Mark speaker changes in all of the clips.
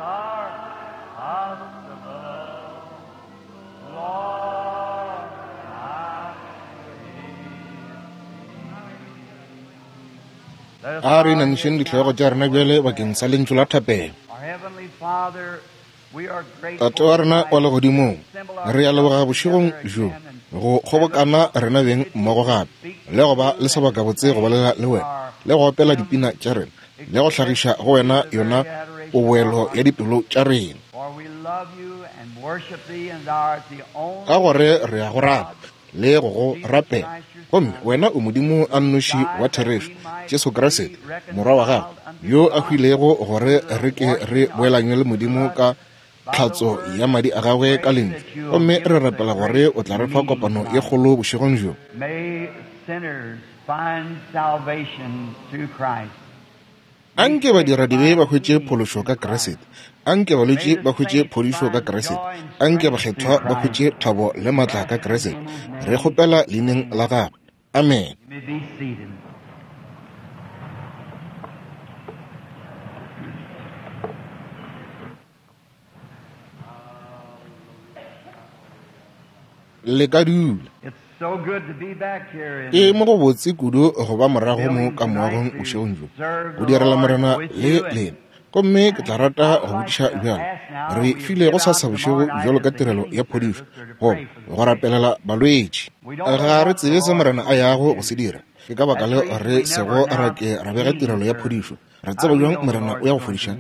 Speaker 1: are possible. Lord, I believe.
Speaker 2: A re inamišeng dihlogo tša rena bjale bakeng sa lentšu la thapelo.
Speaker 1: Our Heavenly Father, we are grateful
Speaker 2: Tate wa rena wa legodimong, re a leboga bošegong bjo go kgobokana rena beng mmogo gape le go ba le sebakabotse go bolela le wena le go opela dipina tša rena le go hlagiša go wena yona poboelo ya dipelo tša rena.
Speaker 1: For we love you and worship thee, and thou art the only
Speaker 2: Ka gore re a go rata le go go rapela, gomme wena o Modimo a nnoši wa therešo, Jesu Kriste, Morwa wa gago, yo a hwilego gore re ke re boelanywe le Modimo ka tlhatso ya madi a gagwe ka lentšu. Gomme re rapela gore o tla re fa kopano ye kgolo bošegong bjo.
Speaker 1: May sinners find salvation through Christ.
Speaker 2: Anke badiradibe ba hwetše phološo ka Kriste. Anke balwetši ba hwetše phodišo ka Kriste. Anke bakgethwa ba hwetše thabo le matla ka Kriste. Re kgopela leineng la gagwe. Amen.
Speaker 1: You may be seated.
Speaker 2: Le ka dula.
Speaker 1: It's so good to be back here in
Speaker 2: Ke mo go botse kudu go ba morago mo ka moagong bošegong bjo, go direla Morena le lena. Gomme ke tla rata go botšiša bjalo, re file go sasa bošego bjalo ka tirelo ya phodišo, goba go rapelela balwetši. Ga re tsebe se Morena a yago go se dira. Ke ka baka leo re sego ra ke ra bega tirelo ya phodišo. Re tseba bjang Morena o ya go fodiša?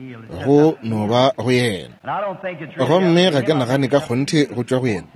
Speaker 2: Go no ba go yena.
Speaker 1: And I don't think it's really
Speaker 2: Gomme
Speaker 1: up to
Speaker 2: ga ke
Speaker 1: him.
Speaker 2: nagane ka kgonthe go tšwa go yena.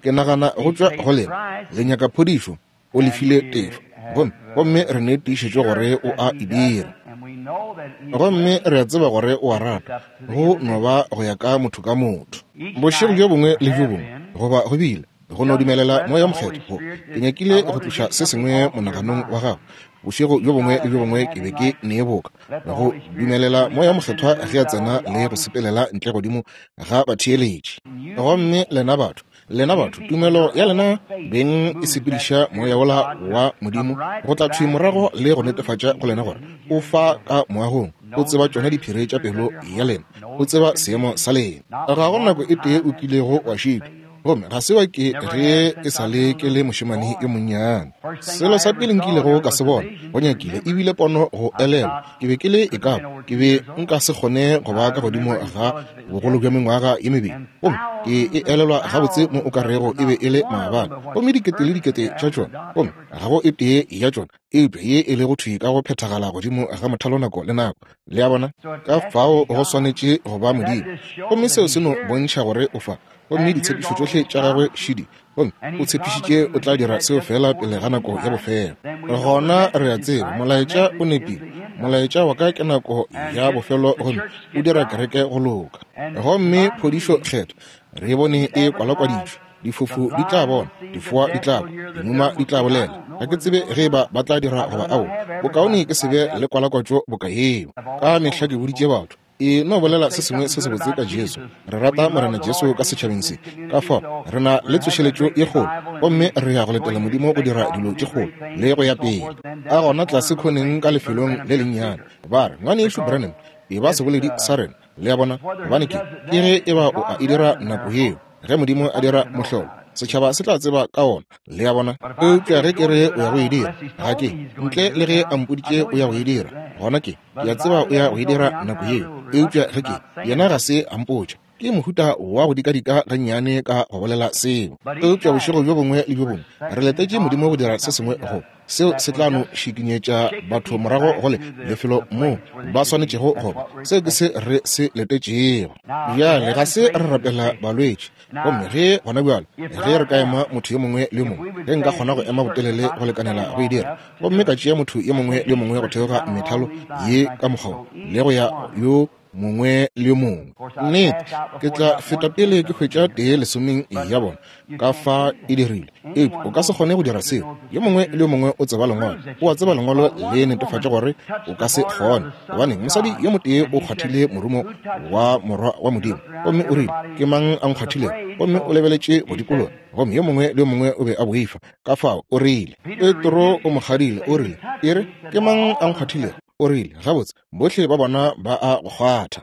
Speaker 2: Ke nagana go tšwa go lena. Le nyaka phodišo, o lefile tefo. Gomme, gomme re ne tiišetšo gore o a e dira.
Speaker 1: And we know that he
Speaker 2: Gomme re a tseba gore o a rata. Go no ba go ya ka motho ka motho. Bošego bjo bongwe le bjo bongwe, goba go bile, go no dumelela Moya wo Mokgethwa go, ke nyakile go tloša se sengwe monaganong wa gago. Bošego bjo bongwe le bjo bongwe ke be ke ne boka go dumelela Moya wo Mokgethwa ge a tsena le go sepelela ntle godimo ga batheeletši. Gomme lena batho, lena batho, tumelo ya lena beng e sepediša moya wola wa Modimo go tla thwi morago le go netefatša go lena gore o fa ka moagong, o tseba tšona diphiri tša pelo ya lena, o tseba seemo sa lena. Ga go nako e tee o kilego wa šitwa, gomme ga se wa ke ge e sa le ke le mošemane yo monnyane. Selo sa pele nkilego ka se bona, go nyakile e bile pono go elelwa. Ke be ke le e ka ba, ke be nka se kgone go ba ka godimo ga bogolo bja mengwaga ye mebedi, gomme ke e elelwa gabotse mo o ka rego e be e le maabane. Gomme dikete le dikete tša tšona, gomme ga go e tee ya tšona eupša ye e lego thwi ka go phethagala godimo ga mothalo nako le nako. Le a bona? Ka fao go swanetše go ba Modimo. Gomme seo se no bontšha gore o fa. Gomme ditshepišo tšohle tša gagwe šidi, gomme o tshepišitše o tla dira seo fela pele ga nako ya bofelo. Gona re a tseba molaetša o nepile. Molaetša wa ka ke nako ya bofelo, gomme o dira kereke go loka. Gomme phodišo kgethwa re e bone e kwalakwaditšwe. Difofu di tla bona, difoa di tla kwa, dimuma di tla bolela. Ga ke tsebe ge eba ba tla dira goba aowa. Bokaone ke se be le kwalakwatšo boka yeo. Ka mehla ke boditše batho, e no bolela se sengwe se sebotse ka Jesu. Re rata Morena Jesu ka setšhabeng se. Ka fao re na le tsošeletšo ye kgolo, gomme re ya go letela Modimo go dira dilo tše kgolo le go ya pele. Ka gona tlase khoneng ka lefelong le lennyane, ba re, Ngwanešu Branham, e ba seboledi sa rena. Le a bona? Gobane ke, ke ge eba o a e dira nako yeo, ge Modimo a dira mohlolo, setšhaba se tla tseba ka ona. Le a bona? Eupša ge ke re o ya go e dira, ga ke, ntle le ge a mpoditše o ya go e dira, gona ke, ke a tseba o ya go e dira nako yeo. Eupša ge ke, yena ga se a mpotša. Ke mohuta wa go dikadika gannyane ka go bolela seo. Eupša bošego bjo bongwe le bjo bongwe re letetše Modimo go dira se sengwe go seo se tla no šikinyetša batho morago go le lefelo moo ba swanetšego go ba. Seo ke se re se letetšego. Bjale ga se re rapela balwetši. Gomme ge gona bjalo, ge re ka ema motho yo mongwe le yo mongwe, ge nka kgona go ema botelele go lekanela go e dira, gomme ka tšea motho yo mongwe le yo mongwe go theoga methalo ye ka mokgwa wo, le go ya yo mongwe le yo mongwe, nnete ke tla feta pele ke hwetša tee lesomeng ya bona ka fa e dirile. Eupša o ka se kgone go dira seo. Yo mongwe le yo mongwe o tseba Lengwalo, o a tseba Lengwalo le netefatša gore o ka se kgone. Gobaneng, mosadi yo motee o kgwathile morumo wa Morwa wa Modimo, gomme o rile, Ke mang a nkgwathilego? Gomme o lebeletše go dikologa, gomme yo mongwe le yo mongwe o be a boifa. Ka fao o rile, Petro o mo kgadile, o rile, E re, ke mang a nkgwathilego? O rile, Gabotse, bohle ba bona ba a go kgwatha.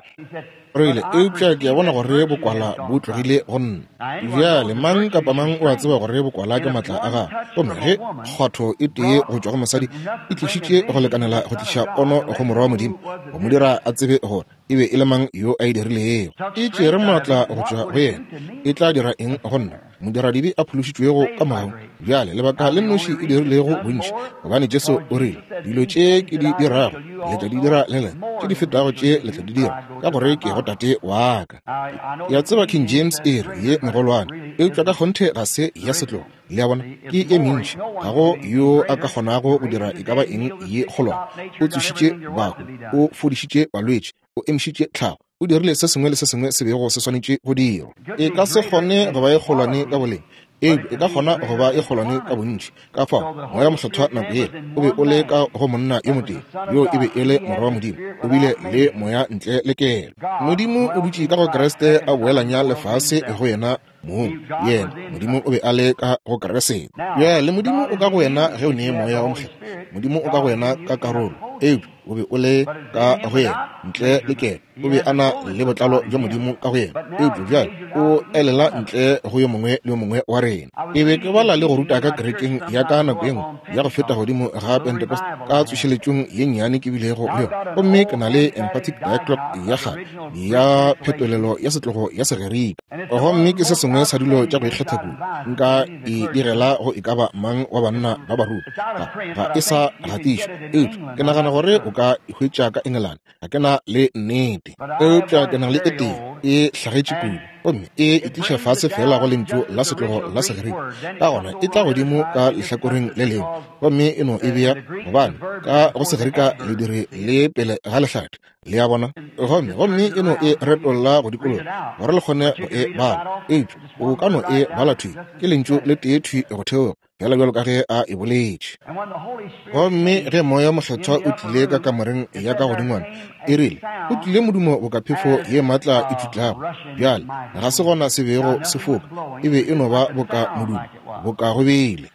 Speaker 2: Rile, eupša ke a bona gore bokwala bo tlogile go nna. Bjale, mang kapa mang o a tseba gore bokwala ke maatla a gagwe. Gomme ge kgwatho e tee go tšwa go mosadi e tlišitše go lekanela go tliša pono go Morwa wa Modimo, go mo dira a tsebe gore e be e le mang yo a e dirilego, e tšere maatla go tšwa go yena, e tla dira eng go nna, modiradibe a phološitšwego ka mogau? Bjale, lebaka le nnoši e dirilego bontši, gobane Jesu o rile, Dilo tše ke di dirago, le tla di dira le lena, tše di fetago tše le tla di dira, ka gore ke go Tate wa ka. Ke a tseba King James e re ye megolwane, eupša ka kgonthe ga se ya setlogo. Le a bona, ke ye mentši. Ga go yo a ka kgonago go dira e ka ba eng ye kgolwane. O tsošitše bahu, o fodišitše balwetši, o emišitše tlhago, o dirile se sengwe le se sengwe se bego se swanetše go dirwa. E ka se kgone go ba e kgolwane ka boleng, eupša e ka kgona go ba e kgolwane ka bontši. Ka fao, Moya Mokgethwa nako yela o be o le ka go monna yo motee, yoo e be e le Morwa wa Modimo, o bile le Moya ntle le kelo. Modimo o dutše ka go Kriste a boelanya lefase go yena mong. Yena, Modimo o be a le ka go Kriste. Bjale, Modimo o ka go wena ge o ne Moya wo Mokgethwa. Modimo o ka go wena ka karolo, eupša o be o le ka go yena ntle le kelo. O be a na le botlalo bja Modimo ka go yena, eupša bjale o elela ntle go yo mongwe le yo mongwe wa rena. Ke be ke bala le go ruta ka kerekeng ya ka nako ye nngwe ya go feta godimo ga Pentecost ka tsošeletšong ye nnyane ke bilego le yona, gomme ke na le Emphatic Diaglott ya kgale ya phetolelo ya setlogo ya Segerika, gomme ke se sengwe sa dilo tša go ikgetha kudu nka e direla go e ka ba mang wa banna ba baruti. Ga e sa gatišwa, eupša ke nagana gore o ka e hwetša ka Engelane. Ga ke na le nnete, eupša ke na le e tee e hlagetše kudu, gomme e e tliša fase feela go lentšu la setlogo la Segerika. Ka gona e tla godimo ka lehlakoreng le lengwe gomme e no e bea, gobane ka go Segerika lediri le pele ga lehlathi, le a bona, gomme gomme e no e retolla go dikologa gore le kgone go e bala. Eupša o ka no e bala thwi, ke lentšu le tee thwi go theoga, fela bjalo ka ge a e boletše. Gomme ge Moya Mokgethwa o tlile ka kamoreng ya ka godingwana, e rile, o tlile modumo boka phefo ye maatla e tšutlago. Bjale, ga se gona se bego se foka, e be e no ba boka modumo, boka go bile.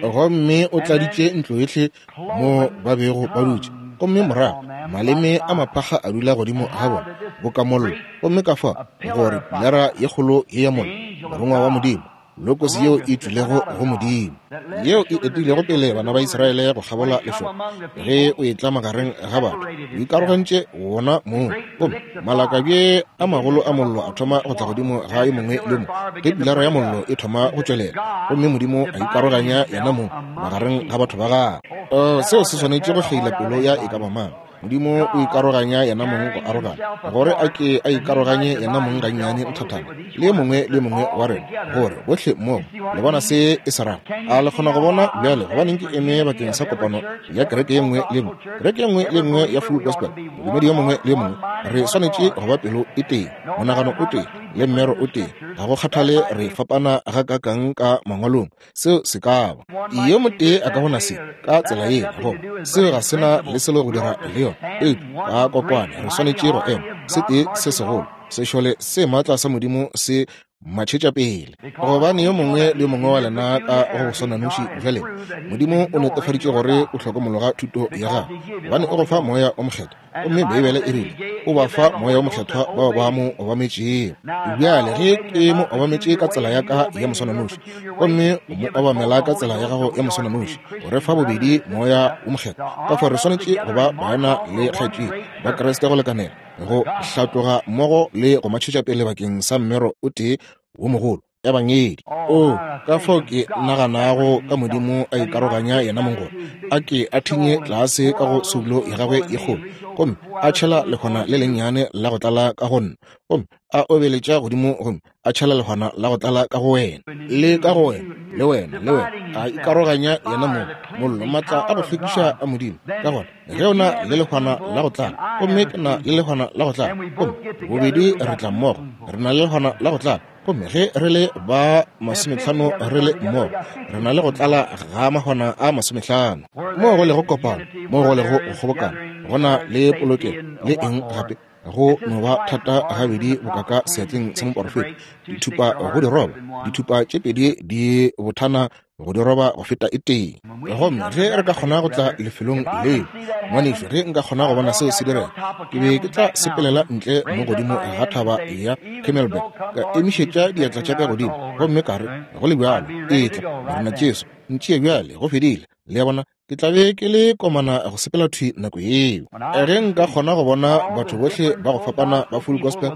Speaker 2: Gomme o tladitše ntlo yohle mo ba bego ba dutše, gomme morago maleme a maphakga a dula godimo ga bona boka mollo, gomme ka fa gore pilara ye kgolo ye ya mollo, morongwa wa Modimo, Logos yeo e tšwilego go Modimo, yeo e etilego pele bana ba Israele go kgabola lešoka, ge o etla magareng ga batho, o ikarogantše wona mong, gomme malakabje a magolo a mollo a thoma go tla godimo ga yo mongwe le yo mongwe, ge pilara ya mollo e thoma go tšwelela, gomme Modimo a ikaroganya yena mong magareng ga batho ba gagwe. Oh, seo se swanetše go kgeila pelo ya e ka ba mang. Modimo o ikaroganya yena mong go arogana, gore a ke a ikaroganye yena mong gannyane nthathana le yo mongwe le yo mongwe wa rena, gore bohle mmogo le bona se e se rago. A le kgona go bona bjale gobaneng ke eme bakeng sa kopano ya kereke ye nngwe le nngwe, kereke ye nngwe le nngwe ya Full Gospel, modumedi yo mongwe le yo mongwe? Re swanetše go ba pelo e tee, monagano o tee, le mmero o tee. Ga go kgathale re fapana gakaakang ka mangwalong, seo se ka ba yo motee a ka bona se ka tsela ye, goba seo ga se na le selo go dira le yona. Eupša ka kokwane re swanetše go ema se tee se segolo, sešole se maatla sa Modimo se matšhetša pele, gobane yo mongwe le yo mongwe wa lena ka go swananoši bja lena, Modimo o netefaditše gore o hlokomologa thuto ya gagwe, gobane o go fa Moya o Mokgethwa. Gomme Beibele e rile, O ba fa Moya wo Mokgethwa bao ba Mo obametšego. Bjale, ge ke Mo obametše ka tsela ya ka ya moswananoši, gomme o Mo obamela ka tsela ya gago ya moswananoši, o re fa bobedi Moya wo Mokgethwa. Ka fao re swanetše go ba baena le kgaetšedi ba Kriste go lekanela, go hlatloga mmogo le go matšhetša pele bakeng sa mmero o tee wo mogolo. Ebangedi. Oo, ka fao ke naganago ka Modimo a ikaroganya yena mong gore a ke a thinye tlase ka go soulo ya gagwe ye kgolo, gomme a tšhela lehwana le lennyane la go tlala ka go nna, gomme a obeletša godimo gomme a tšhela lehwana la go tlala ka go wena, le ka go wena, le wena, le wena, a ikaroganya yena mong, mollo, maatla a go hlwekiša a Modimo. Ka gona, ge o na le lehwana la go tlala, gomme ke na le lehwana la go tlala, gomme bobedi re tla mmogo, re na le lehwana la go tlala. Gomme ge re le ba masometlhano re le mmogo, re na le go tlala ga mahwana a masometlhano. Moo go lego kopano, moo go lego go kgobokana, go na le polokelo le eng gape. Go no ba thata gabedi boka ka seatleng sa moporofeta, dithupa go di roba, dithupa tše pedi di bothana go di roba go feta e tee. Gomme ge re ka kgona go tla lefelong leo, ngwanešu, ge nka kgona go bona seo se direga, ke be ke tla sepelela ntle mo godimo ga thaba ya Camelback, ka emišetša diatla tša ka godimo, gomme ka re, go le bjalo, etla, Morena Jesu, ntšee bjale, go fedile. Le a bona? Ke tla be ke le komana go sepela thwi nako yeo. Ge nka kgona go bona batho bohle ba go fapana ba Full Gospel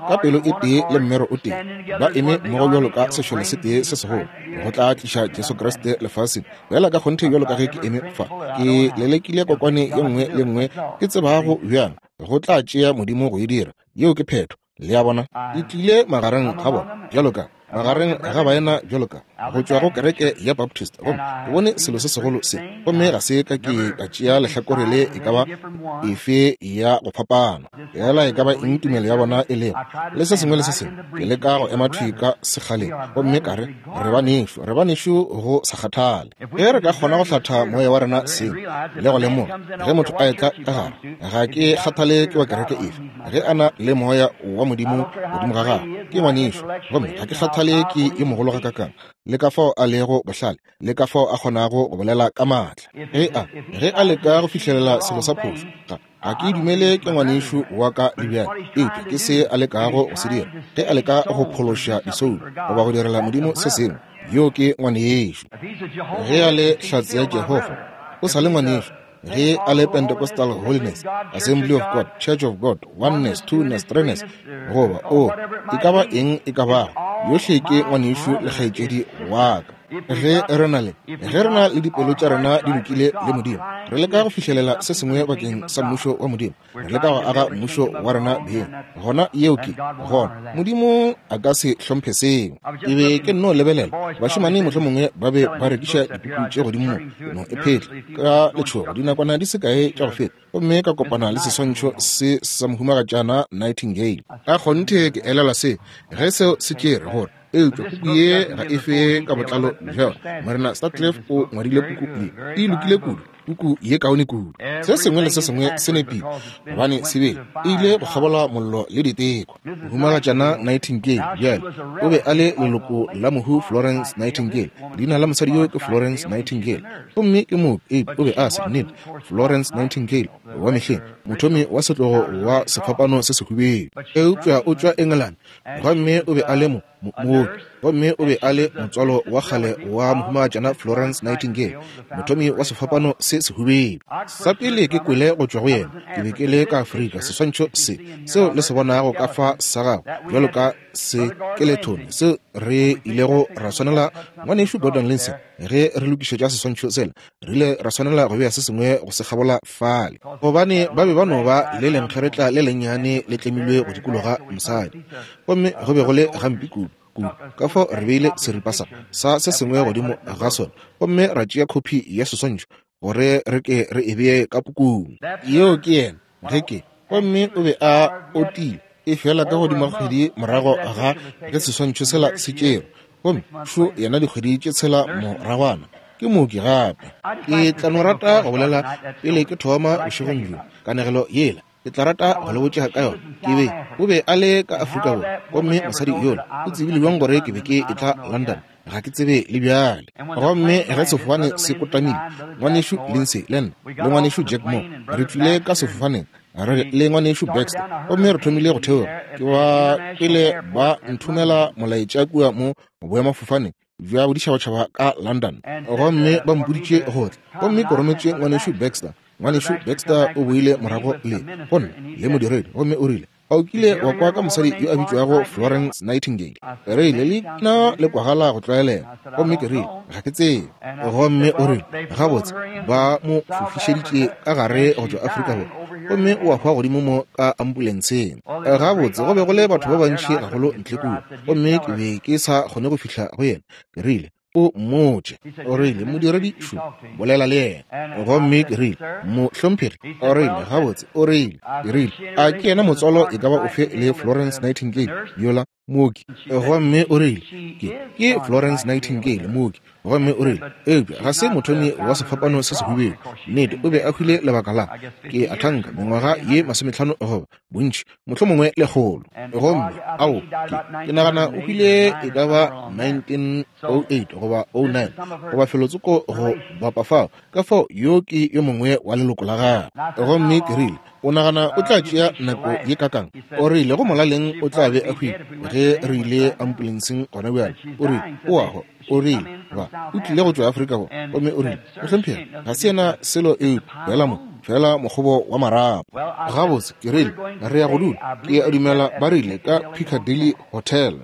Speaker 2: ka pelo e tee le mmero o tee, ba eme mmogo bjalo ka sešole se tee se segolo, go tla tliša Jesu Kriste lefaseng. Bjala ka kgonthe bjalo ka ge ke eme fa, ke lelekile kokwane ye nngwe le nngwe ke tsebago bjang, go tla tšea Modimo go e dira. Yeo ke phetho. Le a bona? E tlile magareng ga bona bjalo ka magareng ga baena bjalo ka go tšwa go kereke ya Baptist, gomme ke bone selo se segolo se, gomme ga se ka ke ka tšea lehlakore le e ka ba efe ya go fapana, fela e ka ba eng tumelo ya bona e lego, le se sengwe le se sengwe. Ke leka go ema thwi ka sekgaleng gomme ka re, Re banešu, re banešu go sa kgathale. Ge re ka kgona go hlatha moya wa rena seng le go lemoga ge motho a etla ka gare, ga ke kgathale ke wa kereke efe, ge a na le moya wa Modimo godimo ga gagwe, ke ngwanešu. Gomme ga ke kgathale ke yo mogolo gakakang, le ka fao a lego bohlale, le ka fao a kgonago go bolela ka maatla. Ge a, ge a leka go fihlelela selo sa phošo, ga, ga ke dumele ke ngwanešu wa ka le bjale, eupša ke se a lekago go se dira. Ge a leka go phološa disoulo goba go direla Modimo se sengwe, yo ke ngwanešu. Ge a le hlatse ya Jehofa, o sa le ngwanešu. Ge a le Pentecostal Holiness, Assembly of God, Church of God, Oneness, Twoness, Threeness, goba o e ka ba eng e ka bago, yohle ke ngwanešu le kgaetšedi wa ka. Ge re na le, ge re na le dipelo tša rena di lokile le Modimo, re leka go fihlelela se sengwe bakeng sa Mmušo wa Modimo, re leka go aga mmušo wa rena beng, gona yeo ke gona Modimo a ka se hlomphe seo. Ke be ke nno lebelela bašemane mohlomongwe ba be ba rekiša dipuku tše godimo mo, no e phetla ka letšhogo dinakwana di se kae tša go feta, gomme ka kopana le seswantšho se sa Mohumagatšana Nightingale. Ka kgonthe ke elelwa se ge seo se tšere gore, eupša puku ye ga e fe ka botlalo bja yona. Morena Sutcliffe o ngwadile puku ye, e lokile kudu, puku ye kaone kudu. Se sengwe le se sengwe se nepile, gobane se be e ile go kgabola mollo le diteko. Mohumagatšana Nightingale bjale o be a le leloko la mohu Florence Nightingale. Leina la mosadi yo ke Florence Nightingale, gomme ke mooki, eupša o be a se nnete Florence Nightingale wa mehleng, mothomi wa setlogo wa sefapano se sehubedu. Eupša o tšwa Engelane, gomme o be a le mo mooki, gomme o be a le motswalo wa kgale wa Mohumagatšana Florence Nightingale, mothomi wa sefapano se sehubedu. Sa pele ke kwele go tšwa go yena, ke be ke le ka Afrika. Seswantšho se seo le se bonago ka fa sa gagwe bjalo ka sekelethone seo re ilego ra swanela Ngwanešu Gordon Lindsay ge re lokišetša seswantšho sela, re ile ra swanela go bea se sengwe go se kgabola fale, gobane ba be ba no ba le lenkgeretla le lennyane le tlemilwe go dikologa mosadi, gomme go be go le gampe kudu, kudu. Ka fao re beile seripa sa, sa se sengwe godimo ga sona, gomme ra tšea khophi ya seswantšho gore re ke re e bee ka pukung. Yeo ke yena, ge ke. Gomme o be a otile, efela ka godimo ga kgwedi morago ga ge seswantšho sela se tšerwe, gomme šo yena dikgwedi tše tshela moragwana, ke mooki gape. Ke tla no rata go bolela pele ke thoma bošegong bjo, kanegelo yela. Ke tla rata go le botša ka yona. Ke be, o be a le ka Afrika Borwa, gomme mosadi yola o tsebile bjang gore ke be ke etla London? Ga ke tsebe le bjale. Gomme ge sefofane se kotamile, Ngwanešu Lindsay le nna, le Ngwanešu Jack Moore, re tšwile ka sefofaneng, re le Ngwanešu Baxter, gomme re thomile go theoga. Ke ba pele ba nthomela molaetša kua mo boemafofaneng bja boditšhabatšhaba ka London, gomme ba mpoditše go tla. Gomme ke rometše Ngwanešu Baxter. Ngwanešu Baxter o boile morago le go nna le modiredi, gomme o rile, A o kile wa kwa ka mosadi yo a bitšwago Florence Nightingale? Ke rile, Leina le kwagala go tlwaelega. Gomme ke rile, Ga ke tsebe. Gomme o rile, Gabotse, ba mo fofišeditše ka gare go tšwa Afrika Borwa, gomme o a hwa godimo mo ka ambulenseng. Gabotse, go be go le batho ba bantši gagolo ntle kua, gomme ke be ke sa kgone go fihla go yena. Ke rile, O mmotše. O rile, Modiredi šo, bolela le yena. Gomme ke rile, Mohlomphegi. O rile, Gabotse, o rile. Ke rile, A ke yena motswalo e ka ba ofe le Florence Nightingale yola? Mooki. Gomme o rile, Ke, ke Florence Nightingale, mooki. Gomme o rile, Eupša ga se mothomi wa sefapano se sehubedu. Nnete, o be a hwile lebaka la, ke a thanka, mengwaga ye 50 goba bontši, mohlomongwe 100. Gomme, ao, ke, ke nagana o hwile e ka ba 1908 goba 09, goba felotsoko go bapa fao. Ka fao, yo ke yo mongwe wa leloko la gagwe. Gomme ke rile, O nagana o tla tšea nako ye kakang? O rile go molaleng o tla be a hwile ge re ile ambulenseng gona bjale. O rile o a hwa. O rile ba o tlile go tšwa Afrika Borwa. Gomme o rile, Mohlomphegi, ga se yena selo eupša feela mo, feela mokgobo wa marapo. Gabotse, ke rile, re ya go dula, ke a dumela ba rile ka Piccadilly Hotel.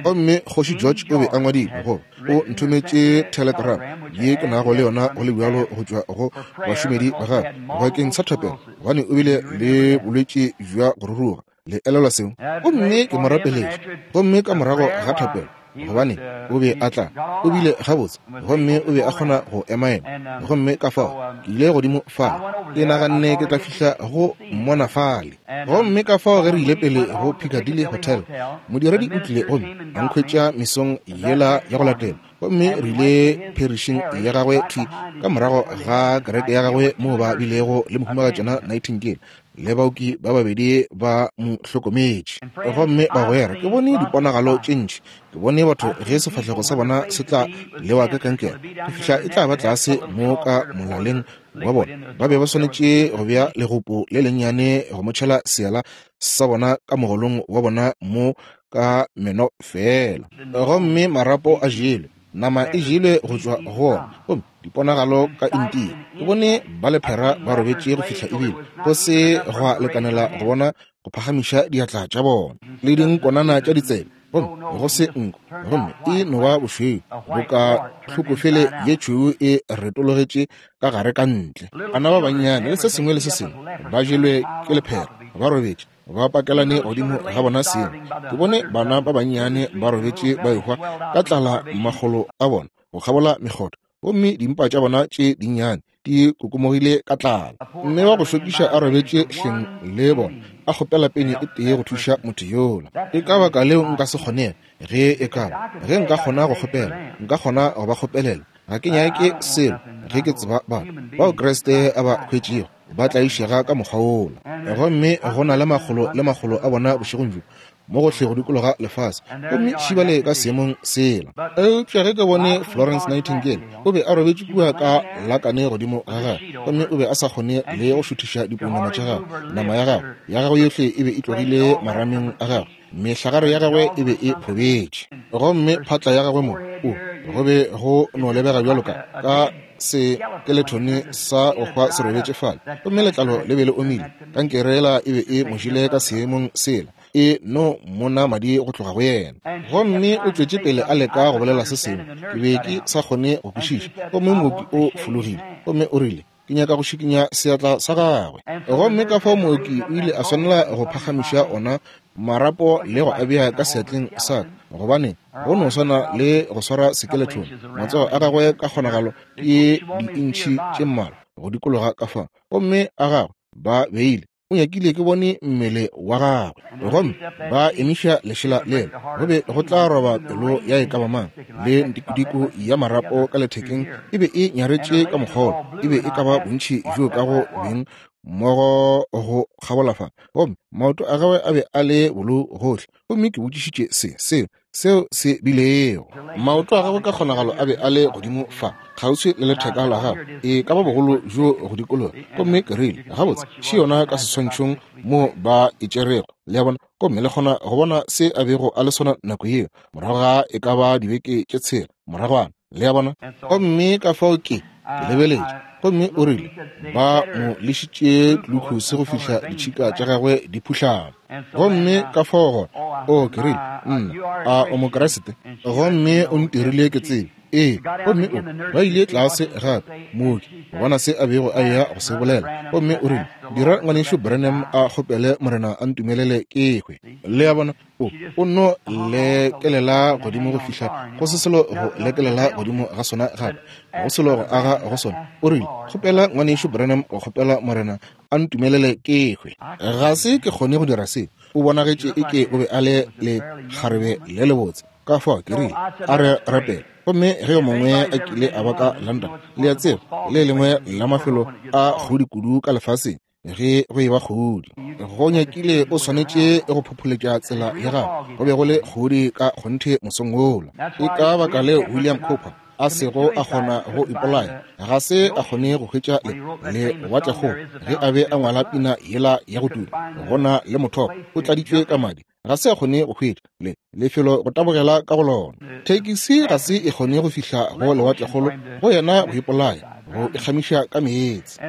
Speaker 2: Gomme Kgoši George o be a ngwadile, goba o nthometše telegram ye ke nago le yona go le bjalo go tšwa go bašomedi ba gagwe bakeng sa thapelo, gobane o bile le bolwetši bja go ruruga. Le elelwa seo? Gomme ke mo rapeletše. Gomme ka morago ga thapelo, gobane o be a tla, o bile gabotse, gomme o be a kgona go emaema. Gomme ka fao ke ile godimo fale, ke naganne ke tla fihla go mmona fale. Gomme ka fao ge re ile pele go Piccadilly Hotel, modiredi o tlile gomme a nkhwetša mesong yela ya go latela, gomme re ile pherišing ya gagwe thwi ka morago ga kereke ya gagwe moo ba bilego le Mohumagatšana Nightingale le baoki ba babedi ba mo hlokometše. Gomme bagwera, ke bone diponagalo tše ntši. Ke bone batho ge sefahlego sa bona se tla lewa ka kankere go fihla e tla ba tlase mo ka molaleng wa bona. Ba be ba swanetše go bea legopo le lennyane go mo tšhela seala sa bona ka mogolong wa bona mo ka meno feela. Gomme marapo a jelwe, nama e jelwe go tšwa go ona, gomme diponagalo ka India. Ke bone ba lephera ba robetše go fihla ebile go se gwa lekanela go bona go phagamiša diatla tša bona, le dinkonana tša ditsebe, gomme go se nko, gomme e no ba bošweu boka tlhokofele ye tšhweu e retologetše ka gare ka ntle. Bana ba bannyane le se sengwe le se sengwe ba jelwe ke lephera, ba robetše ba pakelane godimo ga bona sengwe. Ke bone bana ba bannyane ba robetše ba ehwa ka tlala makgolo a bona go kgabola mekgotha, gomme dimpa tša bona tše dinnyane di kokomogile ka tlala. Mme wa go šokiša a robetše hleng le bona, a kgopela peni e tee go thuša motho yola. Ke ka baka leo nka se kgonego, ge e ka ba ge nka kgona go kgopela, nka kgona go ba kgopelela. Ga ke nyake selo ge ke tseba batho bao Kriste a ba hwetšego ba tlaišega ka mokgwa wola. Gomme go na le makgolo le makgolo a bona bošegong bjo mo gohle go dikologa lefase, gomme šibale ka seemong sela. Eupša ge ke bone Florence Nightingale, o be a robetše kua ka lakane godimo ga gagwe, gomme o be a sa kgone le go šuthiša dipounama tša gagwe, nama ya gagwe, ya gagwe yohle e be e tlogile marameng a gagwe, mehlagare ya gagwe e be e phobetše, gomme phatla ya gagwe mo, o, go be go no lebega bjalo ka, ka sekelethone sa go hwa se robetše fale, gomme letlalo le be le omile, kankere yela e be e mo jele ka seemong sela, e no mona madi go tloga go yena. Gomme o tšwetše pele a leka go bolela se sengwe, ke be ke sa kgone go kwešiša. Gomme mooki o fologile, gomme o rile, Ke nyaka go šikinya seatla sa gagwe. Gomme ka fao mooki o ile a swanela go phagamiša ona marapo le go a bea ka seatleng sa ka, gobane go no swana le go swara sekelethone, matsogo a gagwe ka kgonagalo ke diintšhi tše mmalwa go dikologa ka fa, gomme a gagwe ba beile O nyakile ke bone mmele wa gagwe. Gomme ba emiša lešela lela, go be go tla roba pelo ya e ka ba mang, le ntikodiko ya marapo ka lethekeng e be e nyaretše ka mokgolo, e be e ka ba bontši bjo ka go beng mmogo go kgabola fa. Gomme maoto a gagwe a be a le bolou gohle. Gomme ke botšišitše se, seo, seo se bilego. Maoto a gagwe ka kgonagalo a be a le godimo fa, kgauswi le letheka la gagwe, e ka ba bogolo bjo go dikologa. Gomme ke rile, Gabotse, še yona ka seswantšhong mo ba e tšerego, le a bona, gomme le kgona go bona se a bego a le sona nako yeo, morago ga e ka ba dibeke tše tshela moragwana, le a bona. Gomme ka fao ke, ke lebeletše, gomme o rile ba mo lešitše glucose go fihla ditšhika tša gagwe di phuhlama. Gomme ka fao gona, o, ke rile, nna, a o Mokriste? Gomme o ntirile ke tsebe. Ee. Gomme o, ba ile tlase gape, mooki, go bona se a bego a eya go se bolela. Gomme o rile, Dira Ngwanešu Branham a kgopele Morena a ntumelele ke hwe. Le a bona, o, o nno lekelela godimo go fihla go se selo go lekelela godimo ga sona gape, go selo go aga go sona. O rile, Kgopela Ngwanešu Branham go kgopela Morena a ntumelele ke hwe. Ga se ke kgone go dira seo. O bonagetše eke o be a le lekgarebe le lebotse. Ka fao ke rile, a re rapele. Gomme ge yo mongwe a kile a ba ka London, le a tseba, le lengwe la mafelo a kgodi kudu ka lefaseng, ge go eba kgodi, go nyakile o swanetše go phopholetša tsela ya gago. Go be go le kgodi ka kgonthe mosong wola. Ke ka baka leo William Cooper a sego a kgona go ipolaya, ga se a kgone go hwetša le lewatlekgolo ge a be a ngwala pina yela ya go tuma, go na le mothopo o tladitšwe ka madi. Ga se a kgone go hwetša le lefelo go tabogela ka go lona. Thekisi ga se e kgone go fihla go lewatlekgolo go yena go ipolaya, go ikgamiša ka meetse.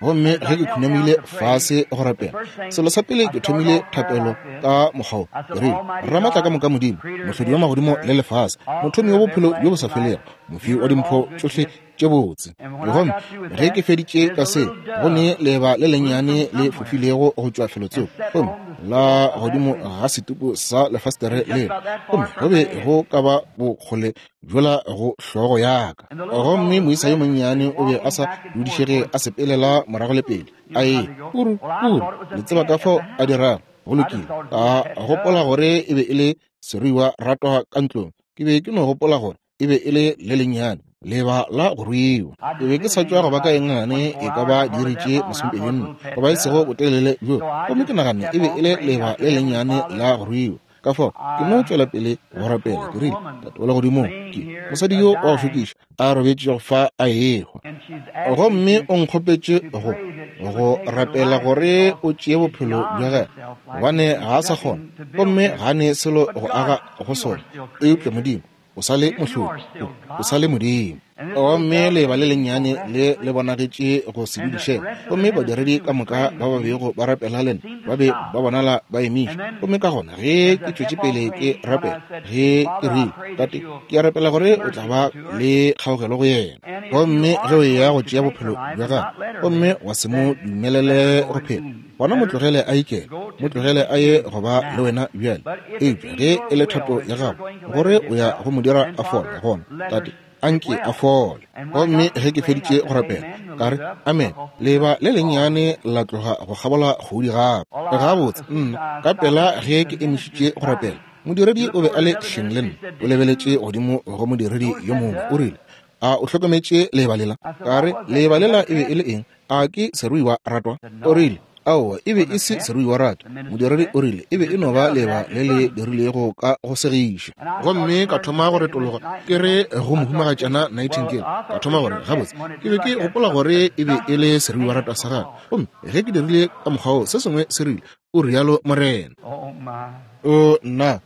Speaker 2: Gomme ge ke khunamile fase go rapela, selo sa pele ke thomile thapelo ka mokgwa wo. Ke rile, Ramatla ka moka Modimo, mohlodi wa magodimo le lefase, mothomi wa bophelo bjo bo sa felego, mofi wa dimpho tšohle tše botse. Gomme ge ke feditše ka se, go ne leeba le lennyane le fofilego go tšwa felotsoko, gomme la godimo ga setupu sa lefastere lela, gomme go be go ka ba bokgole bjola go hlogo ya ka. Gomme moisa yo monnyane o be a sa dudišege, a sepelela morago le pele, a e puru puru, le tseba ka fao a dirago. Go lokile, ka gopola gore e be e le seruiwa ratwa ka ntlong. Ke be ke no gopola gore e be e le le lennyane leba la go ruiwa. Ke be ke sa tšwa go ba ka engane e ka ba diiri tše 24 goba e sego botelele bjo, gomme ke naganne e be e le leba le lennyane la go ruiwa. Ka fao ke no tšwela pele go rapela. Ke rile, Tate wa legodimong, ke mosadi yo wa go šokiša a robetšego fa a ehwa, gomme o nkgopetše go rapela gore o tšee bophelo bja gagwe, gobane ga a sa kgona, gomme ga a ne selo go aga go sona. Eupša Modimo, o sa le mohlodi, o sa le Modimo. Gomme leeba le lennyane le le bonagetše go se dudišege, gomme badiredi ka moka ba ba bego ba rapela le nna ba be ba bonala ba emiša. Gomme ka gona ge ke tšwetše pele ke rapela, ge ke rile, Tate, ke a rapela gore o tla ba le kgaogelo go yena. Gomme ge o eya go tšea bophelo bja gagwe gomme wa se mo dumelele go phela, gona mo tlogele a ikele, mo tlogele a ye go ba le wena bjale. Eupša ge e le thato ya gago gore o ya go mo dira a fole, gona Tate, anke a fole. Gomme ge ke feditše go rapela, ka re, Amen. Leeba le lennyane la tloga go kgabola kgodi gape. Gabotse, nna, ka pela ge ke emišitše go rapela, modiredi o be a le hleng le nna. O lebeletše godimo go modiredi yo mongwe, o rile, A o hlokometše leeba lela? Ka re, Leeba lela e be e le eng? A ke seruiwa ratwa? O rile, Aowa, e be e se seruiwa ratwa. Modiredi o rile, E be e no ba leeba le le dirilego ka go segiša. Gomme ka thoma go retologa ke re go Mohumagatšana Nightingale, ka thoma gore, Gabotse, ke be ke gopola gore e be e le seruiwa ratwa sa gagwe. Gomme ge ke dirile ka mokgwa wo, se sengwe se rile, O rialo Morena. O nna,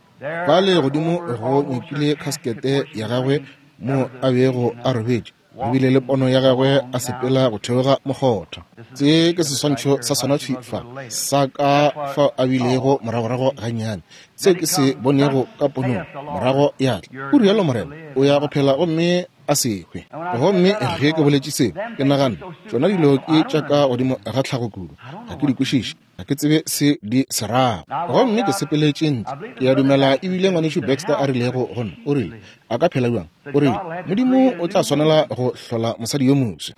Speaker 2: fale godimo go nyakile khaskete ya gagwe mo a bego a robetše, go bile le pono ya gagwe a sepela go theoga mokgotha. Se ke seswantšho sa sona thwi fa, sa ka fao a bilego moragorago gannyane, seo ke se bonego ka ponong morago ya tla. O rialo Morena, o ya go phela gomme a se hwe. Gomme ge ke boletše seo, ke naganne, tšona dilo ke tša ka godimo ga tlhago kudu, ga ke di kwešiše. Ga ke tsebe se di se rago. Gomme ke sepeletše ntle. Ke a dumela ebile Ngwanešu Baxter a rilego go nna, o rile, A ka phela bjang? O rile, Modimo o tla swanela go hlola mosadi yo moswa.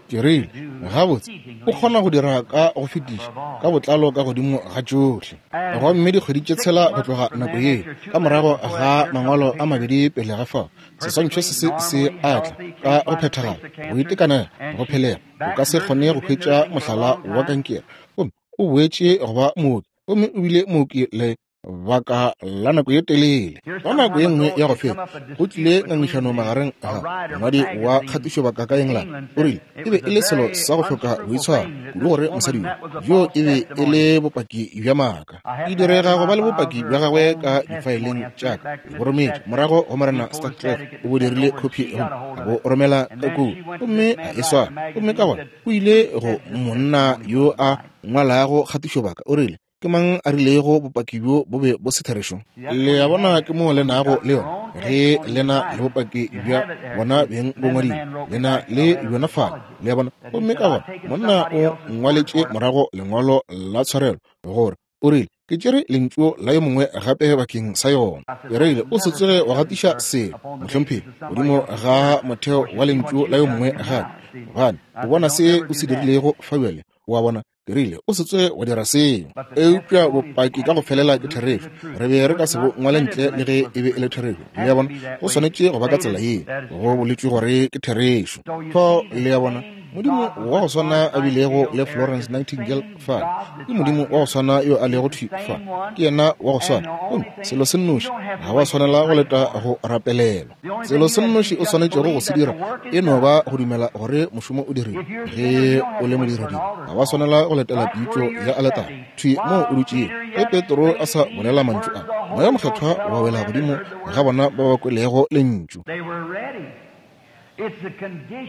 Speaker 2: Ke rile, Gabotse, o kgona go dira ka go fetiša, ka botlalo ka godimo ga tšohle. Gomme dikgwedi tše tshela go tloga nako yeo, ka morago ga mangwalo a mabedi pele ga fao, seswantšho se se se a tla ka go phethagala, go itekanela, go phelega. O ka se kgone go hwetša mohlala wa kankere. Gomme o boetše go ba mooki, gomme o bile mooki le baka la nako ye telele. Ka nako ye nngwe ya go feta, go tlile ngangišano magareng ga mongwadi wa kgatišobaka ka England. O rile e be e le selo sa go hloka boitshwaro kudu gore mosadi yo e be e le bopaki bja maaka. Ke direga go ba le bopaki bja gagwe ka difaeleng tša ka. Ke bo rometše morago go Morena Starclef, o bo dirile khophi gomme a bo romela ka kua, gomme a e swara. Gomme ka gona o ile go monna yo a ngwalago kgatišobaka, o rile, Ke mang a rilego bopaki bjo bo be bo se therešo? Le a bona, ke moo le nago le yona. Ge le na le bopaki bja bona beng bo ngwadilwe, le na le bjona fale. Le a bona? Gomme ka gona monna o ngwaletše morago lengwalo la tshwarelo, gore o rile, Ke tšere lentšu la yo mongwe gape bakeng sa yona. Ke rile, O se tsoge wa gatiša selo, mohlomphegi, godimo ga motheo wa lentšu la yo mongwe gape, gobane o bona se o se dirilego fa bjale. O a bona? Ke rile, O se tsoge wa dira seo. Eupša bopaki ka go felela ke therešo. Re be re ka se bo ngwale ntle le ge e be e le therešo. Le a bona? Go swanetše go ba ka tsela ye. Go boletšwe gore ke therešo. Fao, le a bona, Modimo wa go swana a bilego le Florence Nightingale fa, ke Modimo wa go swana yo a lego thwi fa. Ke yena wa go swana. Gomme selo se nnoši, ga wa swanela go leta go rapelelwa. Selo se nnoši o swanetšego go se dira e no ba go dumela gore mošomo o dirilwe. Ge o le modiredi, ga wa swanela go letela pitšo ya aletare. Thwi moo o dutšego, ge Petro a sa bolela mantšu a, Moya Mokgethwa wa wela godimo ga bona ba ba kwelego lentšu.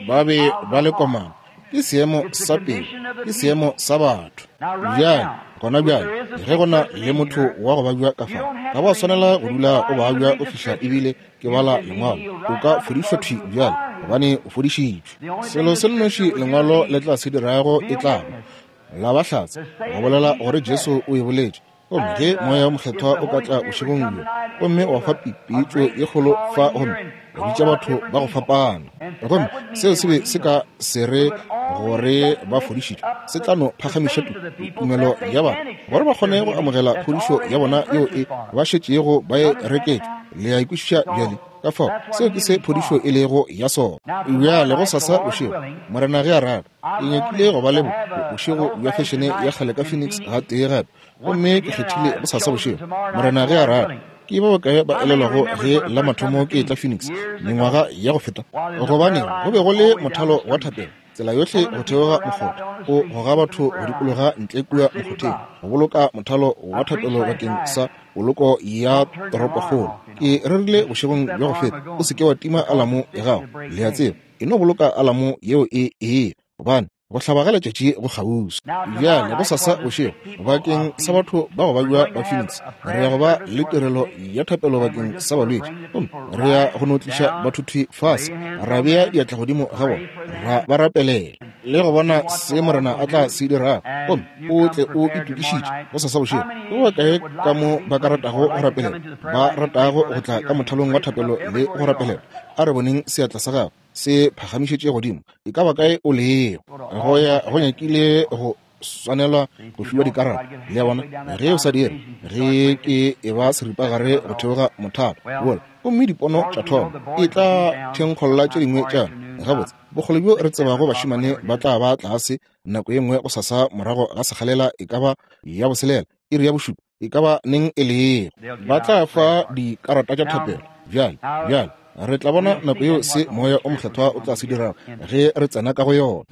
Speaker 2: Ba be ba le komana. Ke seemo sa pelo, ke seemo sa batho. Bjale, gona bjale, ge go na le motho wa go babja ka fa, ga wa swanela go dula o babja o fihla ebile ke bala lengwalo. O ka fodišwa thwi bjale, gobane o fodišitšwe. Selo se nnoši lengwalo le tla se dirago e tla ba la ba hlatse go bolela gore Jesu o e boletše. Gomme ge Moya wo Mokgethwa o ka tla bošegong bjo gomme wa fa pitšo ye kgolo fa gomme wa bitša batho ba go fapana, gomme seo se be se ka se re gore ba fodišitšwe, se tla no phagamiša tumelo ya batho gore ba kgone go amogela phodišo ya bona yeo e ba šetšego ba e reketšwe. Le a e kwešiša bjale? Ka fao seo ke se phodišo e lego ya sona. Bjale gosasa bošego, Morena ge a rata, Ke nyakile go ba le bošego bja fešene ya kgale ka Phoenix gatee gape, gomme ke kgethile bosasa bošego, Morena ge a rata. Ke ba bakae ba elelwago ge la mathomo ke etla Phoenix, mengwaga ya go feta? Gobaneng, go be go le mothalo wa thapelo tsela yohle go theoga mokgotha, o goga batho go dikologa ntle kua mokgotheng, go boloka mothalo wa thapelo bakeng sa poloko ya toropokgolo. Ke rerile bošegong bja go feta, o se ke wa tima alamo ya gago, le a tseba. E no boloka alamo yeo e eya, gobane go hlaba ga letšatši go kgauswi. Bjale gosasa bošego, bakeng sa batho ba go babja ba Phoenix, re ya go ba le tirelo ya thapelo bakeng sa balwetši. Gomme re ya go no tliša batho thwi fase, ra bea diatla godimo ga bona, ra ba rapelela, le go bona se Morena a tla se dirago. Gomme o tle o itokišitše gosasa bošego. Ke ba bakae ka mo ba ka ratago go rapelela, ba ratago go tla ka mothalong wa thapelo le go rapelela? A re boneng seatla sa gago se phagamišetše godimo, e ka ba kae o lego. Go ya go nyakile go swanelwa go fiwa dikarata. Le a bona? Ge o sa dire, ge ke e ba seripagare go theoga mothalo wola, gomme dipono tša thoma, e tla thenkgolla tše dingwe tša yona. Gabotse, bokgole bjo re tsebago bašemane ba tla ba tlase nako ye nngwe gosasa morago ga sekgalela e ka ba ya boselela, iri ya bošupa, e ka ba neng e lego. Ba tla fa dikarata tša thapelo. Bjale, bjale, re tla bona nako yeo se Moya o Mokgethwa o tla se dirago ge re tsena ka go yona.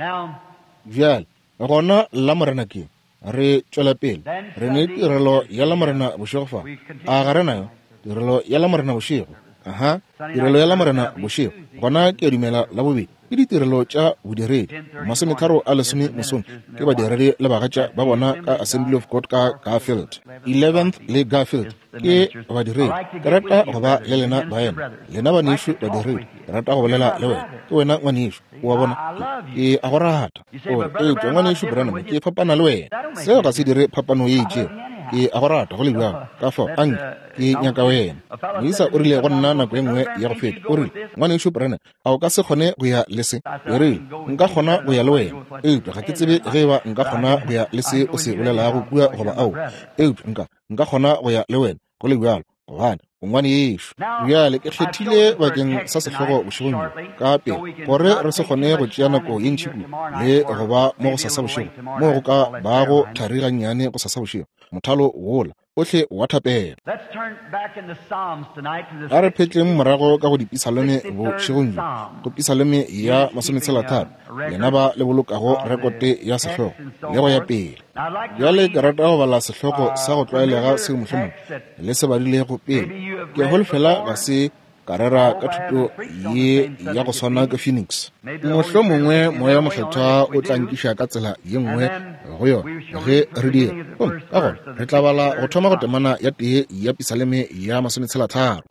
Speaker 2: Bjale, gona Lamorena ke, re tšwela pele, re ne tirelo ya Lamorena bošego fa. A ga re nayo tirelo ya Lamorena bošego? Aha, tirelo ya Lamorena bošego. Gona ke a dumela Labobedi ke ditirelo tša bodiredi. Masometharo a lesome mosong ke badiredi le bagatša ba bona ka Assembly of God ka Garfield. 11th le Garfield ke badiredi. Ke rata go ba le lena baena, lena banešu badiredi. Ke rata go bolela le wena. Ke wena ngwanešu, o a bona. Ke a go rata. O re, eupša ngwanešu Branham, ke fapana le wena. Seo ga se dire phapano ye itšego. Ke a go rata go le bjalo. Ka fao, anke ke nyaka wena. Moisa o rile go nna nako ye nngwe ya go feta, o rile, Ngwanešu Branham, a o ka se kgone go ya le se? Ke rile, Nka kgona go ya le wena, eupša ga ke tsebe ge eba nka kgona go ya le se o se bolelago kua goba aowa. Eupša nka, nka kgona go ya le wena, go le bjalo, gobane o ngwanešu. Bjale ke kgethile bakeng sa sehlogo bošegong bjo, ka pela, gore re se kgone go tšea nako ye ntši kudu le go ba mo gosasa bošego, moo go ka bago thari gannyane gosasa bošego, mothalo wola ohle wa thapelo. A re phetleng morago ka go dipisalome bošegong bjo, go pisalome ya masometshelatharo, lena ba le bolokago rekote ya sehlogo, le go ya pele. Bjale ke rata go bala sehlogo sa go tlwaelega seo mohlomongwe le se badilego pele. Ke holofela ga se ka rera ka thuto ye ya go swana ka Phoenix. Mohlomongwe Moya Mokgethwa o tla nkiša ka tsela ye nngwe go yona ge re dira. Gomme ka gona re tla bala go thoma go temana ya tee ya Pisaleme ya masometshelatharo.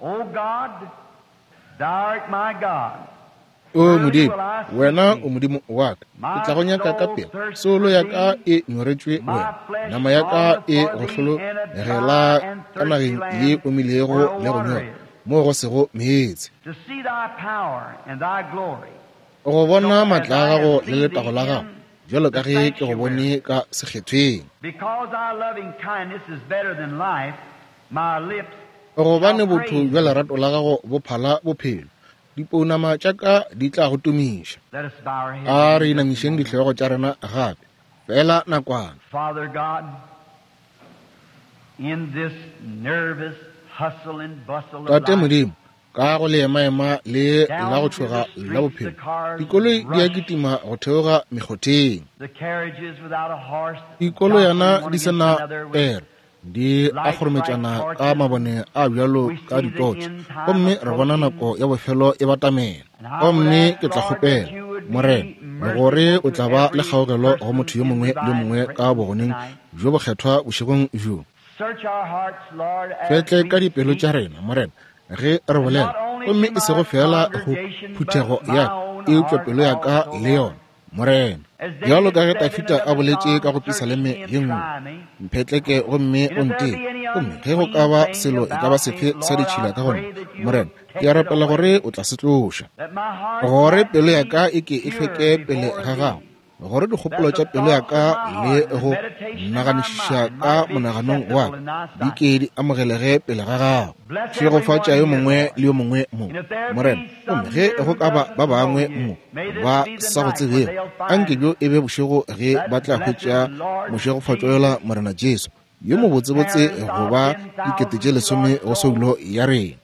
Speaker 2: O Modimo, wena o Modimo wa ka, ke tla go nyaka ka pela. Soulo ya ka e nyoretšwe wena, nama ya ka e go hlologela ka nageng ye omilego le go nyora, moo go sego meetse. Go bona matla a gago le letago la gago, bjalo ka ge ke go bone ka sekgethweng. Gobane botho bja lerato la gago bo phala bophelo, dipounama tša ka di tla go tumiša. A re inamišeng dihlogo tša rena gape, feela nakwana. Tate Modimo, ka go leemaema le la go tšhoga la bophelo, dikoloi di a kitima go theoga mekgotheng. Dikoloyana di se na pere, di a kgorometšana ka mabone a bjalo ka ditotše, gomme re bona nako ya bofelo e batamela. Gomme ke tla kgopela, Morena, gore o tla ba le kgaogelo go motho yo mongwe le yo mongwe ka bogoneng bjo bokgethwa bošegong bjo. Fetle ka dipelo tša rena, Morena, ge re bolela, gomme e sego feela go phuthego ya ka, eupša pelo ya ka le yona, Morena. Bjalo ka ge Dafida a boletše ka go Pisaleme ye nngwe, mphetleke gomme o nteke, gomme ge go ka ba selo e ka ba sefe sa ditšhila ka go nna, Morena, ke a rapela gore o tla se tloša, gore pelo ya ka e ke e hlweke pele ga gago, gore dikgopolo tša pelo ya ka le go naganišiša ka monaganong wa ka di ke di amogelege pele ga gago. Šegofatša yo mongwe le yo mongwe mo, Morena, gomme ge go ka ba ba bangwe mo ba sa go tsebego, anke bjo e be bošego ge ba tla hwetša mošegofatšo yola Morena Jesu yo mobotsebotse go ba 10,000 go soulo ya rena.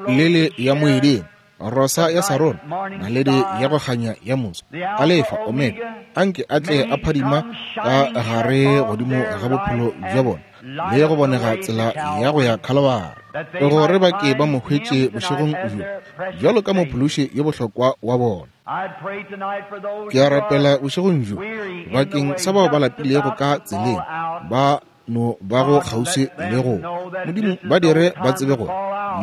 Speaker 2: Lele ya moeding, rosa ya Sarona, naledi ya go kganya ya moso, Alefa, Omega, anke a tle a phadima ka gare godimo ga bophelo bja bona le go bonega tsela ya go ya Khalabara, gore ba ke ba mo hwetše bošegong bjo bjalo ka mophološi yo bohlokwa wa bona. Ke a rapela bošegong bjo bakeng sa bao ba lapilego ka tseleng, ba no ba go kgauswi le go Modimo, ba dire ba tsebe gore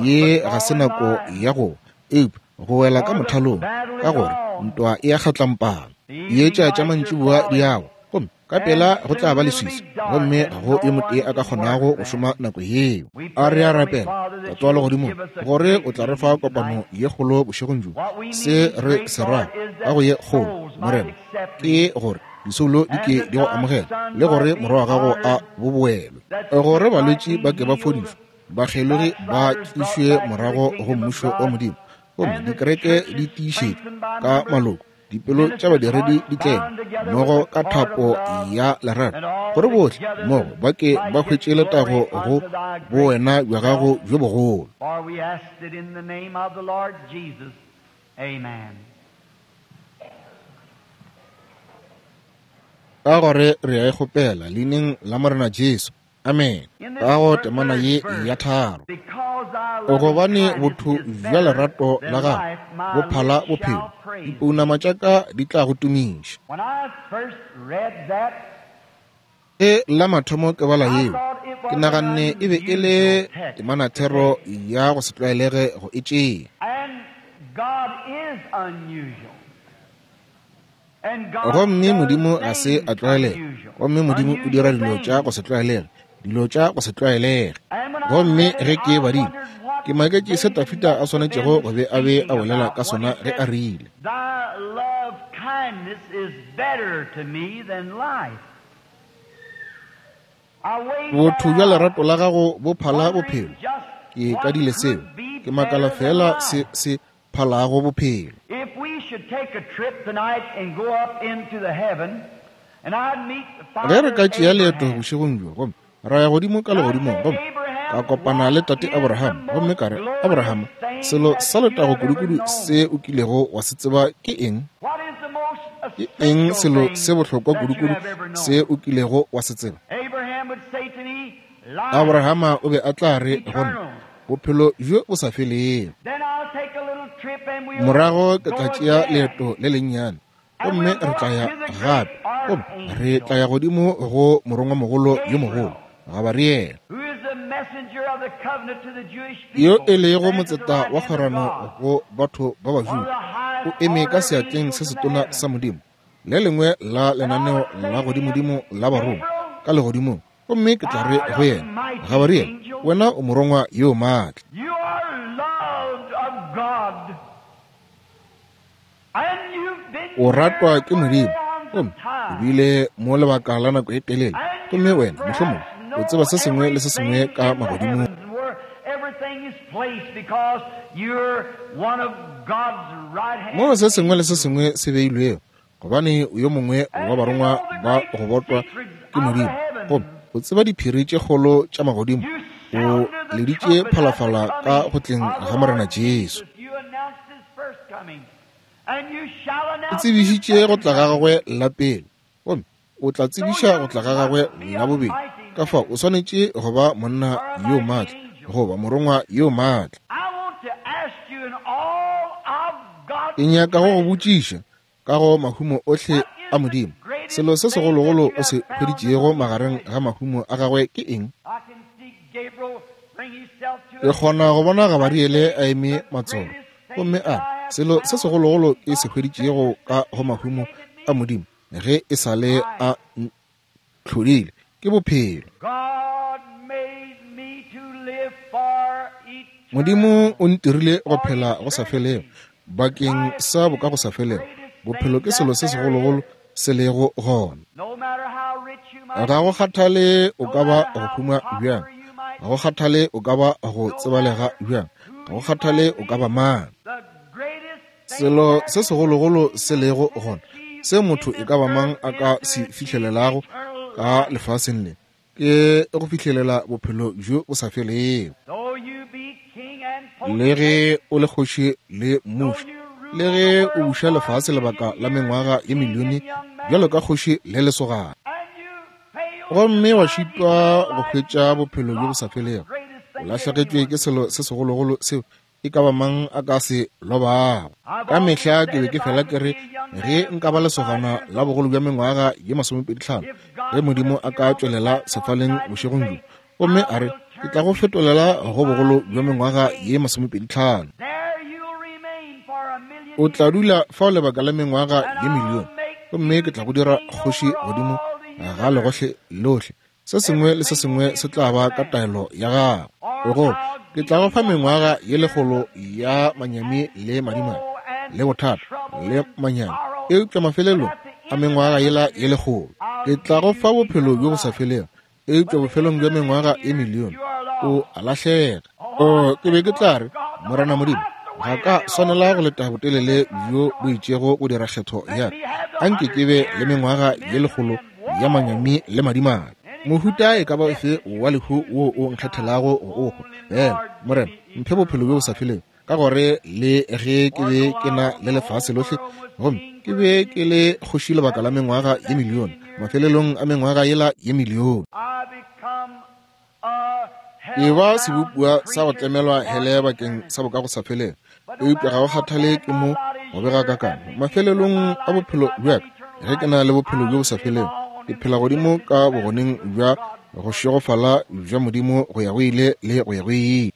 Speaker 2: ye ga se nako ya go eupša go wela ka mothalong, ka gore ntwa e a kgatlampana. Dietša tša mantšiboa di a wa, gomme ka pela go tla ba leswiswi, gomme ga go yo motee a ka kgonago go šoma nako yeo. A re a rapela, Tate wa legodimong, gore o tla re fa kopano ye kgolo bošegong bjo. Se re se rago ka go ye kgolo, Morena, ke gore disoulo di ke di go amogela, le gore morwa wa gago a boboelwe, gore balwetši ba ke ba fodišwe, bakgelogi ba tlišwe morago go mmušo wa Modimo, gomme dikereke di tiišetšwe ka maloko, dipelo tša badiredi di tleme mmogo ka thapo ya lerato, gore bohle mmogo ba ke ba hwetše letago go bowena bja gago bjo bogolo. Ka gore re a e kgopela leineng la Morena Jesu. Amen. Ka go temana ye ya 3. Gobane botho bja lerato la gago bo phala bophelo, dipounama tša ka di tla go tumiša. Ge la mathomo ke bala yeo, ke naganne e be e le temanathero ya go se tlwaelege go e tšea. Gomme Modimo ga se a tlwaelega, gomme Modimo o dira dilo tša go se tlwaelege, dilo tša go se tlwaelege. Gomme ge ke badile, ke maketše se Dafida a swanetšego go be a be a bolela ka sona ge a rile, Botho bja lerato la gago bo phala bophelo. Ke kadile seo, ke makala feela se se phalago bophelo. Ge re ka tšea leeto bošegong bjo gomme ra ya godimo ka legodimong gomme ka kopana le tate Abraham, gomme ka re, Abraham, selo sa letago kudukudu se o kilego wa se tseba ke eng? Ke eng selo se bohlokwa kudukudu se o kilego wa se tseba? Abrahama o be a tla re go nna, bophelo bjo bo sa felego. Morago ke tla tšea leeto le lennyane, gomme re tla ya gape, gomme re tla ya godimo go morongwamogolo yo mogolo, Gabariele, yo e lego motseta wa kgwerano go batho ba Bajuda, o eme ka seatleng se setona sa Modimo, le lengwe la lenaneo la godimodimo la barongwa ka legodimong. Gomme ke tla re go yena, Gabariele, wena o morongwa yo maatla. O ratwa ke Modimo, gomme o bile mo lebaka la nako e telele, gomme wena mohlomongwe o tseba se sengwe le se sengwe ka magodimong. Moo se sengwe le se sengwe se beilwego, gobane o yo mongwe wa barongwa ba go botwa ke Modimo, gomme o tseba diphiri tše kgolo tša magodimo, o leditše phalafala ka go tleng ga Morena Jesu. O tsebišitše go tla ga gagwe la pele, gomme o tla tsebiša go tla ga gagwe la bobedi. Ka fao o swanetše go ba monna yo maatla goba morongwa yo maatla. Ke nyaka go go botšiša ka go mahumo ohle a Modimo, selo se segologolo o se hweditšego magareng ga mahumo a gagwe ke eng? Ke kgona go bona Gabariele a eme matsolo gomme a re, selo se segologolo ke se hweditšego ka go mahumo a Modimo ge e sa le a ntlhodile ke bophelo. Modimo o ntirile go phela go sa felego bakeng sa boka go sa felego. Bophelo ke selo se segologolo se lego gona. Ga go kgathale o ka ba go huma bjang, ga go kgathale o ka ba go tsebalega bjang, ga go kgathale o ka ba mang. Selo se segologolo se lego gona se motho e ka ba mang a ka se fihlelelago ka lefaseng le ke go fihlelela bophelo bjo bo sa felego. Le ge o le kgoši le mmuši, le ge o buša lefase lebaka la mengwaga ye milione bjalo ka kgoši le lesogana, gomme wa šitwa go hwetša bophelo bjo bo sa felego, o lahlegetšwe ke selo se segologolo seo e ka ba mang a ka se lobago. Ka mehla ke be ke fela ke re ge nka ba lesogana la bogolo bja mengwaga ye 25, ge Modimo a ka tšwelela sefaleng bošegong bjo gomme a re ke tla go fetolela go bogolo bja mengwaga ye 25, o tla dula fao lebaka la mengwaga ye milione, gomme ke tla go dira kgoši godimo ga legohle lohle. Se sengwe le se sengwe se tla ba ka taelo ya gago. Go ke tla go fa mengwaga ye lekgolo ya manyami le madimadi le bothata le manyami, eupša mafelelong a mengwaga yela ye lekgolo ke tla go fa bophelo bjo bo sa felego, eupša bofelong bja mengwaga ye milione o a lahlega. O ke be ke tla re, Morena Modimo, ga ka swanela go leta botelele bjo bo itšego go dira kgetho ya ka. Anke ke be le mengwaga ye lekgolo ya manyami le madimadi. Mohuta e ka ba ofe wa lehu wo o nkgethelago go o hwa, fela Morena, mphe bophelo bjo bo sa felego, ka gore le ge ke be ke na le lefase lohle gomme ke be ke le kgoši lebaka la mengwaga ye milione, mafelelong a mengwaga yela ye milione ke ba sebopiwa sa go tlemelwa hele bakeng sa boka go sa felego. Eupša ga go kgathale ke mo go bega kakang, mafelelong a bophelo bja ka, ge ke na le bophelo bjo bo sa felego, ke phela godimo ka bogoneng bja go šegofala bja Modimo go ya go ile le go ya go ile.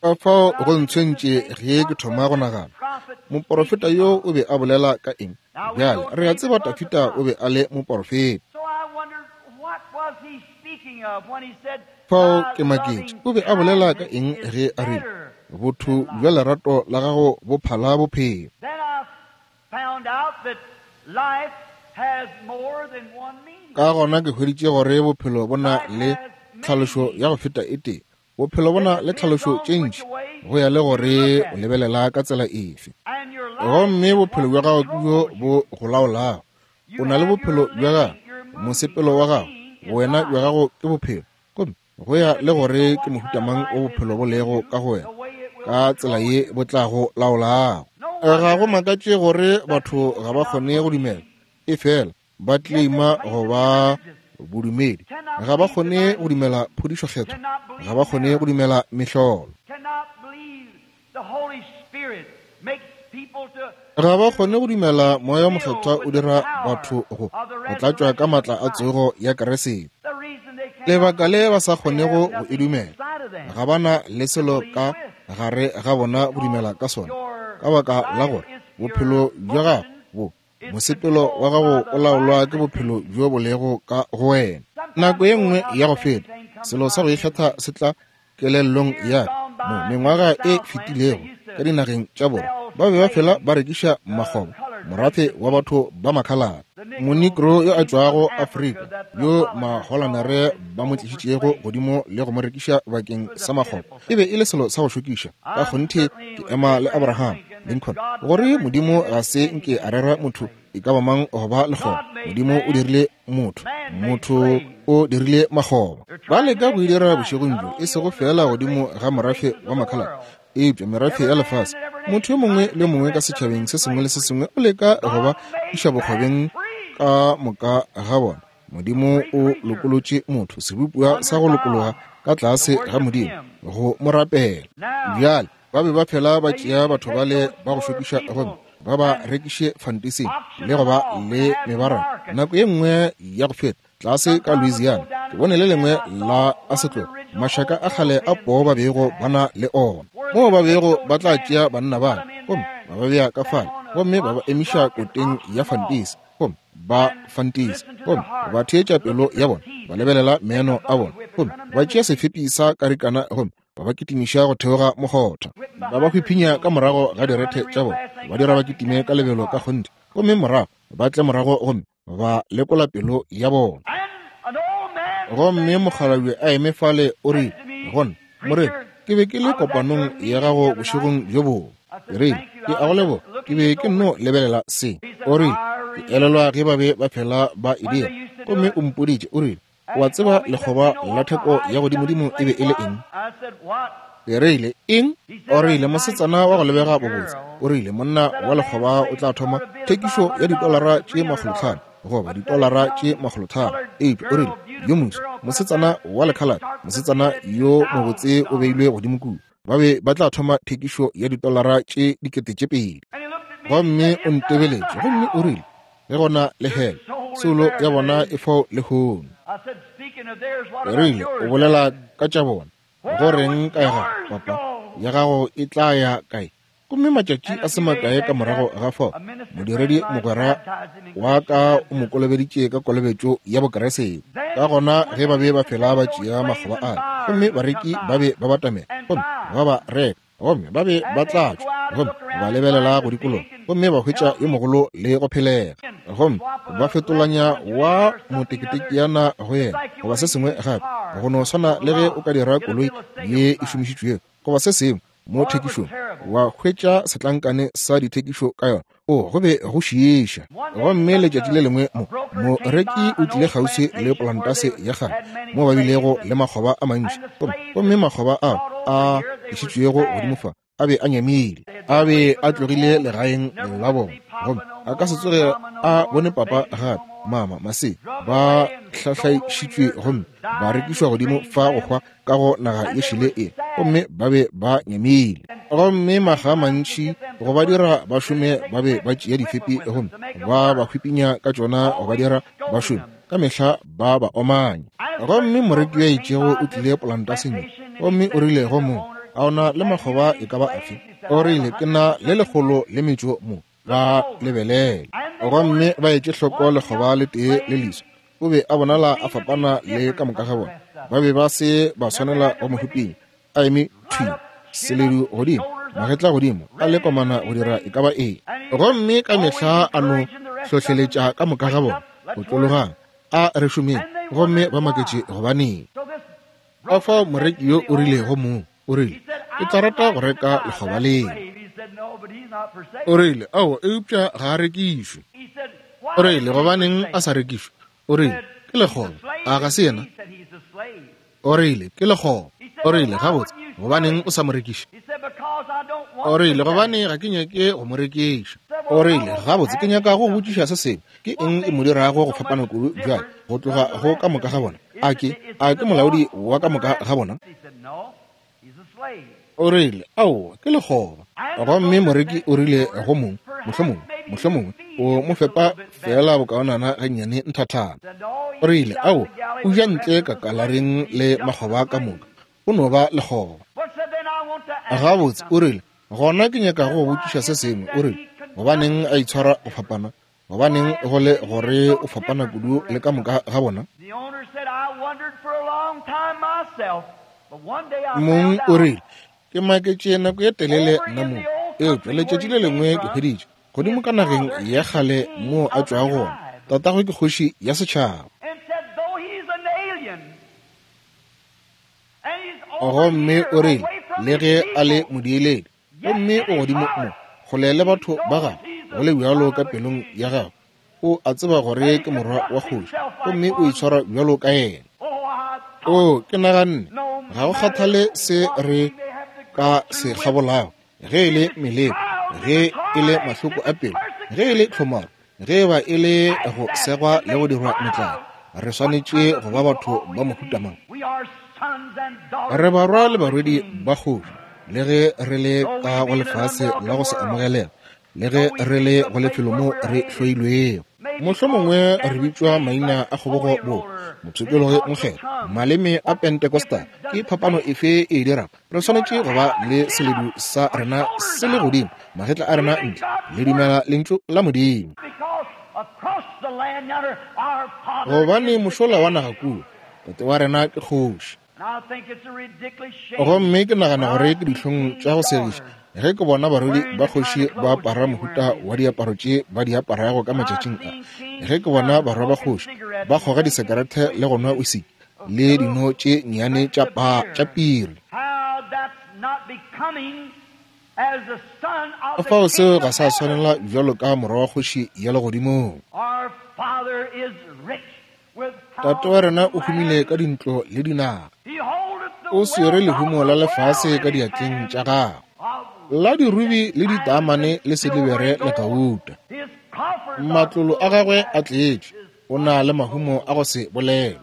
Speaker 2: Ka fao go ntshwentše ge ke thoma go nagana, moporofeta yo o be a bolela ka eng? Bjale re a tseba Dafida o be a le moporofeta. Fao ke maketše, o be a bolela ka eng ge a rile, botho bja lerato la gago bo phala bophelo? Ka gona ke hweditše gore bophelo bo na le tlhalošo ya go feta e tee. Bophelo bo na le tlhalošo tše ntši go ya le gore o lebelela ka tsela efe. Gomme bophelo bja gago ke bjo bo go laolago. O na le bophelo bja gago, mosepelo wa gago, wena bja gago ke bophelo. Gomme go ya le gore ke mohuta mang o bophelo bo lego ka go wena, ka tsela ye bo tla go laolago. Ga go makatše gore batho ga ba kgone go dumela, efela ba claima go ba bodumedi. Ga ba kgone go dumela phodišo kgethwa, ga ba kgone go dumela mehlolo, ga ba kgone go dumela Moya o Mokgethwa o dira batho go tlatšwa ka matla a tsogo ya Keresete. Lebaka le ba sa kgonego go e dumela, ga ba na le selo ka gare ga bona go dumela ka sona, ka baka la gore bophelo bja gago bo mosepelo wa gago o laolwa ke bophelo bjo bo lego ka go wena. Nako ye nngwe ya go feta, selo sa go ikgetha se tla kelellong ya ka mo mengwaga e fetilego ka dinageng tša borwa. Ba be ba fela ba rekiša makgoba, morafe wa batho ba makhalate. Monegro yo a tšwago Afrika, yo Maholanere ba mo tlišitšego godimo le go mo rekiša bakeng sa makgoba, e be e le selo sa go šokiša. Ka kgonthe ke ema le Abraham Lincoln gore Modimo ga se nke a rera motho e ka ba mang go ba lekgoba. Modimo o dirile motho, motho o dirile makgoba. Ba leka go e dira bošegong bjo, e sego feela godimo ga morafe wa makhalate, eupša merafe ya lefase. Motho yo mongwe le mongwe ka setšhabeng se sengwe le se sengwe o leka go ba iša bokgobeng ka moka ga bona. Modimo o lokolotše motho, sebopiwa sa go lokologa ka tlase ga Modimo, go mo rapela. Bjale ba be ba phela ba tšea batho bale ba go šokiša gomme ba ba rekiše fantising le go ba le mebaraka. Nako ye nngwe ya go feta tlase ka Louisiana, ke bone le lengwe la a setlogo mašaka a kgale a poo ba bego ba na le ona, moo ba bego ba tla tšea banna bale gomme ba ba bea ka fale gomme ba ba emiša koteng ya fantisi gomme ba fantisi gomme ba theetša pelo ya bona, ba lebelela meno a bona gomme ba tšea sefepi sa karikana gomme ba ba kitimiša go theoga mokgotha, ba ba hwiphinya ka morago ga direthe tša bona, ba dira ba kitime ka lebelo ka kgonthe gomme morago ba tle morago gomme ba lekola pelo ya bona. Gomme mokgalabje a eme fale o rile gona, Morena, ke be ke le kopanong ya gago bošegong bjo bongwe. Ke rile, ke a go leboga, ke be ke nno lebelela se. O rile, ke elelwa ge ba be ba phela ba e dira. Gomme o mpoditše, o rile, o a tseba lekgoba la theko ya godimodimo e be e le eng? Ke rile, eng? O rile, mosetsana wa go lebega bobotse. O rile, monna wa lekgoba o tla thoma thekišo ya ditolara tše 500 goba ditolara tše 300. Eupša o rile, yo moso mosetsana wa lekhalate, mosetsana yo mobotse o beilwe godimo kua, ba be ba tla thoma thekišo ya ditolara tše 2000. Gomme o ntebeletše gomme o rile, ge gona le hele, soulo ya bona e fao lehono. Ke rile, o bolela ka tša bona, go reng ka ya gago, papa? Ya gago e tla ya kae? Gomme matšatši a se makae ka morago ga fao, modiredi mogwera wa ka o mo kolobeditše ka kolobetšo ya Bokeresete. Ka gona ge ba be ba fela ba tšea makgoba ale, gomme bareki ba be ba batamela gomme ba ba reka, gomme ba be ba tla tšwa gomme ba lebelela go dikologa gomme ba hwetša yo mogolo le go phelega, gomme ba fetolanya wa moteketekiana go yena goba se sengwe gape, go no swana le ge o ka dira koloi ye e šomišitšwego goba se sengwe mo thekišong, wa hwetša setlankane sa dithekišo ka yona. O go be go šiiša. Gomme letšatši le lengwe mo moreki o tlile kgauswi le polantase ya kgale mo ba bilego le makgoba a mantši, gomme makgoba ao a išitšwego godimo fa a be a nyamile, a be a tlogile legaeng la bona, gomme a ka se tsoge a bone papa gape, mama, mase ba hlahlaišitšwe gomme ba rekišwa godimo fa go hwa ka go naga ye šele e, gomme ba be ba nyamile. Gomme maga a mantši go ba dira ba šome, ba be ba tšea difepi gomme ba ba hwipinya ka tšona go ba dira ba šome, ka mehla ba ba omanya. Gomme moreki yo a itšego o tlile polantaseng ye, gomme o rile go mong, a o na le makgoba e ka ba afe? O rile, ke na le 108 mo, ba lebelele. Gomme ba etše hloko lekgoba le tee le leswa, o be a bonala a fapana le ka moka ga bona. Ba be ba se ba swanela go mo hwipinya, a eme thwi, seledu godimo, magetla godimo, a le komana go dira e ka ba eng. Gomme ka mehla a no hlohleletša ka moka ga bona, otlologang, a re šomeng. Gomme ba maketše gobaneng. Ka fao moreki yo o rile go mong, o rile, ke tla rata go reka lekgoba leo. O rile, ao, eupša ga a rekišwe. O rile, gobaneng a sa rekišwe? O rile, ke lekgoba, a ga se yena? O rile, ke lekgoba. O rile, gabotse, gobaneng o sa mo rekiše? O rile, gobane ga ke nyake go mo rekiša. O rile, gabotse, ke nyaka go botšiša se sengwe. Ke eng e mo dirago go fapana kudu bjale go tloga go ka moka ga bona? A ke molaodi wa ka moka ga bona? O rile, aowa, ke lekgoba. Gomme moreki o rile go mong, mohlomongwe o mo fepa feela bokaonana gannyane nthathana. O rile, aowa, o ja ntle ka kalareng le makgoba ka moka, o no ba lekgoba. Gabotse, o rile, gona ke nyaka go botšiša se sengwe. O rile, gobaneng a itshwara go fapana? Gobaneng go le gore o fapana kudu le ka moka ga bona? Mong o rile, ke maketše nako ye telele nna mong. Eupša letšatši le lengwe ke hweditše, godimo ka nageng ya kgale moo a tšwago gona, tatagwe ke kgoši ya setšhaba. Gomme o rile, le ge a le modiiledi, gomme o godimo mo, kgole le batho ba gagwe, go le bjalo ka pelong ya gagwe, o a tseba gore ke morwa wa kgoši, gomme o itshwara bjalo ka yena. O, ke naganne, ga go kgathale se re ka se kgabolago, ge e le meleko, ge e le mahloko a pelo, ge e le tlhomaro, ge e ba e le go segwa le go dirwa metlae, re swanetše go ba batho ba mohuta mang? Re barwa le barwedi ba kgoši, le ge re le ka go lefase la go se amogelega, le ge re le go lefelo mo re hloilwego. Mohlomongwe re bitšwa maina a kgobogo bo mopshikologi mokgethwa, maleme a Pentecostal. Ke phapano efe e dirago? Re swanetše go ba le seledu sa rena se le godimo, magetla a rena ntle, le dumela lentšu la Modimo. Gobane mošola wa naga kua, tate wa rena ke kgoši. Gomme ke nagana gore ke dihlong tša go segiša ge ke bona barwedi ba kgoši ba apara mohuta wa diaparo tše ba di aparago ka matšatšing a, ge ke bona barwa ba kgoši ba kgoga disekerete le go nwa wisiki le dino tše nnyane tša piri. Fao seo ga sa swanela bjalo ka morwa wa kgoši ya legodimong. Tate wa rena o humile ka dintlo le dinaga. O swere lehumo la lefase ka diatleng tša gagwe, la dirubi le ditaamane le silibere le gauta. Matlolo a gagwe a tletše, o na le mahumo a go se bolelwe.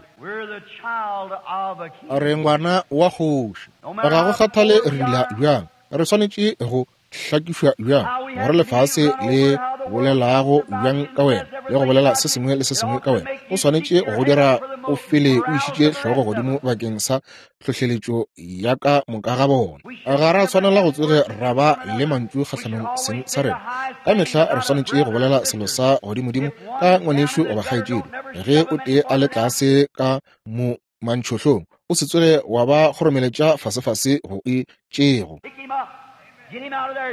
Speaker 2: Re ngwana wa kgoši. Ga go kgathale re dula bjang, re swanetše go hlakišwa bjang, gore lefase le bolelago bjang ka wena le go bolela se sengwe le se sengwe ka wena, o swanetše go dira o fele o išitše hlogo godimo bakeng sa tlhohleletšo ya ka moka ga bona. Ga ra swanela go tsoge ra ba le mantšu kgahlanong seng sa rena. Ka mehla re swanetše go bolela selo sa godimodimo ka ngwanešu goba kgaetšedi. Ge o tee a le tlase ka mo mantšhohlong, o se tsoge wa ba kgoromeletša fasefase go e tšego.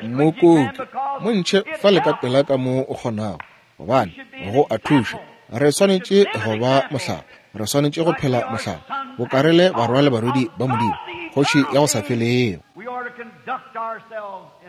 Speaker 2: Mokoki, mo ntšhe fa le ka pela ka mo o kgonago, gobane go a thuša. Re swanetše go ba mohlala, re swanetše go phela mohlala, boka re le barwa le barwedi ba Modimo, kgoši ya go sa felego.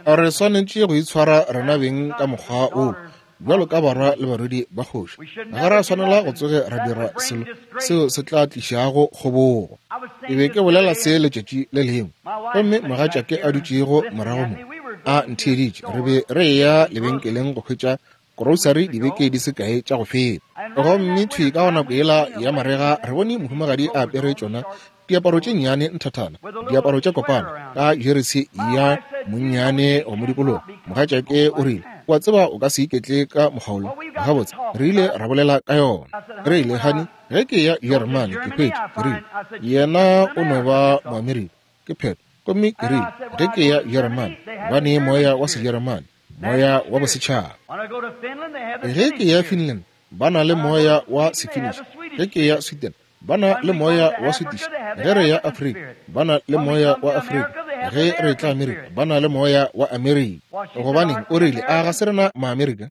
Speaker 2: Re swanetše go itshwara rena beng ka mokgwa wo, bjalo ka barwa le barwedi ba kgoši. Ga ra swanela go tsoge ra dira selo seo se tla tlišago kgobogo. Ke be ke bolela se letšatši le lengwe, gomme mogatšake a dutšego morago mo a ntheeditše. Re be re eya lebenkeleng go hwetša grocery dibeke di se kae tša go feta. Gomme thwi ka go nako yela ya marega re bone mohumagadi a apere tšona diaparo tše nnyane nthathana, diaparo tša kopana, ka jeresi ya monnyane go modikologo. Mogatšake o rile, wa tseba o ka se iketle ka mokgwa wo. Gabotse, re ile ra bolela ka yona. Re ile, honey, ge ke ya Jeremane ke hwetše, ke rile, yena o no ba Moamerika, ke phetho. Gomme ke rile, ge ke ya Jeremane, ba ne moya wa Sejeremane, moya wa bosetšhaba. Ge ke ya Finland, ba na le moya wa Sefinnish. Ge ke ya Sweden, ba na le moya wa Swedish. Ge re ya Afrika, ba na le moya wa Afrika. Ge re tla Amerika, ba na le moya wa Amerika. Gobaneng, o rile, a ga se rena Maamerika?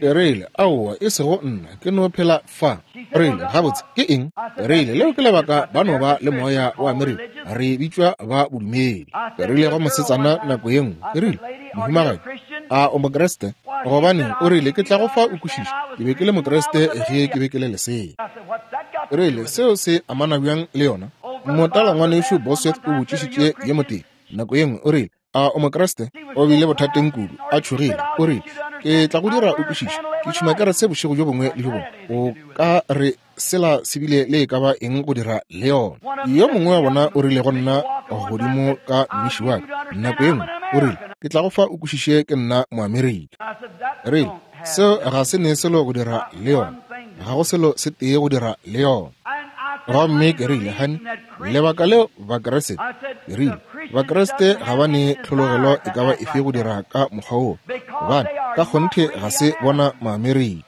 Speaker 2: Ke rile, aowa, e sego nna, ke no phela fa. Rile, gabotse, ke eng? Rile, leo ke lebaka ba no ba le moya wa Amerika, re bitšwa ba bodumedi. Ke rile go mosetsana nako ye nngwe, ke rile, mohumagadi, a o Mokriste? Gobaneng, o rile, ke tla go fa o kwešiše, ke be ke le Mokriste ge ke be ke le lesea. Rile, seo se amana bjang le yona? Motala ngwanešu Bosworth o botšišitše ye motee nako ye nngwe, o rile, a o Mokriste? O bile bothateng kudu, a tšhogile. O rile, ke tla go dira o kwešiše, ke tšhuma kerese bošego bjo bongwe le bjo bongwe. O ka re sela se bile le e ka ba eng go dira le yona. Yo mongwe wa bona o rile go nna godimo ka mmiši wa ka nako ye nngwe, o rile, ke tla go fa o kwešiše ke nna Moamerika. Rile, seo ga se ne selo go dira le yona, ga go selo se tee go dira le yona. Gomme ke rile, honey, lebaka leo Bakriste, ke rile, Bakriste ga ba ne tlhologelo e ka ba efe go dira ka mokgwa wo, gobane ka kgonthe ga se bona Maamerika.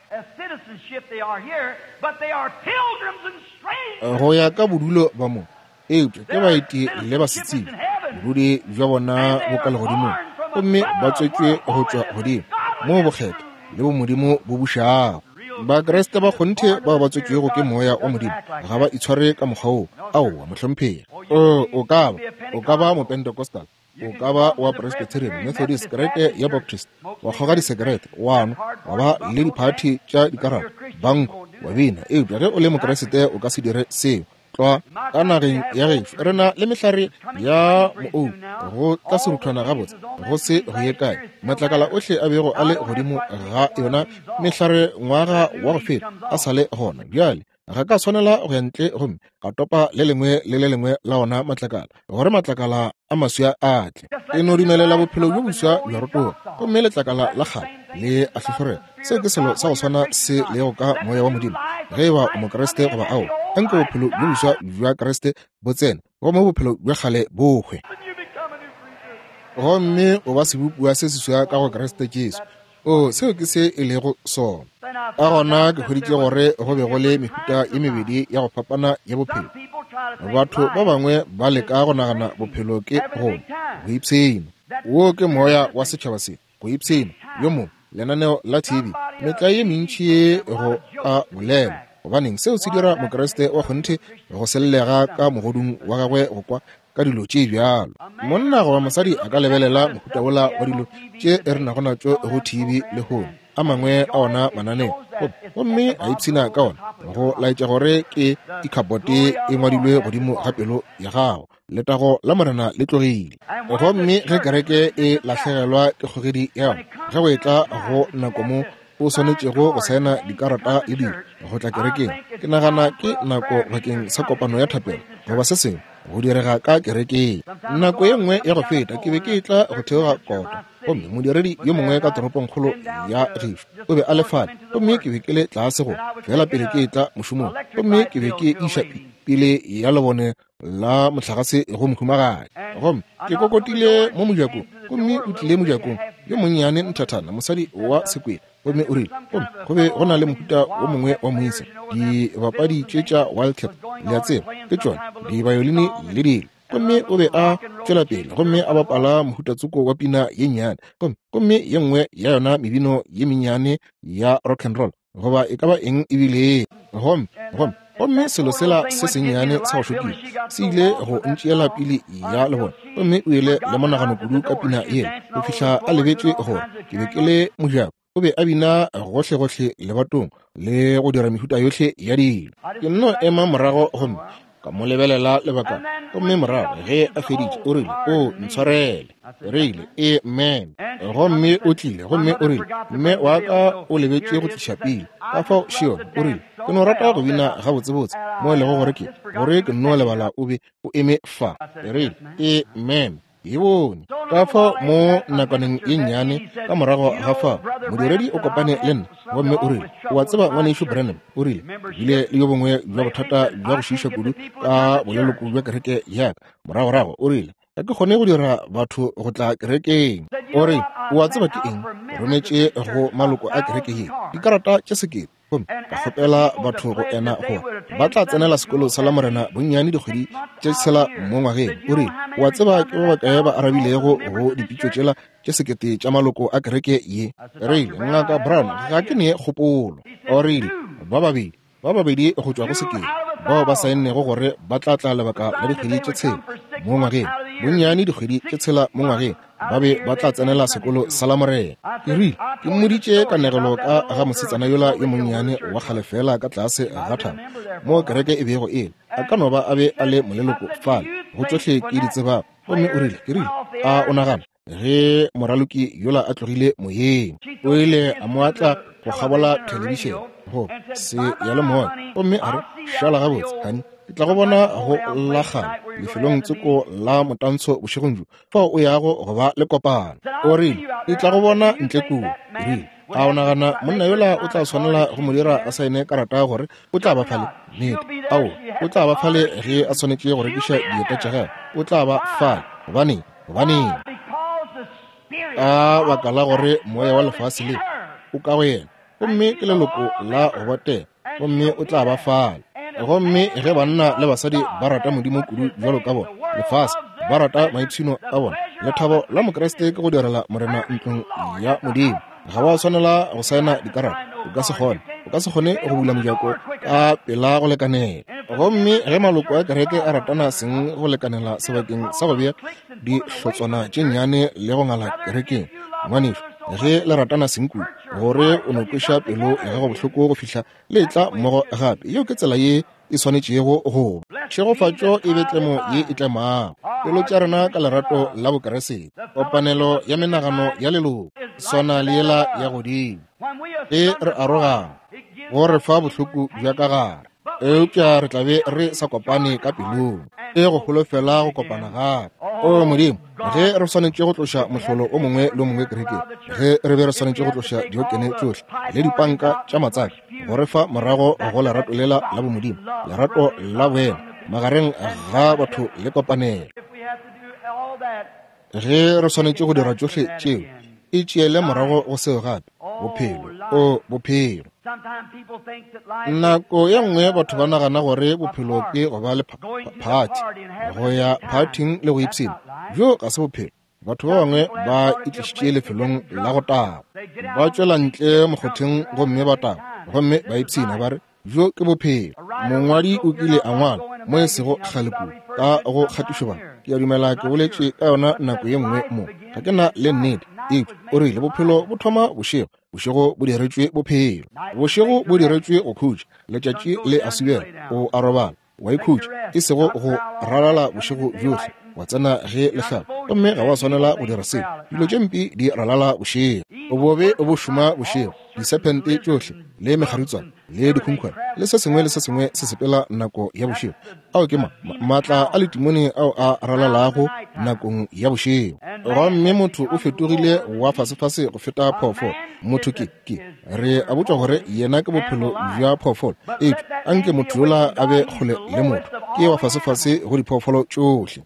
Speaker 2: Go ya ka bodulo ba mo, eupša ke baeti le basetsebje. Bodudi bja bona bo ka legodimong, gomme ba tswetšwe go tšwa godimo, moo bokgethwa le bomodimo bo bušago. Bakriste ba kgonthe bao ba tswetšwego ke Moya wa Modimo ga ba itshware ka mokgwa woo. Aowa, mohlomphegi. O, o ka ba, o ka ba Mopentecostal, o ka ba wa Presbyterian, Methodist, kereke ya Baptist, wa kgoga disekerete, wa nwa, wa ba le diphathi tša dikarata, banko, wa bina. Eupša ge o le Mokriste o ka se dire seo. Tlwa ka nageng ya gešo re na le mehlare ya moou go tla seruthwana gabotse go se go ye kae. Matlakala ohle a bego a le godimo ga yona mehlare ngwaga wa go feta a sa le gona bjale. Ga ka swanela go ya ntle gomme ka topa le lengwe le le lengwe la ona matlakala gore matlakala a maswa a tle. E no dumelela bophelo bjo boswa bja rotoga gomme letlakala la kgale le a hlohlorega. Seo ke selo sa go swana se lego ka Moya wa Modimo. Ge e ba o Mokriste goba aowa, anke bophelo bjo boswa bja Kriste bo tsene gomme bophelo bja kgale bo hwe. Gomme o ba sebopiwa se seswa ka go Kriste Jesu. O, seo ke se e lego sona. Ka gona ke hweditše gore go be go le mehuta ye mebedi ya go fapana ya bophelo. Batho ba bangwe ba leka go nagana bophelo ke go nwa, go ipshina. Wo ke moya wa setšhaba se, go ipshina. Yo mongwe, lenaneo la TV, metlae ye mentši ye go ka bolelwa. Gobaneng, seo se dira Mokriste wa kgonthe go sellega ka mogodung wa gagwe go kwa ka dilo tše bjalo. Monna goba mosadi a ka lebelela mohuta wola wa dilo tše re nago natšo go TV lehono, a mangwe a ona mananeo, gomme a ipshina ka ona, go laetša gore ke ikhapote e ngwadilwe godimo ga pelo ya gago. Letago la Morena le tlogile. Gomme ge kereke e lahlegelwa ke kgogedi ya yona, ge go etla go nako mo o swanetšego go saena dikarata le dilo go tla kerekeng, ke nagana ke nako bakeng sa kopano ya thapelo goba se sengwe go direga ka kerekeng. Nako ye nngwe ya go feta ke be ke etla go theoga kota, gomme modiredi yo mongwe ka toropongkgolo ya gešo o be a le fale, gomme ke be ke le tlase go fela pele ke etla mošomong, gomme ke be ke iša pele ya lebone la mohlagase go mohumagadi. Gomme ke kokotile mo mojakong, gomme o tlile mojakong, yo monnyane nthathana, mosadi wa sekwele, gomme o rile, gomme go be go na le mohuta wo mongwe wa moisa, dibapadi tše tša Wildcat, le a tseba, ke tšona dibayolini le dilo. Gomme o be a tšwela pele gomme a bapala mohutatsoko wa pina ye nnyane, gomme, gomme ye nngwe ya yona mebino ye mennyane ya rock and roll, goba e ka ba eng e bile. Gomme, gomme, gomme selo sela se sennyane sa go šokiša se ile go ntšeela pili ya lebone, gomme o ile le monagano kudu ka pina yela go fihla a lebetše gore ke be ke le mojako. O be a bina gohlegohle lebatong le go dira mehuta yohle ya dilo. Ke nno ema morago gomme ka mo lebelela lebakana, gomme morago ge a feditše o rile, O ntshwarele. Rile, Amen. Gomme o tlile gomme o rile, Mme wa ka o lebetše go tliša pili, ka fao Shion o rile, ke no rata go bina gabotsebotse mo e lego gore ke gore ke nno lebala o be o eme fa. Rile, Amen. E bone. Ka fao mo nakwaneng ye nnyane ka morago ga fao, modiredi o kopane le nna gomme o rile, O a tseba, Ngwanešu Branham, o rile, ke bile le yo bongwe bja bothata bja go šiiša kudu ka boleloko bja kereke ya ka moragorago. O rile, Ga ke kgone go dira batho go tla kerekeng. O rile, O a tseba ke eng? Ke rometše go maloko a kereke ye dikarata tše 1000. Gomme ka kgopela batho go ena gore ba tla tsenela sekolo sa Lamorena bonnyane dikgwedi tše tshela mo ngwageng. O rile, O a tseba ke ba bakae ba arabilego go dipitšo tšela tše 1000 tša maloko a kereke ye? Rile, Ngaka Brown, ga ke ne kgopolo. O rile, Ba babedi, ba babedi go tšwa go 1000 bao ba saennego gore ba tla tla lebaka la dikgwedi tše tshela mo ngwageng, bonnyane dikgwedi tše tshela mo ngwageng, ba be ba tla tsenela sekolo sa Lamorena. Ke rile, ke mmoditše kanegelo ka ga mosetsana yola yo monnyane wa kgale feela ka tlase ga thaba moo kereke e bego e le. A ka no ba a be a le moleloko fale, go tšohle ke di tsebago. Gomme o rile, ke rile, a o nagana ge moraloki yola a tlogile moyeng, o ile a mo atla go kgabola thelebišene go se ya le moya, gomme a re, Šala gabotse, honey, ke tla go bona go la kgale lefelong tsoko la motantsho bošegong bjo, fao o yago go ba le kopano. O rile, Ke tla go bona ntle kua. Ke rile, A o nagana monna yola o tla swanela go mo dira a saene karata gore o tla ba fale? Nnete. Aowa, o tla ba fale ge a swanetše go rekiša dieta tša gagwe. O tla ba fale. Gobaneng? Gobaneng? Ka baka la gore moya wa lefase le o ka go yena, gomme ke leloko la go botega, gomme o tla ba fale. Gomme ge banna le basadi ba rata Modimo kudu bjalo ka bona, lefase, Ba rata maipshino a bona. Lethabo la Mokriste ke go direla Morena ntlong ya Modimo. Ga wa swanela go saena dikarata. O ka se kgone. O ka se kgone go bula mojako ka pela go lekanela. Gomme ge maloko a kereke a ratana seng go lekanela sebakeng sa go bea dihlotswana tše nnyane le go ngala kerekeng, ngwanešu, ge le ratana seng kudu gore o no kweša pelo ya gago bohloko go fihla le etla mmogo gape, yeo ke tsela ye e swanetšego go ba. Tšhegofatšo e be tlemo ye e tlemago pelo tša rena ka lerato la Bokeresete, kopanelo ya menagano ya leloko swana le yela ya godimo. Ge re arogana, go re fa bohloko bja ka gare, eupša re tla be re sa kopane ka pelong, e go holofela go kopana gape. O Modimo, ge re swanetše go tloša mohlolo o mongwe le o mongwe kerekeng, ge re be re swanetše go tloša diokene tšohle le dipanka tša matsaka, go re fa morago go lerato lela la bomodimo, lerato la boena magareng ga batho le kopanelo. Ge re swanetše go dira tšohle tšeo, e tšeele morago go seo gape, bophelo, o bophelo. Nako ye nngwe batho ba nagana gore bophelo ke go ba le phathi, go ya phathing le go ipshina. Bjo ga se bophelo. Batho ba bangwe ba itlišitše lefelong la go tagwa, ba tšwela ntle mokgotheng gomme ba tagwa, gomme ba ipshina, ba re, Bjo ke bophelo. Mongwadi o kile a ngwala, mo e sego kgale kudu, ka go kgatišobana. Ke a dumela ke boletše ka yona nako ye nngwe mo. Ga ke na le nnete, eupša o rile bophelo bo thoma bošego. Bošego bo diretšwe bophelo. Bošego bo diretšwe go khutša. Letšatši le a subela, o a robala, wa ikhutša, e sego go ralala bošego bjohle, wa tsena ge le hlaba, gomme ga wa swanela go dira seo. Dilo tše mpe di ralala bošego. Bobe bo šoma bošego, disephente tšohle le mekgaritswana le dikhunkhwane le se sengwe le se sengwe se sepela nako ya bošego. Ao ke ma, maatla a letimone ao a ralalago nakong ya bošego. Gomme motho o fetogile wa fasefase go feta phoofolo. Motho ke, ke, re a botšwa gore yena ke bophelo bja phoofolo, eupša anke motho yola a be kgole le motho, ke wa fasefase go diphoofolo tšohle.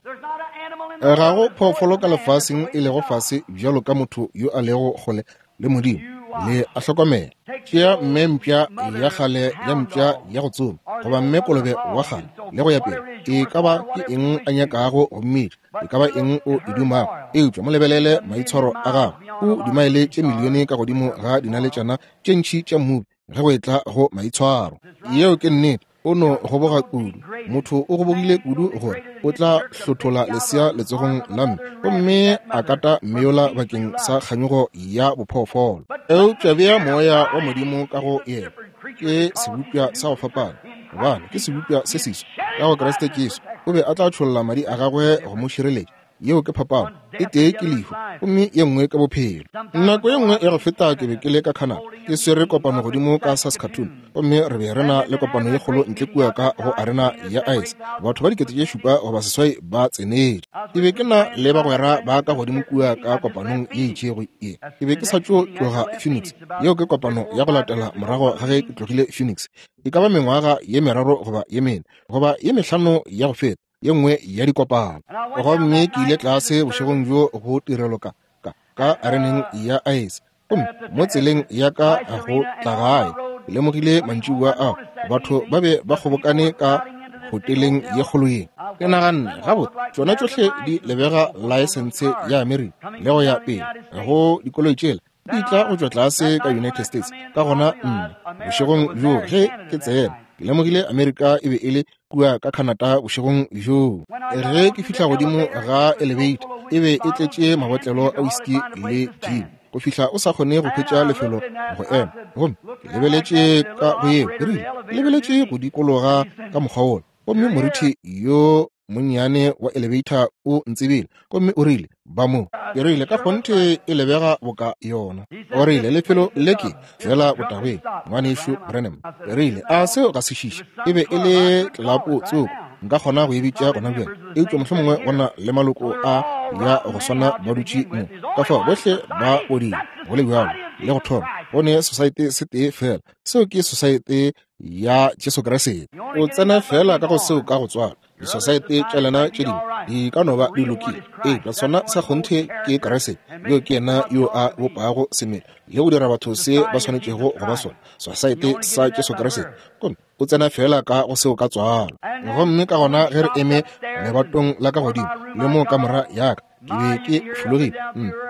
Speaker 2: Ga go phoofolo ka lefaseng e lego fase bjalo ka motho yo a lego kgole le Modimo. Le a hlokomela. Tšea mme mpša ya kgale ya mpša ya go tsoma, goba mme kolobe wa kgale, le go ya pele, e ka ba ke eng a nyakago go mmitša, e ka ba eng o e dumago, eupša mo lebelele maitshwaro a gagwe. O dimaele tše milione ka godimo ga dinaletšana tše ntši tša mmubi ge go etla go maitshwaro. Yeo ke nnete. O no goboga kudu. Motho o gobogile kudu gore o tla hlothola lesea letsogong la mme gomme a kata mme yola bakeng sa kganyogo ya bophoofolo. Eupša bea moya wa Modimo ka go yena, ke sebopša sa go fapana, gobane ke sebopša se seswa ka go Kriste Jesu. O be a tla tšholla madi a gagwe go mo šireletša. Yeo ke phapano. E tee ke lehu gomme ye nngwe ke bophelo. Nako ye nngwe ya go feta ke be ke le ka Canada, ke swere kopano godimo ka Saskatoon, gomme re be re na le kopano ye kgolo ntle kua ka go arena ya ice. Batho ba 7,000 goba 8 ba tsenetše. Ke be ke na le bagwera ba ka godimo kua ka kopanong ye itšego ye. Ke be ke sa tšo tloga Phoenix. Yeo ke kopano ya go latela morago ga ge ke tlogile Phoenix, e ka ba mengwaga ye 3 goba ye 4 goba ye 5 ya go feta, ye nngwe ya dikopano. Gomme ke ile tlase bošegong bjo go tirelo ka, ka, ka areneng ya aese. Gomme mo tseleng ya ka go tla gae, ke lemogile mantšiboa ao batho ba be ba kgobokane ka hoteleng ye kgolo ye. Ke naganne, gabotse, tšona tšohle di lebega laesense ya Amerika le go ya pele go dikoloi tšela di tla go tšwa tlase ka United States. Ka gona nna bošegong bjoo ge ke tsena, ke lemogile Amerika e be e le kua ka Canada bošegong bjoo. Ge ke fihla godimo ga elevator, e be e tletše mabotlelo a whisky le gin go fihla o sa kgone go hwetša lefelo go ema. Gomme ke lebeletše ka go yeo, ke rile, ke lebeletše go dikologa ka mokgwa wola, gomme morithi yo monnyane wa elevator o ntsebile gomme o rile, Ba mo. Ke rile, Ka kgonthe e lebega boka yona. O rile, Lefelo le ke feela botagweng, Ngwanešu Branham. Ke rile, A seo ga se šiše? E be e le tlelapo tsoko, nka kgona go e bitša gona bjale, eupša mohlomongwe go na le maloko a ya go swana ba dutše mo. Ka fao bohle ba bodile, go le bjalo, le go thoma. Go ne sosaete se tee feela, seo ke sosaete ya Jesu Kriste. O tsena feela ka go seo ka go tswala. Disosaete tša lena tše dingwe di ka no ba di lokile, eupša sona sa kgonthe ke Kriste. Yo ke yena yo a bopago semelo le go dira batho se ba swanetšego go ba sona, sosaete sa Jesu Kriste. Gomme O tsena feela ka go seo ka tswalo. Gomme ka gona ge re eme lebatong la ka godimo, le mo kamora ya ka, ke be ke fologile.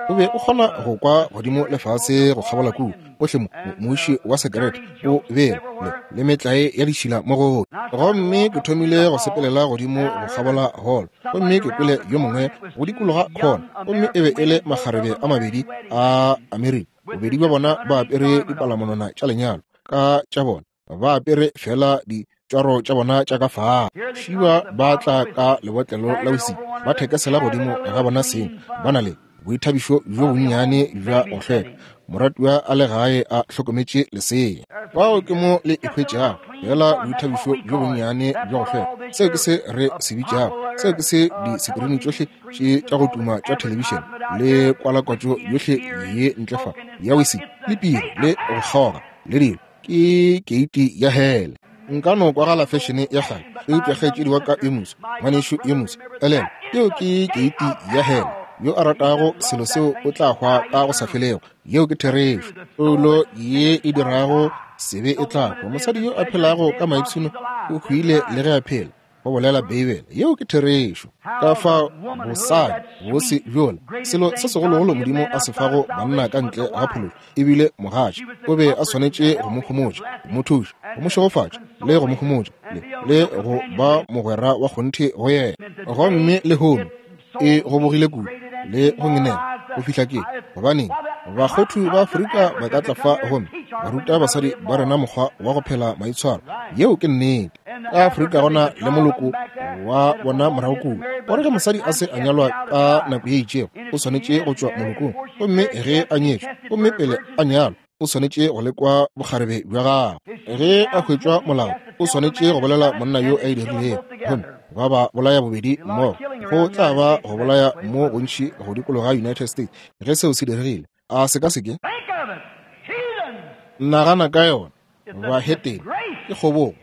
Speaker 2: O be o kgona go kwa godimo le fase go kgabola kua, ohle mo, muši wa sekerete o bela, le metlae ya ditšhila mo gohle. Gomme ke thomile go sepelela godimo go kgabola hall, gomme ke kwele yo mongwe go dikologa khona, gomme e be e le makgarebe a mabedi a Amerika, bobedi bja bona ba apere dipalamonwana tša lenyalo ka tša bona, ba apere fela ditšwaro tša bona tša ka fao. Šiba ba tla ka lebotlelo la whisky, ba thekesela godimo ga bona seng, ba na le boithabišo bjo bonnyane bja go hlweka, moratiwa a le gae a hlokometše lesea. Fao ke mo le e hwetšago, fela boithabišo bjo bonnyane bja go hlweka. Seo ke se re se bitšago, seo ke se disekrini tšohle tše tša go tuma tša thelebišene le kwalakwatšo yohle ye ntle fa ya whisky le piri le go kgoga le dilo, ke keiti ya hele. Nka no kwagala fešene ya kgale, eupša kgaetšedi wa ka yo moswa, ngwanešu yo moswa, elelwa, yeo ke keiti ya hele. Yo a ratago selo seo o tla hwa ka go sa felego. Yeo ke therešo. Toulo ye e dirago sebe e tla hwa. Mosadi yo a phelago ka maipshino o hwile le ge a phela, go bolela Beibele. Yeo ke therešo. Ka fao bosadi bose bjola, selo se segologolo Modimo a se fago banna ka ntle ga phološo, e bile mogatša. O be a swanetše go mo homotša, go mo thuša, go mo šegofatša, le go mo homotša, le go ba mogwera wa kgonthe go yena. Gomme lehono e gobogile kudu le go ngenela go fihla ke gobaneng bakgothu ba Afrika ba ka tla fa gomme ba ruta basadi ba rena mokgwa wa go phela maitshwaro. Yeo ke nnete. Ka Afrika gona le moloko wa bona morago kua, gore ge mosadi a se a nyalwa ka nako ye itšego, o swanetše go tšwa molokong, gomme ge a nyetšwe, gomme pele a nyalwa, o swanetše go lekwa bokgarebe bja gagwe. Ge a hwetšwa molao, o swanetše go bolela monna yo a e dirilego, gomme ba ba bolaya bobedi mmogo. Go tla ba go bolaya mo gontši go dikologa United States ge seo se diregile. A se ka se ke? Nagana ka yona, bahetene, ke kgobogo,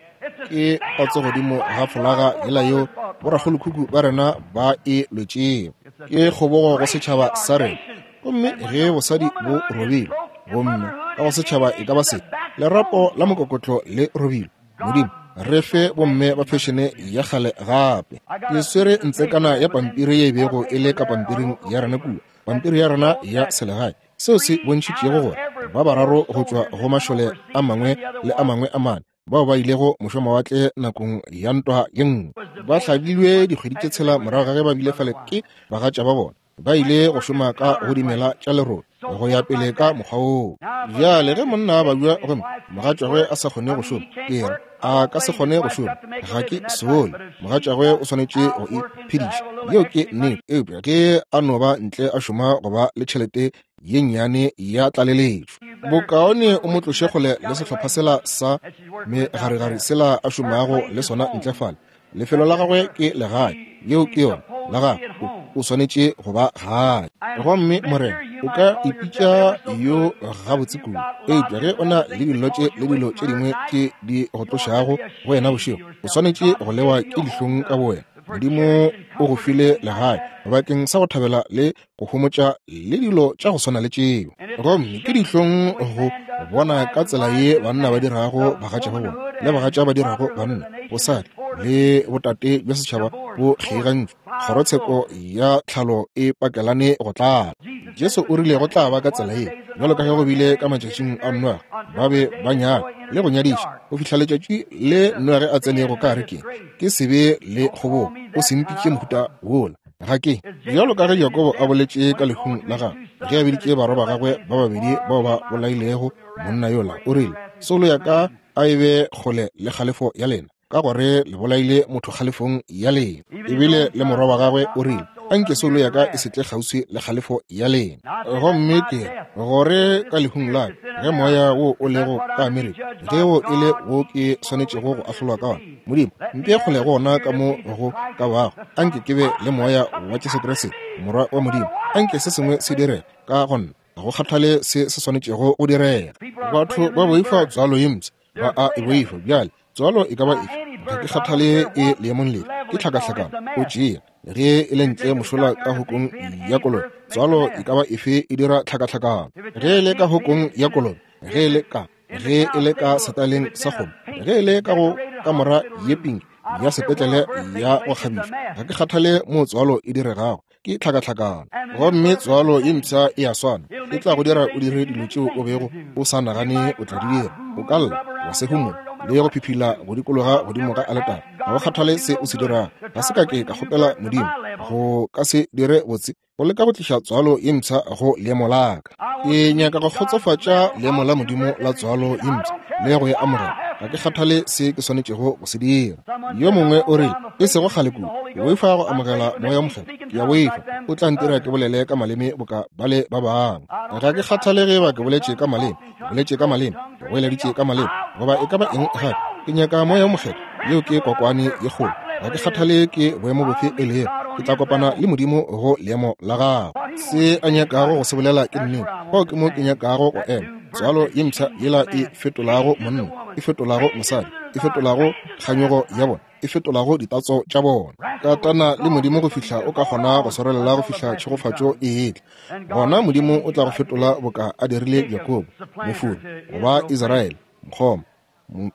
Speaker 2: ke patso godimo ga folaga yela yeo borakgolokhukhu ba rena ba e lwetšego. Ke kgobogo go setšhaba sa rena. Gomme ge bosadi bo robilwe, gomme ka go setšhaba e ka ba se lerapo la mokokotlo le robilwe, Modimo re fe bomme ba fešene ya kgale gape. Ke swere ntsekana ya pampiri ye e bego e le ka pampiring ya rena kua, pampiri ya rena ya selegae, seo se bontšhitšego gore ba bararo go tšwa go mašole a mangwe le a mangwe a mane bao ba ilego mošomawatle nakong ya ntwa ye nngwe ba hlabilwe dikgwedi tše tshela morago ga ge ba bile fale ke bagatša ba bona, ba ile go šoma ka go dimela tša lerole go ya pele ka mokgwa woo. Bjale ge monna a babja gomme mogatšagwe a sa kgone go šoma, ke re a ka se kgone go šoma, ga ke sole, mogatšagwe o swanetše go iphediša. Yeo ke nnete. Eupša ge a no ba ntle a šoma go ba le tšhelete ye nnyane ya tlaleletšo, bokaone o mo tloše kgole le sehlopha sela sa megaregare sela a šomago le sona ntle fale. Lefelo la gagwe ke legae, yeo ke yona, la gagwe, o swanetše go ba gae. Gomme Morena, o ka ipitša yo gabotse kudu, eupša ge o na le dillo tše le dilo tše dingwe tše di go tlošago go wena bošego, o swanetše go lewa ke dihlong ka bowena. Modimo o go file legae bakeng sa go thabela le go homotša le dilo tša go swana le tšeo. Gomme ke dihlong go bona ka tsela ye banna ba dirago bagatša ba bona le bagatša ba dirago banna, bosadi le botate bja setšhaba bo kgeigantšwe. Kgorotsheko ya tlhalo e pakelane go tlala. Jesu o rile go tla ba ka tsela ye, bjalo ka ge go bile ka matšatšing a Noage, ba be ba nyala le go nyadiša go fihla letšatši le Noage a tsenego ka arekeng. Ke sebe le kgobogo, o se mpitše mohuta wola. Ga ke, bjalo ka ge Jakobo a boletše ka lehung la gagwe, ge a biditše barwa ba gagwe ba babedi bao ba bolailego monna yola, o rile, Soulo ya ka a e be kgole le kgalefo ya lena, ka gore le bolaile motho kgalefong ya lena. Ebile le morwa wa gagwe o rile, Anke soulo ya ka e se tle kgauswi le kgalefo ya lena. Gomme ke re, gore ka lehung la ka, ge moya wo o lego ka Amerika, ge wo e le wo ke swanetšego go ahlolwa ka wona, Modimo, mpee kgole go ona ka mo go ka bago. Anke ke be le Moya wa Jesu Kriste, Morwa wa Modimo. Anke se sengwe se direge ka go nna, ga go kgathale se se swanetšego go direga. Batho ba boifa tswalo ye mpsha, ba a e boifa. Bjale, tswalo e ka ba efe, ga ke kgathale e leemong lefe, ke tlhakahlakano. O tšea ge e le ntle mošola ka hokong ya kolobe, tswalo e ka ba efe e dira tlhakahlakano. Ge e le ka hokong ya kolobe, ge e le ka. Ge e le ka setaleng sa kgomo, ge e le ka go kamora ye pinki ya sepetlele ya go kgabišwa, ga ke kgathale moo tswalo e diregago, ke tlhakatlhakano. Gomme tswalo ye mpsha e a swana, e tla go dira o dire dilo tšeo o bego o sa nagane o tla di dira. O ka lla, wa se humola, le go phiphila go dikologa godimo ga aletara. Ga go kgathale se o se dirago. Ga se ka ke ka kgopela Modimo go ka se dire botse go leka go tliša tswalo ye mpsha go leemo la ka. Ke nyaka go kgotsofatša leemo la Modimo la tswalo ye mpsha le go e amogela. Ga ke kgathale se ke swanetšego go se dira. Yo mongwe o rile, e sego kgale kudu, ke boifa go amogela Moya wo Mokgethwa. Ke a boifa o tla ntira ke bolele ka maleme boka bale ba bangwe. Ga ke kgathale ge ba ke boletše ka maleme, ke boletše ka maleme, ke goeleditše ka maleme, goba e ka ba eng gape. Ke nyaka Moya wo Mokgethwa. Yeo ke kokwane ye kgolo. Ga ke kgathale ke boemo bofe e lego, ke tla kopana le Modimo go leemo la gagwe. Se a nyakago go se bolela ke nnete. Fao ke mo ke nyakago go ema. Tswalo ye mpsha yela e fetolago monna, e fetolago mosadi, e fetolago kganyogo ya bona, e fetolago ditatso tša bona. Katana le Modimo go fihla o ka kgona go swarelela go fihla tšhegofatšo e etla. Gona Modimo o tla go fetola boka a dirile Jakobo, mofori, goba Israele, mokgoma.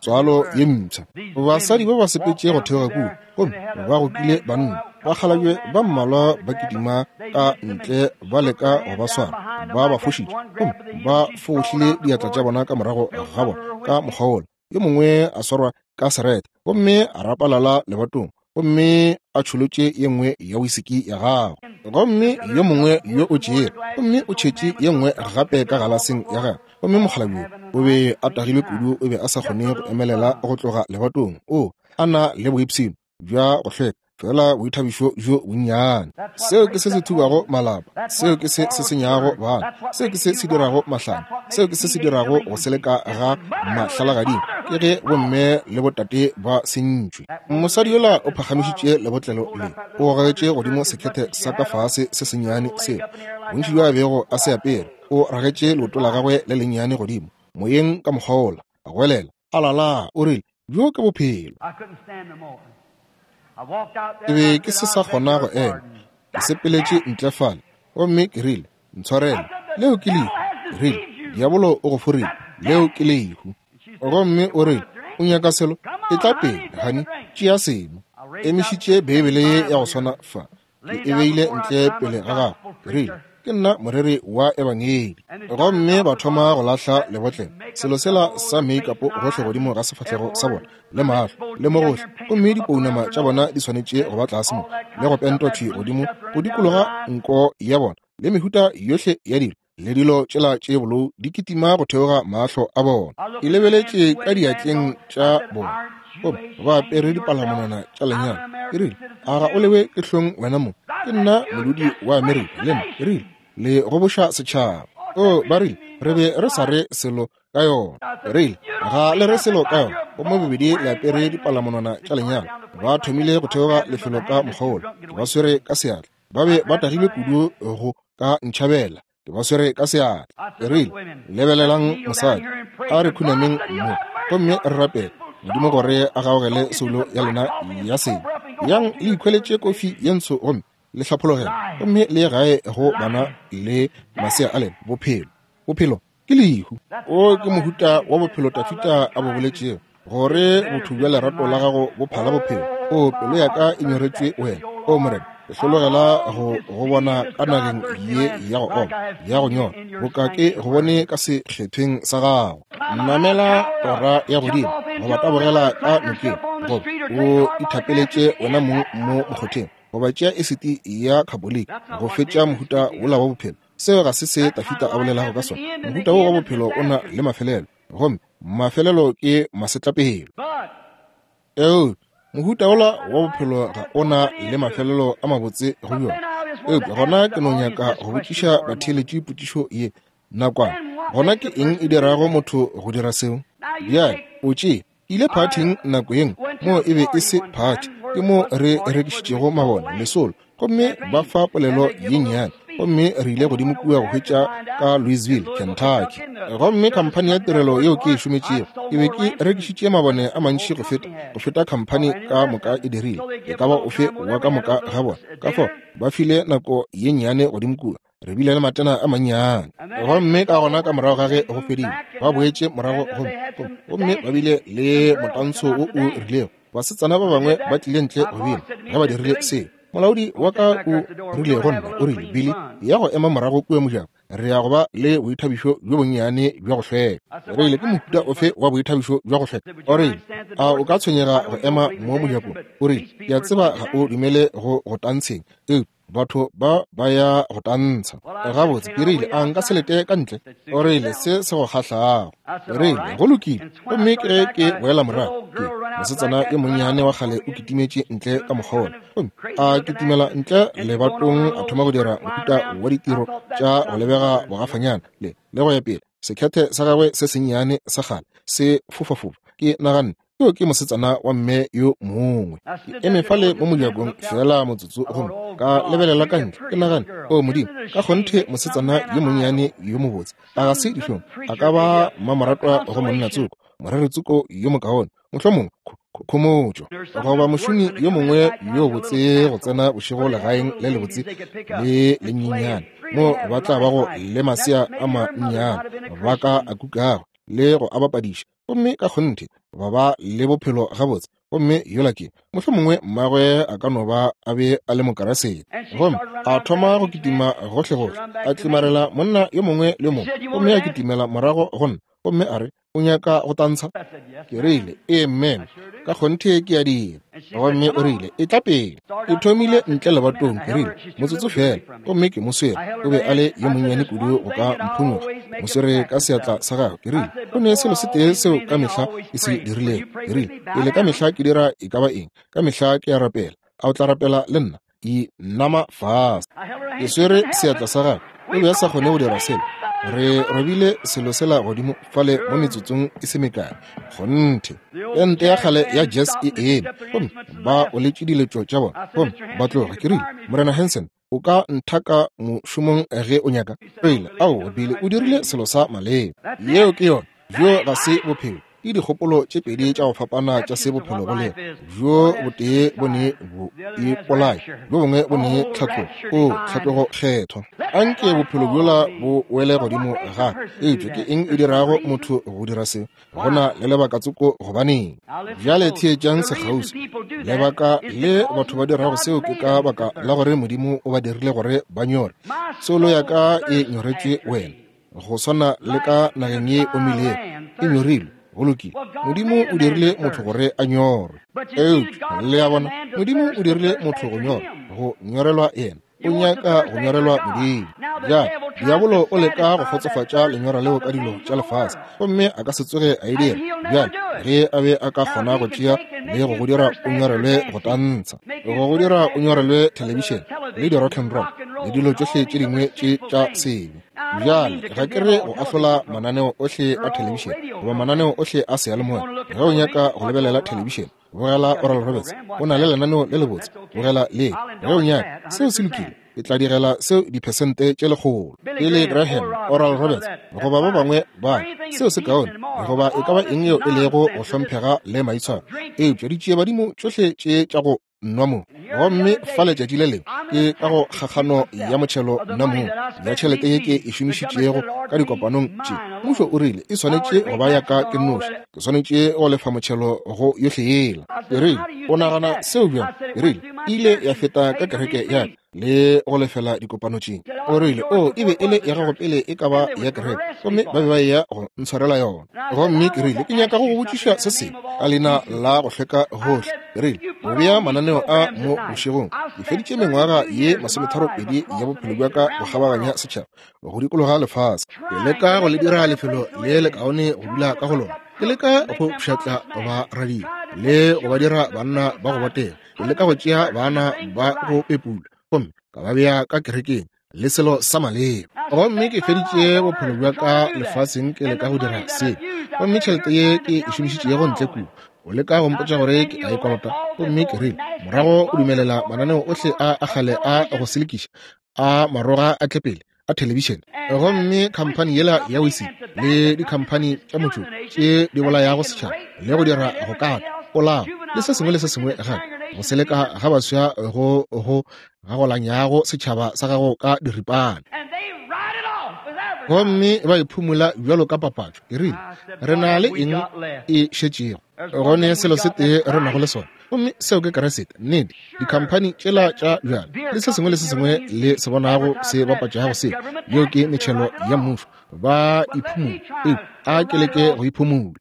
Speaker 2: Tswalo ye mpsha. Basadi ba ba sepetše go theoga kua gomme ba gokile banna bakgalabje ba mmalwa ba kitima ka ntle ba leka go ba swara, ba ba fošitše gomme ba fohlile diatla tša bona ka morago ga bona ka mokgwa wola. Yo mongwe a swarwa ka serete gomme a rapalala lebatong gomme a tšholotše ye nngwe ya wisiki ya gagwe, gomme yo mongwe yo o tšere gomme o tšhetše ye nngwe gape ka galaseng ya gagwe, gomme mokgalabje o be a tagilwe kudu o be a sa kgone go emelela go tloga lebatong. O a na le boipshino bja go hlweka, fela boithabišo bjo bonnyane. Seo ke se se thubago malapa, seo ke se se senyago bana, seo ke se se dirago mahlanya, seo ke se se dirago go seleka ga mahlalagading, ke ge bomme le botate ba sentšwe. Mosadi yola o phagamišitše lebotlelo le o gogetše godimo sekhethe sa ka fase se sennyane seo bontši bjo a bego a se apere. O ragetše leoto la gagwe le lennyane godimo moyeng ka mokgwa wola, a goelela, a lala, o rile, Bjo ke bophelo. Ke be ke se sa kgona go ema. Ke sepeletše ntle fale, gomme ke rile, Ntshwarele, leo ke lehu. Ke rile, Diabolo o go forile, leo ke lehu. Gomme o rile, O nyaka selo? Etla pele, honey, tšea seno. Emišitše Beibele ye ya go swana fa, ke e beile ntle pele ga gago. Ke rile, Ke nna moreri wa Ebangedi. Gomme ba thoma go lahla lebotlelo, selo sela sa meikapo gohle godimo ga sefahlego sa bona, le mahlo, le mo gohle, gomme dipounama tša bona di swanetše go ba tlase mo, le go pentwa thwi godimo go dikologa nko ya bona, le mehuta yohle ya dilo, le dilo tšela tše bolou di kitima go theoga mahlo a bona. Ke lebeletše ka diatleng tša bona, gomme ba apere dipalamonwana tša lenyalo. Ke rile, A ga o lewe ke hlong wena mo? Ke nna modudi wa Amerika, le nna. Ke rile, Le goboša setšhaba. O, ba rile, re be re sa re selo ka yona. Ke rile, Ga le re selo ka yona. Gomme bobedi le apere dipalamonwana tša lenyalo. Ba thomile go theoga lefelo ka mokgwa wola. Ke ba swere ka seatla. Ba be ba tagilwe kudu go ka ntšhabela. Ke ba swere ka seatla. Ke rile, Lebelelang mosadi. A re khunameng mo gomme re rapele Modimo gore a gaogele soulo ya lena ya sebe. Yang le ikhweletše kofi ye ntsho gomme le hlaphologele, gomme le ye gae go bana le masea a lena. Bophelo, bophelo ke lehu. O ke mohuta wa bophelo Tafita a bo boletšego, gore botho bja lerato la gago bo phala bophelo. O pelo ya ka e nyoretšwe wena, o Morena, ke hlologela go go bona ka nageng ye ya go oma, ya go nyora, boka ke go bone ka sekgethweng sa gago. Namela tora ya godimo, goba tabogela ka nokeng, goba o ithapeletše wena mong mo mokgotheng, goba tšea esiti ya khaboliki go fetša mohuta wola wa bophelo. Seo ga se se Tafita a bolelago ka sona. Mohuta wo wa bophelo o na le mafelelo, gomme mafelelo ke masetlapelo. Eupša mohuta wola wa bophelo ga o na le mafelelo a mabotse go bjona. Eupša gona ke no nyaka go botšiša batheeletši potšišo ye nakwana. Gona ke eng e dirago motho go dira seo? Bjale, o tšee ile phathing nako ye nngwe moo e be e se phathi, ke mo re rekišitšego mabone lesolo, gomme ba fa polelo ye nnyane, gomme re ile godimo kua go hwetša ka Louisville, Kentucky. Gomme khamphani ya tirelo yeo ke e šometšego, ke be ke rekišitše mabone a mantši go feta, go feta khamphani ka moka e dirile, e ka ba ofe wa ka moka ga bona. Ka fao ba file nako ye nnyane godimo kua. Re bile le matena a mannyane. Gomme ka gona ka morago ga ge go fedile, ba boetše morago gomme ba bile le motantsho wo o rilego. Basetsana ba bangwe ba tlile ntle go bina ge ba dirile seo. Molaodi wa ka o rile go nna, o rile, Billy, ya go ema morago kua mojako, re ya go ba le boithabišo bjo bonnyane bja go hlweka. Re rile, ke mohuta ofe wa boithabišo bja go hlweka? O rile, a o ka tshwenyega go ema mo mojakong? O rile, ke a tseba ga o dumele go go tantsheng, eupša batho ba ba ya go tantsha. Gabotse, ke rile, a nka se lete ka ntle? O rile, se se go kgahlago. Ke rile, go lokile. Gomme ke ge ke boela morago, ke mosetsana yo monnyane wa kgale o kitimetše ntle ka mokgwa wola. Gomme a kitimela ntle lebatong, a thoma go dira mohuta wa ditiro tša go lebega bogafanyana le le go ya pele, sekhethe sa gagwe se sennyane sa kgale se fofafofa. Ke naganne, yo ke mosetsana wa mme yo mongwe. Ke eme fale mo mojakong feela motsotso gomme ka lebelela ka ntle. Ke nagane, o Modimo, ka kgonthe mosetsana yo monnyane yo mobotse, a ga se dihlong, a ka ba mmamoratwa go monna tsoko, moreri tsoko yo mokaone, mohlomongwe khomotšo, goba mošomi yo mongwe yo botse go tsena bošego legaeng le lebotse le lenyenyane mo ba tla bago le masea a mannyane ba ka a kukago le go a bapadiša, gomme ka kgonthe ba ba le bophelo gabotse. Gomme yola ke mohlomongwe mmagwe a ka no ba a be a le mokarasete. Gomme a thoma go kitima gohlegohle, a tlimarela monna yo mongwe le mongwe, gomme a kitimela morago go nna, gomme a re, o nyaka go tantsha? Ke rile, ee mme, ka kgonthe ke a dira. Gomme o rile, e tla pele. Ke thomile ntle lebatong, ke rile, motsotso fela, gomme ke mo swere. O be a le yo monnyane kudu go ka mphonyokga. Mo swere ka seatla sa gagwe. Ke rile, go ne selo se tee seo ka mehla ke se dirilego. Ke rile, pele ka mehla ke dira e ka ba eng, ka mehla ke a rapela. A o tla rapela le nna? Inama fase. Ke swere seatla sa gagwe. O be a sa kgone go dira selo. Re robile selo sela godimo fale mo metsotsong e se mekae. Kgonthe. Pente ya kgale ya jazz e eme, gomme ba oletše diletšo tša bona, gomme ba tloga. Ke rile, Morena Hanson, o ka nthaka mošomong ge o nyaka. Rile, aowa, Billy, o dirile selo sa maleba. Yeo ke yona. Bjo ga se bophelo. Ke dikgopolo tše pedi tša go fapana tša se bophelo bo lego. Bjo botee bo ne bo ipolaya, bjo bongwe bo ne tlhatlogo, o tlhatlogo kgethwa. Anke bophelo bjola bo wele godimo ga. Eupša ke eng e dirago motho go dira se? Go na le lebaka tsoko gobaneng. Bjale theetšang sekgauswi. Lebaka le batho ba dirago seo ke ka baka la gore Modimo o ba dirile gore ba nyore. Soulo ya ka e nyoretšwe wena, go swana le ka nageng ye omilego e nyorilwe. Go lokile, Modimo o dirile motho gore a nyorwe. Eupša le a bona, Modimo o dirile motho go nyorwa, go nyorelwa yena. O nyaka go nyorelwa Modimo. Bjale diabolo o leka go kgotsofatša lenyora leo ka dilo tša lefase, gomme a ka se tsoge a e dira. Bjale ge a be a ka kgona go tšea le go go dira o nyorelwe go tantsha, go go dira o nyorelwe thelebišene le di-rock and roll le dilo tšohle tše dingwe tše tša sebe. Bjale ga ke re go ahlola mananeo ohle a thelebišene goba mananeo ohle a seyalemoya. Ge o nyaka go lebelela thelebišene, bogela Oral Roberts, o na le lenaneo le lebotse, bogela le. Ge o nyaka, seo se lokile, ke tla direla seo diphesente tše 100. Billy Graham, Oral Roberts, goba ba bangwe ba, seo se kaone, goba e ka ba eng yeo e lego go hlomphega le maitshwaro. Eupša ditšiebadimo tšohle tše tša go nwa mo, gomme fa letšatši le lengwe ke ka go kgakgano ya motšhelo nna mo ya tšhelete ye ke e šomišitšego ka dikopanong tše, mmušo o rile e swanetše go ba ya ka ke nnoši, ke swanetše go lefa motšhelo go yohle yela. Ke rile, o nagana seo bjang? Ke rile, e ile ya feta ka kereke ya ka le go lefela dikopano tše. O rile, o e be e le ya gago pele e ka ba ya kereke, gomme ba be ba eya go ntshwarela yona. Gomme ke rile, ke nyaka go go botšiša se sengwe ka leina la go hlweka gohle. Ke rile, o bea mananeo a mo bošegong. Ke feditše mengwaga ye 32 ya bophelo bja ka go kgabaganya setšhaba, go dikologa lefase, ke leka go le dira lefelo le lekaone go dula ka go lona. Ke leka go pšhatla ba radio le go ba dira banna ba go botega. Ke leka go tšea bana ba go pepula gomme ka ba bea ka kerekeng le selo sa maleba. Gomme ke feditše bophelo bja ka lefaseng ke leka go dira se, gomme tšhelete ye ke e šomišitšego ntle kua, o leka go mpotša gore ke a e kolota. Gomme ke rile, morago o dumelela mananeo ohle a a kgale a go selekiša a maroga a tle pele a thelebišene, gomme khamphani yela ya wisi le dikhamphani tša motšoko tše di bolayago setšhaba le go dira go kata polao le se sengwe le se sengwe gape, go seleka ga baswa go go gagolanyago setšhaba sa gago ka diripana. Gomme ba e phumola bjalo ka papatšo. Ke rile, Re na le eng e šetšego? Go ne selo se tee re nago le sona, gomme seo ke Kriste. Nnete, dikhamphani tšela tša bjala le se sengwe le se sengwe le se bonago se bapatšago seo, yeo ke metšhelo ya mmušo. Ba e phumola. Eupša a ke leke go e phumola.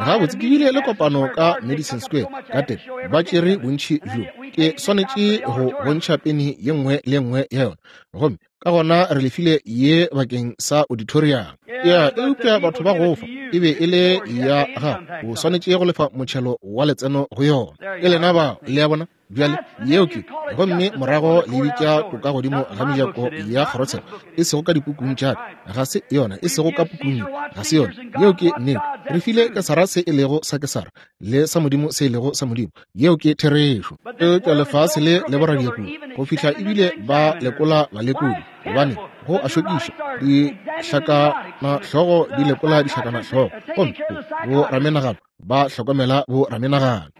Speaker 2: Gabotse, ke bile le kopano ka Madison Square Garden, ba tšere bontši bjo. Ke swanetše go bontšha peni ye nngwe le ye nngwe ya yona. Gomme ka gona re lefile ye bakeng sa auditorium. Ya, eupša batho ba go fa e be e le ya gago, o swanetše go lefa motšhelo wa letseno go yona. Ke lena bao, le a bona? Bjale, yeo ke, gomme morago le bitša toka godimo ga mejako ya kgorotsheko, e sego ka dipukung tša ka, ga se yona, e sego ka pukung ye, ga se yona. Yeo ke nnete. Re file Kesara se e lego sa Kesara, le sa Modimo se e lego sa Modimo. Yeo ke therešo. Eupša lefase le le boradia kudu, go fihla ebile ba lekola balekodi, gobane go a šokiša, dihlakanahlogo di lekola dihlakanahlogo, gomme bo ramenagano ba hlokomela bo ramenagano.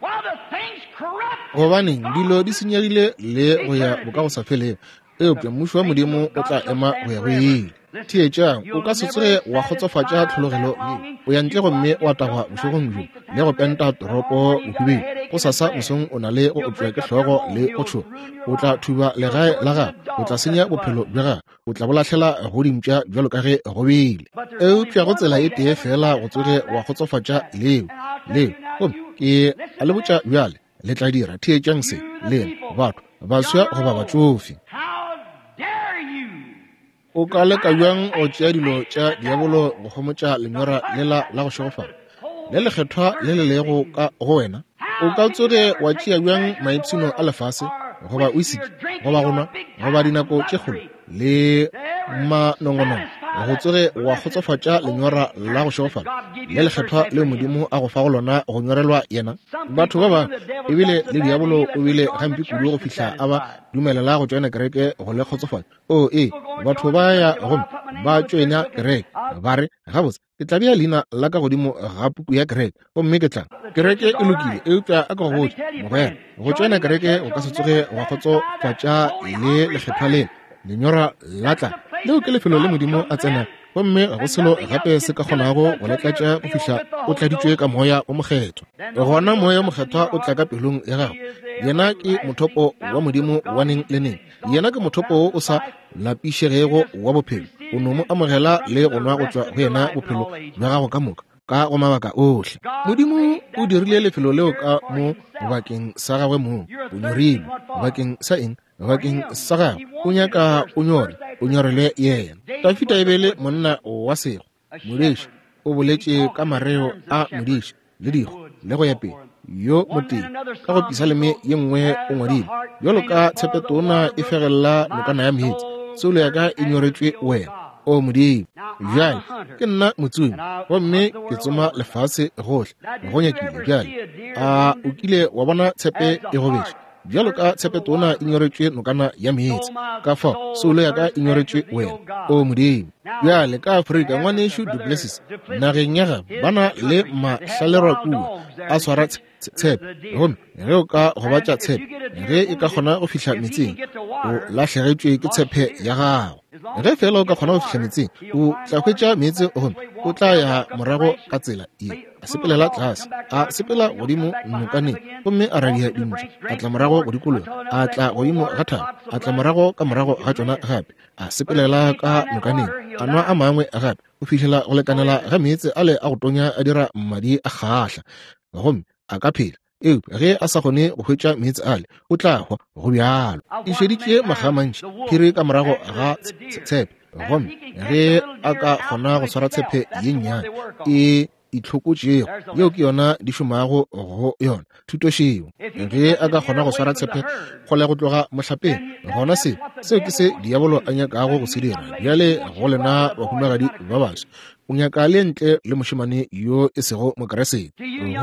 Speaker 2: Gobaneng dilo di senyegile le go ya bokagosafelego, eupša mmušo wa Modimo o tla ema go ya go ile. Theetšang, o ka se tsoge wa kgotsofatša tlhologelo ye. O ya ntle gomme wa tagwa bošegong bjo le go penta toropo bohubedu. Gosasa mosong o na le go opša ke hlogo le go tšhoga. O tla thuba legae la gago, o tla senya bophelo bja gago, o tla bo lahlela go dimpša bjalo ka ge go bile. Eupša go tsela e tee feela go tsoge wa kgotsofatša leo, leo. Gomme ke a le botša bjale, le tla dira. Theetšang se, lena batho, baswa goba batšofe. O ka leka bjang go tšea dilo tša diabolo go homotša lenyora lela la go šegofala le lekgethwa le le lego ka go wena? O ka tsoge wa tšea bjang maipshino a lefase, goba wisiki, goba go nwa, goba dinako tše kgolo le manongonongo, go tsoge wa kgotsofatša lenyora la go šegofala le lekgethwa leo Modimo a go fago lona go nyorelwa yena? Batho ba bangwe, ebile le diabolo o bile gampe kudu go fihla a ba dumelela go tšoena kereke go le kgotsofatša. O ee, batho ba ya gomme ba tšoena kereke, ba re, Gabotse, ke tla bea leina la ka godimo ga puku ya kereke, gomme ke tla. Kereke e lokile, eupša a ke go botše, mogwera, go tšoena kereke go ka se tsoge gwa kgotsofatša le lekgethwa lela, lenyora la tla. Leo ke lefelo le Modimo a tsenago, gomme ga go selo gape se ka kgonago go le tlatša go fihla o tladitšwe ka Moya wo Mokgethwa. Gona Moya wo Mokgethwa o tla ka pelong ya gago. Yena ke mothopo wa Modimo wa neng le neng. Yena ke mothopo wo o sa lapišegego wa bophelo. O no mo amogela le go nwa go tšwa go yena bophelo bja gago ka moka, ka go mabaka ohle. Modimo o dirile lefelo leo ka mo bakeng sa gagwe mong. O nyorilwe bakeng sa eng? Bakeng sa gagwe. O nyaka o nyore, o nyorele yena. Dafida e be e le monna wa sego, modiši. O boletše ka mareo a modiši le digo le go ya pele. Yo motee ka go pisaleme ye nngwe o ngwadile, bjalo ka tshepetona e fegella nokana ya meetse, soulo ya ka e nyoretšwe wena, o Modimo. Bjale ke nna motsomi, gomme ke tsoma lefase gohle go nyakile. Bjale a o kile wa bona tshepe e gobetše? Bjalo ka tshepetona e nyoretšwe nokana ya meetse, ka fao soulo ya ka e nyoretšwe wena, o Modimo. Bjale ka Afrika, ngwanešu Duplessis, nageng ya gabo, ba na le mahlalerwa kua a swara tshepe, gomme ge o ka gobatša tshepe, ge e ka kgona go fihla meetseng, o lahlegetšwe ke tshepe ya gago. Ge feela o ka kgona go fihla meetseng, o tla hwetša meetse gomme o tla ya morago ka tsela ye. A sepelela tlase, a sepela godimo nokaneng, gomme a radia dintšu, a tla morago go dikologa, a tla godimo ga thaba, a tla morago ka morago ga tšona gape, a sepelela ka nokaneng, a nwa a mangwe gape, go fihlela go lekanela ga meetse ale a go tonya a dira madi a kgahla, gomme a ka phela. Eupša ge a sa kgone go hwetša meetse ale, o tla hwa. Go bjalo. Ke šeditše makga a mantši phiri ka morago ga tshepe, gomme ge a ka kgona go swara tshepe ye nnyane e itlhokotšego, yeo ke yona di šomago go yona thutošeo. Ge a ka kgona go swara tshepe kgole go tloga mohlapeng, gona se seo ke se diabolo a nyakago go se dira bjale go lena bahumagadi ba baswa. O nyaka le ntle le mošemane yo e sego Mokriste.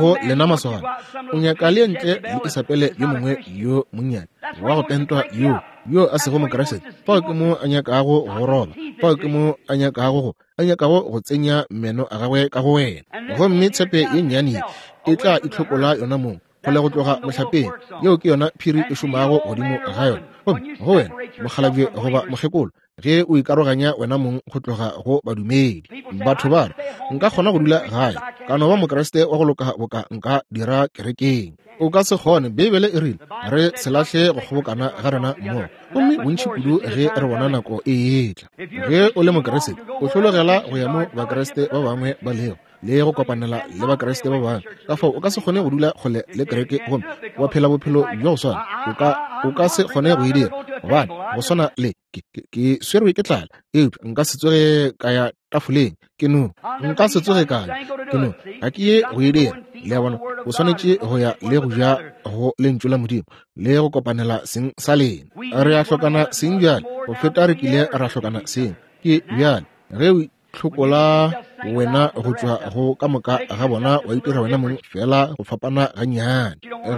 Speaker 2: Go lena masogana, o nyaka le ntle le Isabele yo mongwe yo monnyane wa go pentwa yo yo a sego Mokriste. Fao ke mo a nyakago go roba, fao ke mo a nyakago go a nyakago go tsenya meno a gagwe ka go wena. Gomme tshepe ye nnyane e tla itlhokola yona mong kgole go tloga mohlapeng. Yeo ke yona phiri e šomago godimo ga yona. Gomme go wena, mokgalabje goba mokgekolo, Ge o ikaroganya wena mong go tloga go badumedi. Batho ba re, Nka kgona go dula gae, ka no ba Mokriste wa go loka boka nka dira kerekeng. O ka se kgone. Beibele e rile re se lahle go kgobokana ga rena mmogo, gomme bontši kudu ge re bona nako e etla. Ge o le Mokriste, o hlologela go ya mo Bakriste ba bangwe ba lego le go kopanela le Bakriste ba bangwe. Ka fao o ka se kgone go dula kgole le kereke gomme wa phela bophelo bja go swana. O ka se kgone go e dira, gobane go swana le ke swerwe ke tlala, eupša nka se tsoge ka ya tafoleng. Ke no nka se tsoge ka ja, ke no ga ke ye go e dira. Le a bona, o swanetše go ya le go ja go lentšu la Modimo le go kopanela seng sa lena. Re a hlokana seng bjale go feta re kile ra hlokana seng. Ke bjale ge o hlokola wena go tšwa go ka moka ga bona, wa itira wena mong fela go fapana gannyane.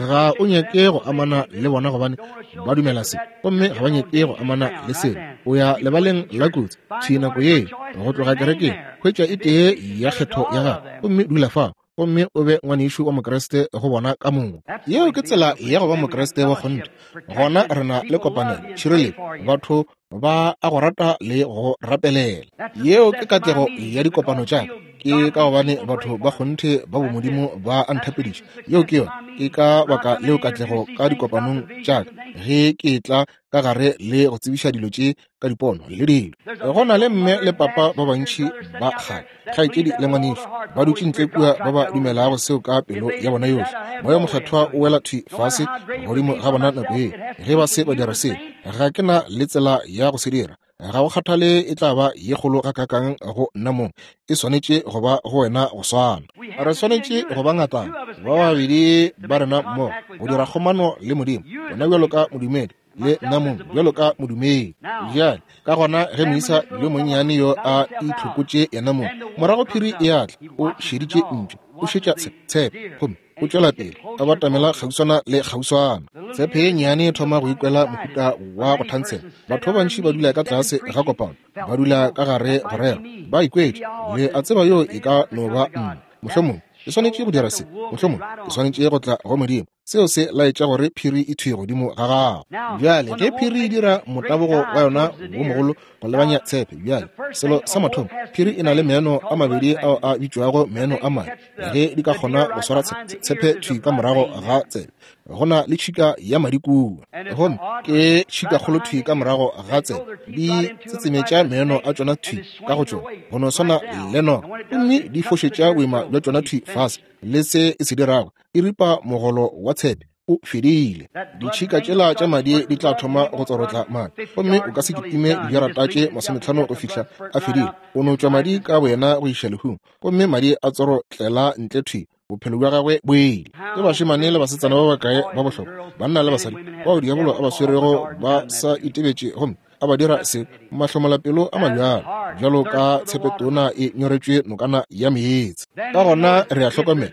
Speaker 2: Ga o nyake go amana le bona gobane ba dumela se, gomme ga ba nyake go amana le selo. O ya lebaleng la kotsi thwi nako ye go tloga kerekeng, hwetša e tee ya kgetho ya gago gomme dula fao, gomme o be ngwanešu wa Mokriste go bona ka moka. Yeo ke tsela ya go ba Mokriste wa kgonthe. Gona re na le kopanelo, tšhireletšo, batho ba a go rata le go rapelela. Yeo ke katlego ya dikopano tša ka, ke ka gobane batho ba kgonthe ba bomodimo ba a nthapediša. Yeo ke yona, ke ka baka leo katlego ka dikopanong tša ka, ge ke tla ka gare le go tsebiša dilo tše ka dipono le dilo. Go na le mme le papa ba bantši ba kgale, kgaetšedi le ngwanešu, ba dutše ntle kua ba ba dumelago seo ka pelo ya bona yohle. Moya o Mokgethwa o wela thwi fase godimo ga bona nako ye ge ba se ba dira seo. Ga ke na le tsela ya go se dira. Ga go kgathale e tla ba ye kgolo gakaakang go nna mong, e swanetše go ba go wena go swana. Re swanetše go ba ngatana, ba babedi ba rena mmogo, go dira kgomano le Modimo, wena bjalo ka modumedi le nna mong bjalo ka modumedi. Bjale ka gona ge moisa yo monnyane yo a itlhokotše yena mong, morago phiri e a tla, o šeditše ntšu, o šetša tshepe, gomme o tšwela pele a batamela kgauswana le kgauswana. Tshepe ye nnyane e thoma go ikwela mohuta wa go thantshela. Batho ba bantši ba dula ka tlase ga kopano, ba dula ka gare go rera, ba ikwetše, le a tseba yo e ka no ba nna. Mohlomong ke swanetše go dira se, mohlomong ke swanetše go tla go Modimo. Seo se laetša gore phiri e thwi godimo ga gago. Bjale ge phiri e dira motabogo wa yona wo mogolo go lebanya tshepe, bjale selo sa mathomo, phiri e na le meno a mabedi ao a bitšwago meno a mane. Ge di ka kgona go swara tshepe thwi ka morago ga tsebe, go na le tšhika ya madi kua, gomme ke tšhika kgolo thwi ka morago ga tsebe, di tsetsemetša meno a tšona thwi ka go tšona go no swana le noga, gomme di fošetša boima bja tšona thwi fase. Le se e se dirago, e ripa mogolo wa tshepe, o fedile. Ditšhika tšela tša madi di tla thoma go tsorotla madi, gomme o ka se kitime dijarata tše 50 go fihla a fedile. O no tšwa madi ka boyena go iša lehung, gomme madi a tsorotlela ntle thwi, bophelo bja gagwe bo ile. Ke bašemane le basetsana ba bakae ba bohlokwa, banna le basadi, bao diabolo a ba swerego ba sa itebetše gomme a ba dira se mahlomolapelo a mabjalo bjalo ka tshepetona e nyoretšwe nokana ya meetse. Ka gona re a hlokomela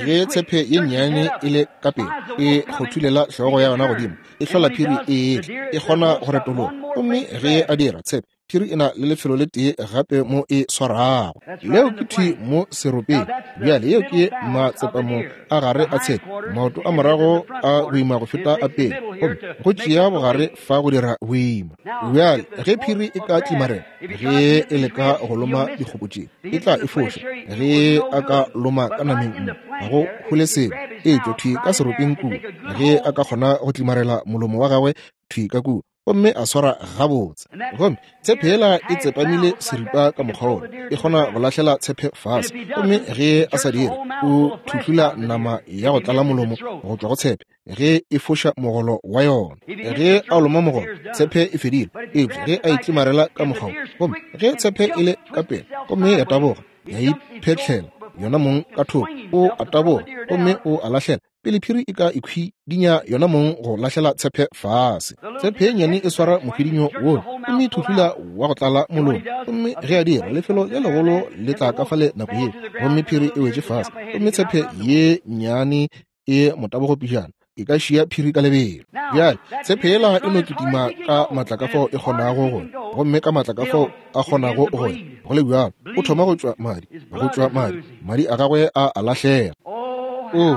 Speaker 2: ge tshepe ye nnyane e le ka pele e kgothulela hlogo ya yona godimo, e hlola phiri e etla, e kgona go retologa. Gomme ge a dira, tshepe phiri e na le lefelo le tee gape mo e swarago, leo ke thwi mo seropeng. Bjale yeo ke matsepamo a gare a tshepe, maoto a morago a boima go feta a pele, gomme go tšea bogare fa go dira boima. Bjale ge phiri e ka tlimarela, ge e leka go loma dikgopo tše, e tla e foša. Ge a ka loma ka nameng mo, ga go hole selo, e tšwa thwi ka seropeng kua. Ge a ka kgona go tlimarela molomo wa gagwe thwi ka kua, gomme a swara gabotse, gomme tshepe yela e tsepamile seripa ka mokgwa wona, e kgona go lahlela tshepe fase. Gomme ge a sa dire, o thuhlula nama ya go tlala molomo go tšwa go tshepe ge e foša mogolo wa yona. Ge a loma mogolo, tshepe e fedile. Eupša ge a itlimarela ka mokgwa wo, gomme ge tshepe e le ka pele gomme ya taboga, ya iphetlela yona mong ka thoko, o a taboga gomme o a lahlela pele phiri e ka ikhwidinya yona mong go lahlela tshepe fase. Tshepe ye nnyane e swara mokhwidinyo wo gomme e thuhlula wa go tlala molomo, gomme ge a dira, lefelo le legolo le tla ka fale nako yeo, gomme phiri e wetše fase, gomme tshepe ye nnyane e motabogo pejana e ka šia phiri ka lebelo. Bjale tshepe yela e no kitima ka matla ka fao e kgonago go, gomme ka matla ka fao a kgonago go ya. Go le bjalo o thoma go tšwa madi, go tšwa madi, madi a gagwe a a lahlega. O,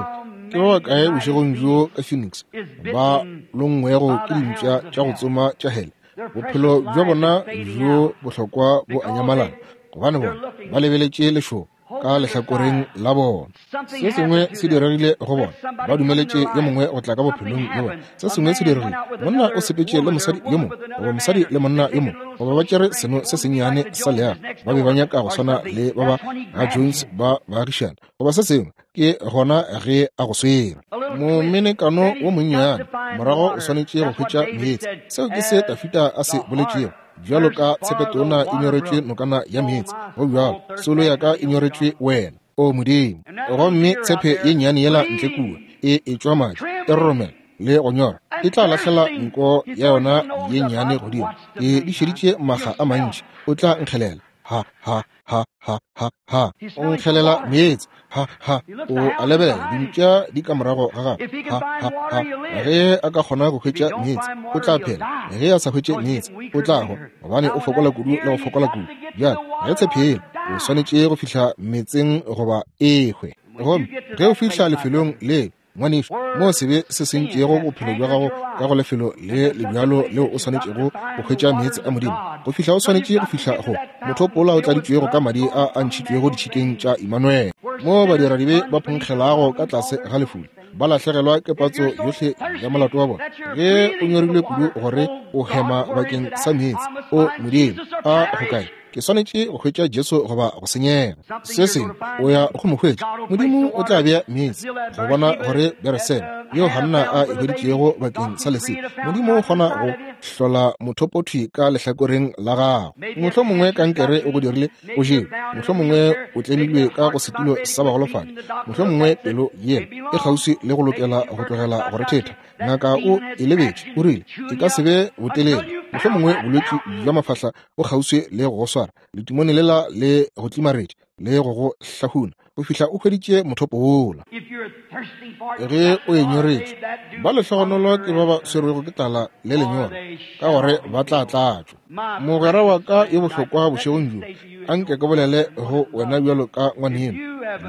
Speaker 2: ke ba bakae bošegong bjo ka Phoenix ba longwego ke dimpša tša go tsoma tša hele? Bophelo bja bona bjo bohlokwa bo a nyamalala, gobane bona ba lebeletše lešoba ka lehlakoreng la bona. Se sengwe se diregile go bona, ba dumeletše yo mongwe go tla ka bophelong bja bona. Se sengwe se diregile, monna o sepetše le mosadi yo mongwe, goba mosadi le monna yo mongwe, goba ba tšere seno se sennyane sa leago, ba be ba nyaka go swana le ba ba ga Jones ba baagišana, goba se sengwe. Ke gona ge a go swere momenekano wo monnyane, morago o swanetše go hwetša meetse. Seo ke se Dafida a se boletšego, bjalo ka tshepetona e nyoretšwe nokana ya meetse, go bjalo soulo ya ka e nyoretšwe wena, O Modimo. Gomme tshepe ye nnyane yela ntle kua e etšwa madi, e roromela le go nyora, e tla lahlela nko ya yona ye nnyane godimo. Ke di šeditše makga a mantši. O tla nkgelela, ha ha ha ha ha ha, o nkgelela meetse, ha ha, o a lebelela dimpša di ka morago ga gagwe, ha ha ha. Ge a ka kgona go hwetša meetse, o tla phela. Ge a sa hwetše meetse, o tla hwa, gobane o fokola kudu le go fokola kudu. Bjale ge tshephelo, o swanetše go fihla meetseng goba e hwe. Gomme ge o fihla lefelong le, ngwanešu, moo sebe se sentšego bophelo bja gago ka go lefelo le le bjalo leo o swanetšego go hwetša meetse a Modimo, go fihla o swanetše go fihla go mothopo wola o tladitšwego ka madi a a ntšhitšwego ditšhikeng tša Imanuele, moo badiradibe ba phonkgelago ka tlase ga lefula, ba lahlegelwa ke patso yohle ya molato wa bona. Ge o nyorilwe kudu gore o hema bakeng sa meetse, o Modimo, a go kae? Ke swanetše go hwetša Jesu goba go senyega. Se sengwe, o ya go mo hwetša. Modimo o tla bea meetse go bona gore Bereseba yeo Hanna a e hweditšego bakeng sa lesea, Modimo o kgona go hlola mothopothwi ka lehlakoreng la gago. Mohlomongwe kankere o go dirile o jewe, mohlomongwe o tlemilwe ka go setulo sa bagolofadi, mohlomongwe pelo yela e kgauswi le go lokela go tlogela go rethetha. Ngaka o e lebetše, o rile e ka se be botelele. Mohlomongwe bolwetši bja mafahla bo kgauswi le go go swara, letimone lela le go tlimaretše le go go hlahuna go fihla o hweditše mothopo wola. Ge o e nyoretšwe, ba lehlogonolo ke ba ba swerwego ke tlala le lenyora, ka gore ba tla tlatšwa. Mogwera wa ka yo bohlokwa bošegong bjo, a nke ke bolele go wena bjalo ka ngwaneno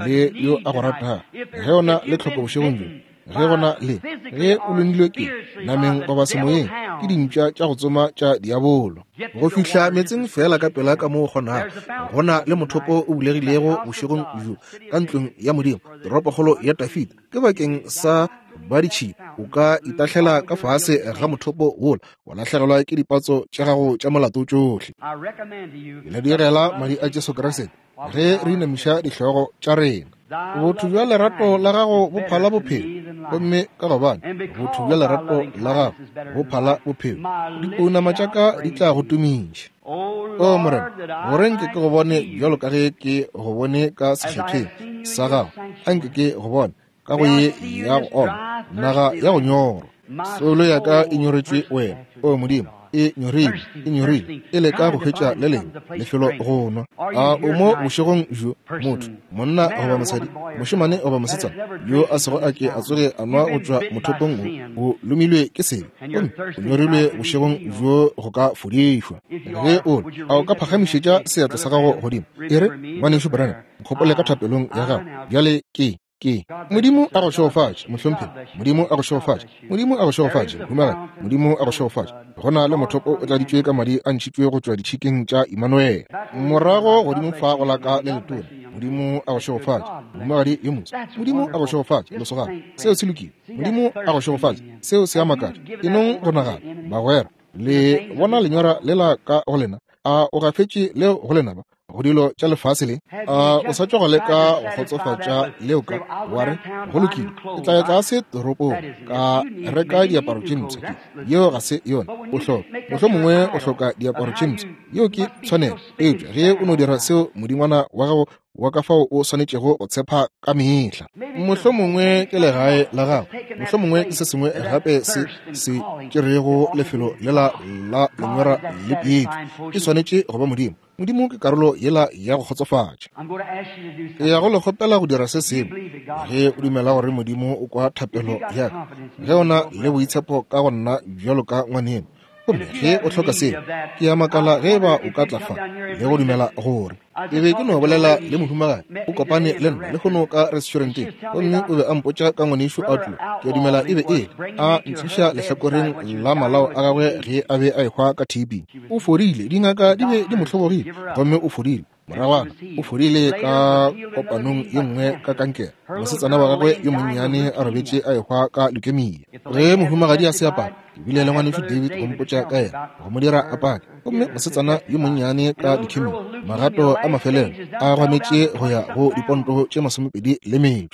Speaker 2: le yo a go ratago. Ge o na le tlhoko bošegong bjo, ge gona le ge o lomilwe ke nameng goba semoyeng ke dimpša tša go tsoma tša diabolo, go fihla meetseng feela ka pela ka mo o kgonago. Go na le mothopo o bulegilego bošegong bjo ka ntlong ya Modimo, toropokgolo ya Dafida, ke bakeng sa ba ditšhila. O ka itahlela ka fase ga mothopo wola wa lahlegelwa ke dipatso tša gago tša molato tšohle. Ke le direla madi a Jesu Kriste ge re inamiša dihlogo tša rena. Botho bja lerato la gago bo phala bophelo, gomme ka gobane botho bja lerato la gago bo phala bophelo, dipounama tša ka di tla go tumiša. O Morena, gore nke ke go bone bjalo ka ge ke go bone ka sekgethweng sa gago, a nke ke go bone ka go ye ya go oma, naga ya go nyorwa. Soulo ya ka e nyoretšwe wena, o Modimo, e nyorilwe, e nyorilwe, e leka go hwetša le lengwe lefelo go nwa. A o mo bošegong bjo, motho, monna goba mosadi, mošemane goba mosetsana, yo a sego a ke a tsoge a nwa go tšwa mothopong wo, o lomilwe ke sebe, gomme o nyorilwe bošegong bjo go ka fodišwa. Ge o le, a o ka phagamišetša seatla sa gago godimo, e re, Ngwanešu Branham, nkgopole ka thapelong ya gago bjale. Ke Ke Modimo a go šegofatše, mohlomphegi. Modimo a go šegofatše. Modimo a go šegofatše, mohumagadi. Modimo a go šegofatše. Go na le mothopo o tladitšwe ka madi a ntšhitšwe go tšwa ditšhikeng tša Imanuele. Morago godimo fa go la ka le letona. Modimo a go šegofatše, mohumagadi yo motse. Modimo a go šegofatše, lesogana. Seo se lokile. Modimo a go šegofatše. Seo se a makatša. E nong go nagana, bagwera. Le bona lenyora lela ka go lena? A o gafetše leo go lenaba go dilo tša lefase le? A o sa tšwa go leka go kgotsofatša leo ka wa re, go lokile, ke tla ya tlase toropong ka reka diaparo tše mpsha? Ke yeo ga se yona. O hloka, mohlomongwe o hloka diaparo tše mpsha, yeo ke tshwanelo. Eupša ge o no dira seo modingwana wa gago wa ka fao o swanetšego go tshepa ka mehla, mohlomongwe ke legae la gago, mohlomongwe ke se sengwe gape se se tšerego lefelo lela la lenyora le pietšo, e swanetše go ba Modimo. Modimo ke karolo yela ya go kgotsofatša. Ke ya go le kgopela go dira se sengwe. Ge o dumela gore Modimo o kwa thapelo ya ka, ge o na le boitshepo ka go nna bjalo ka ngwaneno, Gomme ge o hloka seo, ke a makala ge eba o ka tla fa le go dumela gore ke be ke no bolela le mohumagadi. O kopane le nna lehono ka restauranteng, gomme o be a mpotša ka ngwanešu Outlaw. Ke a dumela e be e le a ntliša lehlakoreng la malao a gagwe ge a be a ehwa ka TB. O fodile, dingaka di be di mo hlobogile, gomme o fodile. Moragwana o fodile ka kopanong ye nngwe ka kankere. Mosetsana wa gagwe yo monnyane a robetše a ehwa ka leukemia. Ge mohumagadi a se apara, ke bile le ngwanešu David go mpotša ka yena, go mo dira a pake. Gomme mosetsana yo monnyane ka leukemia, magato a mafelelo a gwametše go ya go diponto tše 25.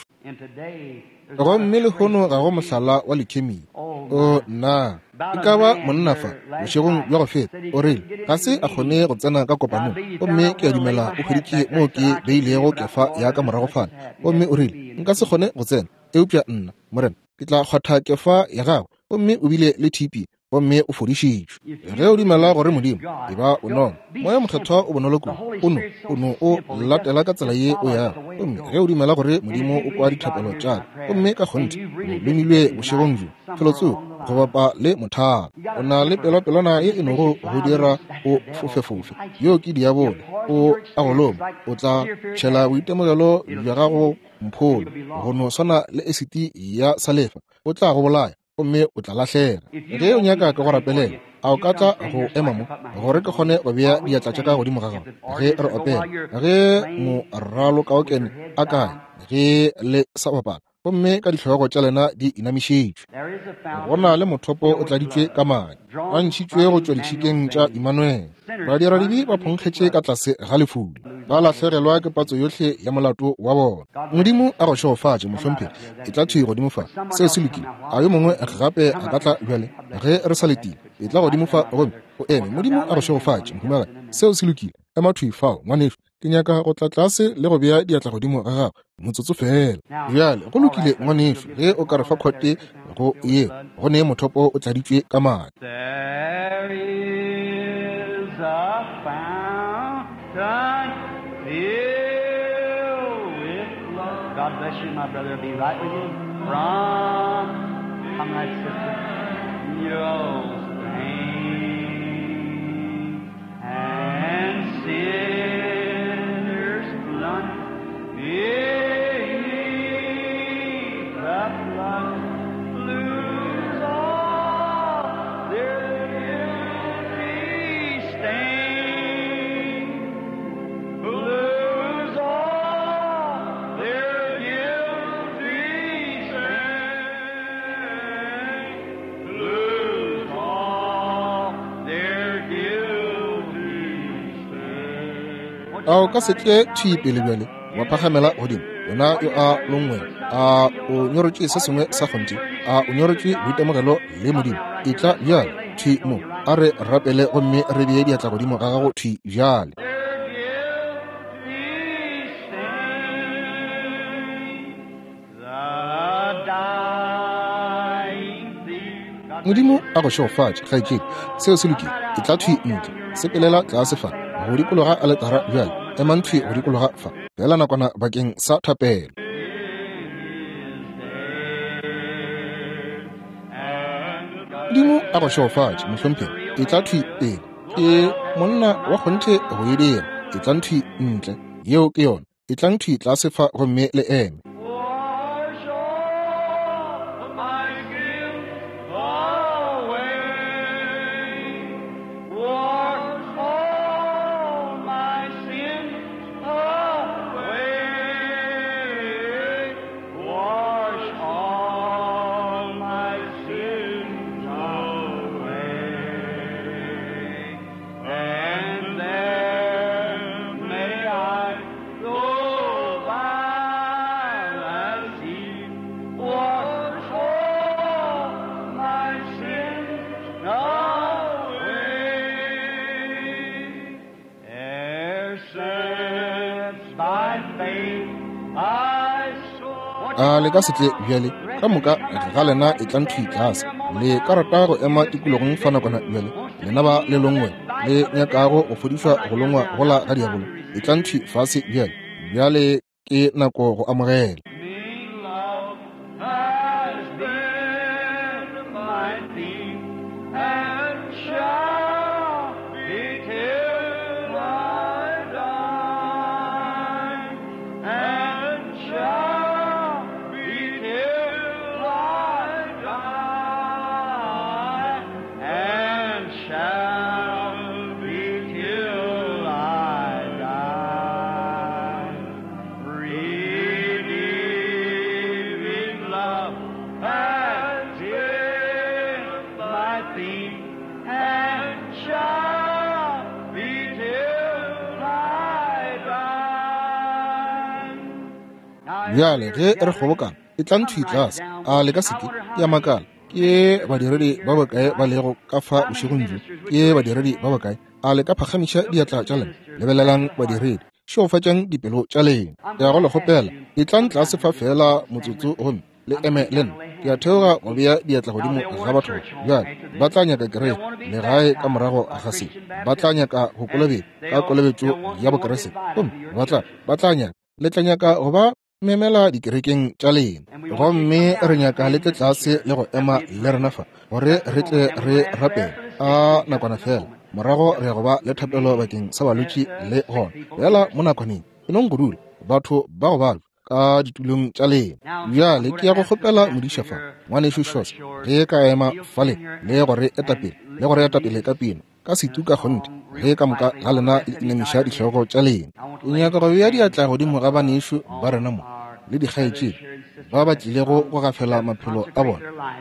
Speaker 2: Gomme lehono ga go mohlala wa leukemia. O nna, e ka ba monna fa bošegong bja go feta o rile ga se a kgone go tsena ka kopanong, gomme ke a dumela o hweditše moo ke beilego kefa ya ka morago fale, gomme o rile nka se kgone go tsena, eupša nna, Morena, ke tla kgwatha kefa ya gagwe. Gomme o bile le TB gomme o fodišitšwe. Ge o dumela gore Modimo e ba bonolo, Moya Mokgethwa o bonolo kudu, o no o latela ka tsela ye o yago. Gomme ge o dumela gore Modimo o kwa dithapelo tša ka, gomme ka kgonthe o lomilwe bošegong bjo, felotsoko go bapa le mothalo, o na le pelopelwana ye e nogo go dira o fofefofe, yo ke diabolo, o a go loma, o tla tšhela boitemogelo bja gago mpholo, go no swana le esiti ya salefa, o tla go bolaya gomme o tla lahlega. Ge o nyaka ke go rapelela, a o ka tla go ema mo gore ke kgone go bea diatla tša ka godimo ga gago ge re opela, ge moralokaokene a kae ge le sa bapala, gomme ka dihlogo tša lena di inamišitšwe. Go na le mothopo o tladitšwe ka madi, a ntšhitšwe go tšwa ditšhikeng tša Immanuel. Badiradibe ba phonkgetše ka tlase ga lefula, ba lahlegelwa ke patso yohle ya molato wa bona. Modimo a go šegofatše, mohlomphegi. E tla thwi godimo fa. Seo se lokile. A yo mongwe gape a ka tla bjale ge re sa letile? E tla godimo fa gomme o eme. Modimo a go šegofatše, mohumagadi. Seo se lokile. Ema thwi fao, ngwanešu. Ke nyaka go tla tlase le go bea diatla godimo ga gago motsotso fela. Bjale go lokile, ngwanešu, ge o ka re fa khote go yeo, go ne mothopo o tladitšwe ka madi.
Speaker 1: There is a fountain filled with love. God bless you, my brother. Be right with you. From, come right, sister. Your strength and sinners plunge beneath the flood, lose all their guilty stain, lose all their guilty stain, lose all their guilty stain.
Speaker 2: A o ka se tle thwi pele bjale wa phagamela godimo, wena yo a longwego? A o nyorotše se sengwe sa kgonthe? A o nyorotše boitemogelo le Modimo? E tla bjale thwi mo, a re rapele gomme re bee diatla godimo ga gago thwi bjale.
Speaker 1: Their guilty stain, the dying thief. God
Speaker 2: Modimo a go šegofatše, kgaetšedi. Seo se lokile. E tla thwi ntle. Sepelela tlase fa go dikologa aletara bjale. Emang thwi go dikologa fa fela nakwana bakeng sa thapelo. Modimo a go šegofatše, mohlomphegi. E tla thwi pele. Ke monna wa kgonthe go e dira. E tlang thwi ntle. Yeo ke yona. E tlang thwi tlase fa gomme le eme.
Speaker 1: Wash all my guilt away. Wash all my sins away. Wash all my sins away. And there may I go by the sea. Wash all my sins away. E'er since by faith I saw.
Speaker 2: A le ka se tle bjale ka moka ga lena e tlang thwi tlase. Le ka rata go ema tikologong fa nakwana bjale, lena ba le longwe le nyakago go fodišwa go longwa gola ga diabolo, e tlang thwi fase bjale. Bjale ke nako go amogela.
Speaker 1: Me love has been my thief and shall
Speaker 2: Bjale ge re kgobokana, etlang thwi tlase. A le ka se ke? Ke a makala, ke badiredi ba bakae ba lego ka fa bošegong bjo? Ke badiredi ba bakae? A le ka phagamiša diatla tša lena? Lebelelang badiredi, šegofatšang dipelo tša lena. Ke ya go le kgopela, etlang tlase fa feela motsotso gomme le eme le nna. Ke a theoga go bea diatla godimo ga batho ba. Bjale ba tla nyaka kereke legae ka morago ga se. Ba tla nyaka go kolobetšwa ka kolobetšo ya Bokriste. Gomme ba tla, ba tla nyaka, le tla nyaka go ba memela dikerekeng tša lena. Gomme re nyaka le tle tlase le go ema le rena fa, gore re tle re rapele a nakwana fela. Morago re ya go ba le thapelo bakeng sa balwetši le gona. Fela mo nakwaneng, e nong go dula batho ba go balwa ka ditulong tša lena. Bjale ke ya go kgopela modiša fa, Ngwanešu Shores, ge ka ema fale le go re etapele, le go re etapele ka pina, ka setu ka kgonthe, ge ka moka ga lena le inamiša dihlogo tša lena. Ke nyaka go bea diatla godimo ga banešu ba rena mo le dikgaetšedi ba ba tlilego go gafela maphelo a bona,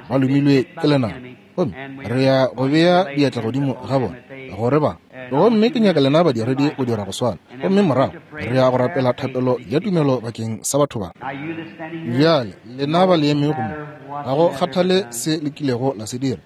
Speaker 2: ba lomilwe ke lenaba, gomme re ya go bea diatla godimo ga bona gore ba. Gomme ke nyaka lena badiredi go dira go swana, gomme morago re ya go rapela thapelo ya tumelo bakeng sa batho ba. Bjale lena ba le emego mo, ga go kgathale se le kilego la se dira,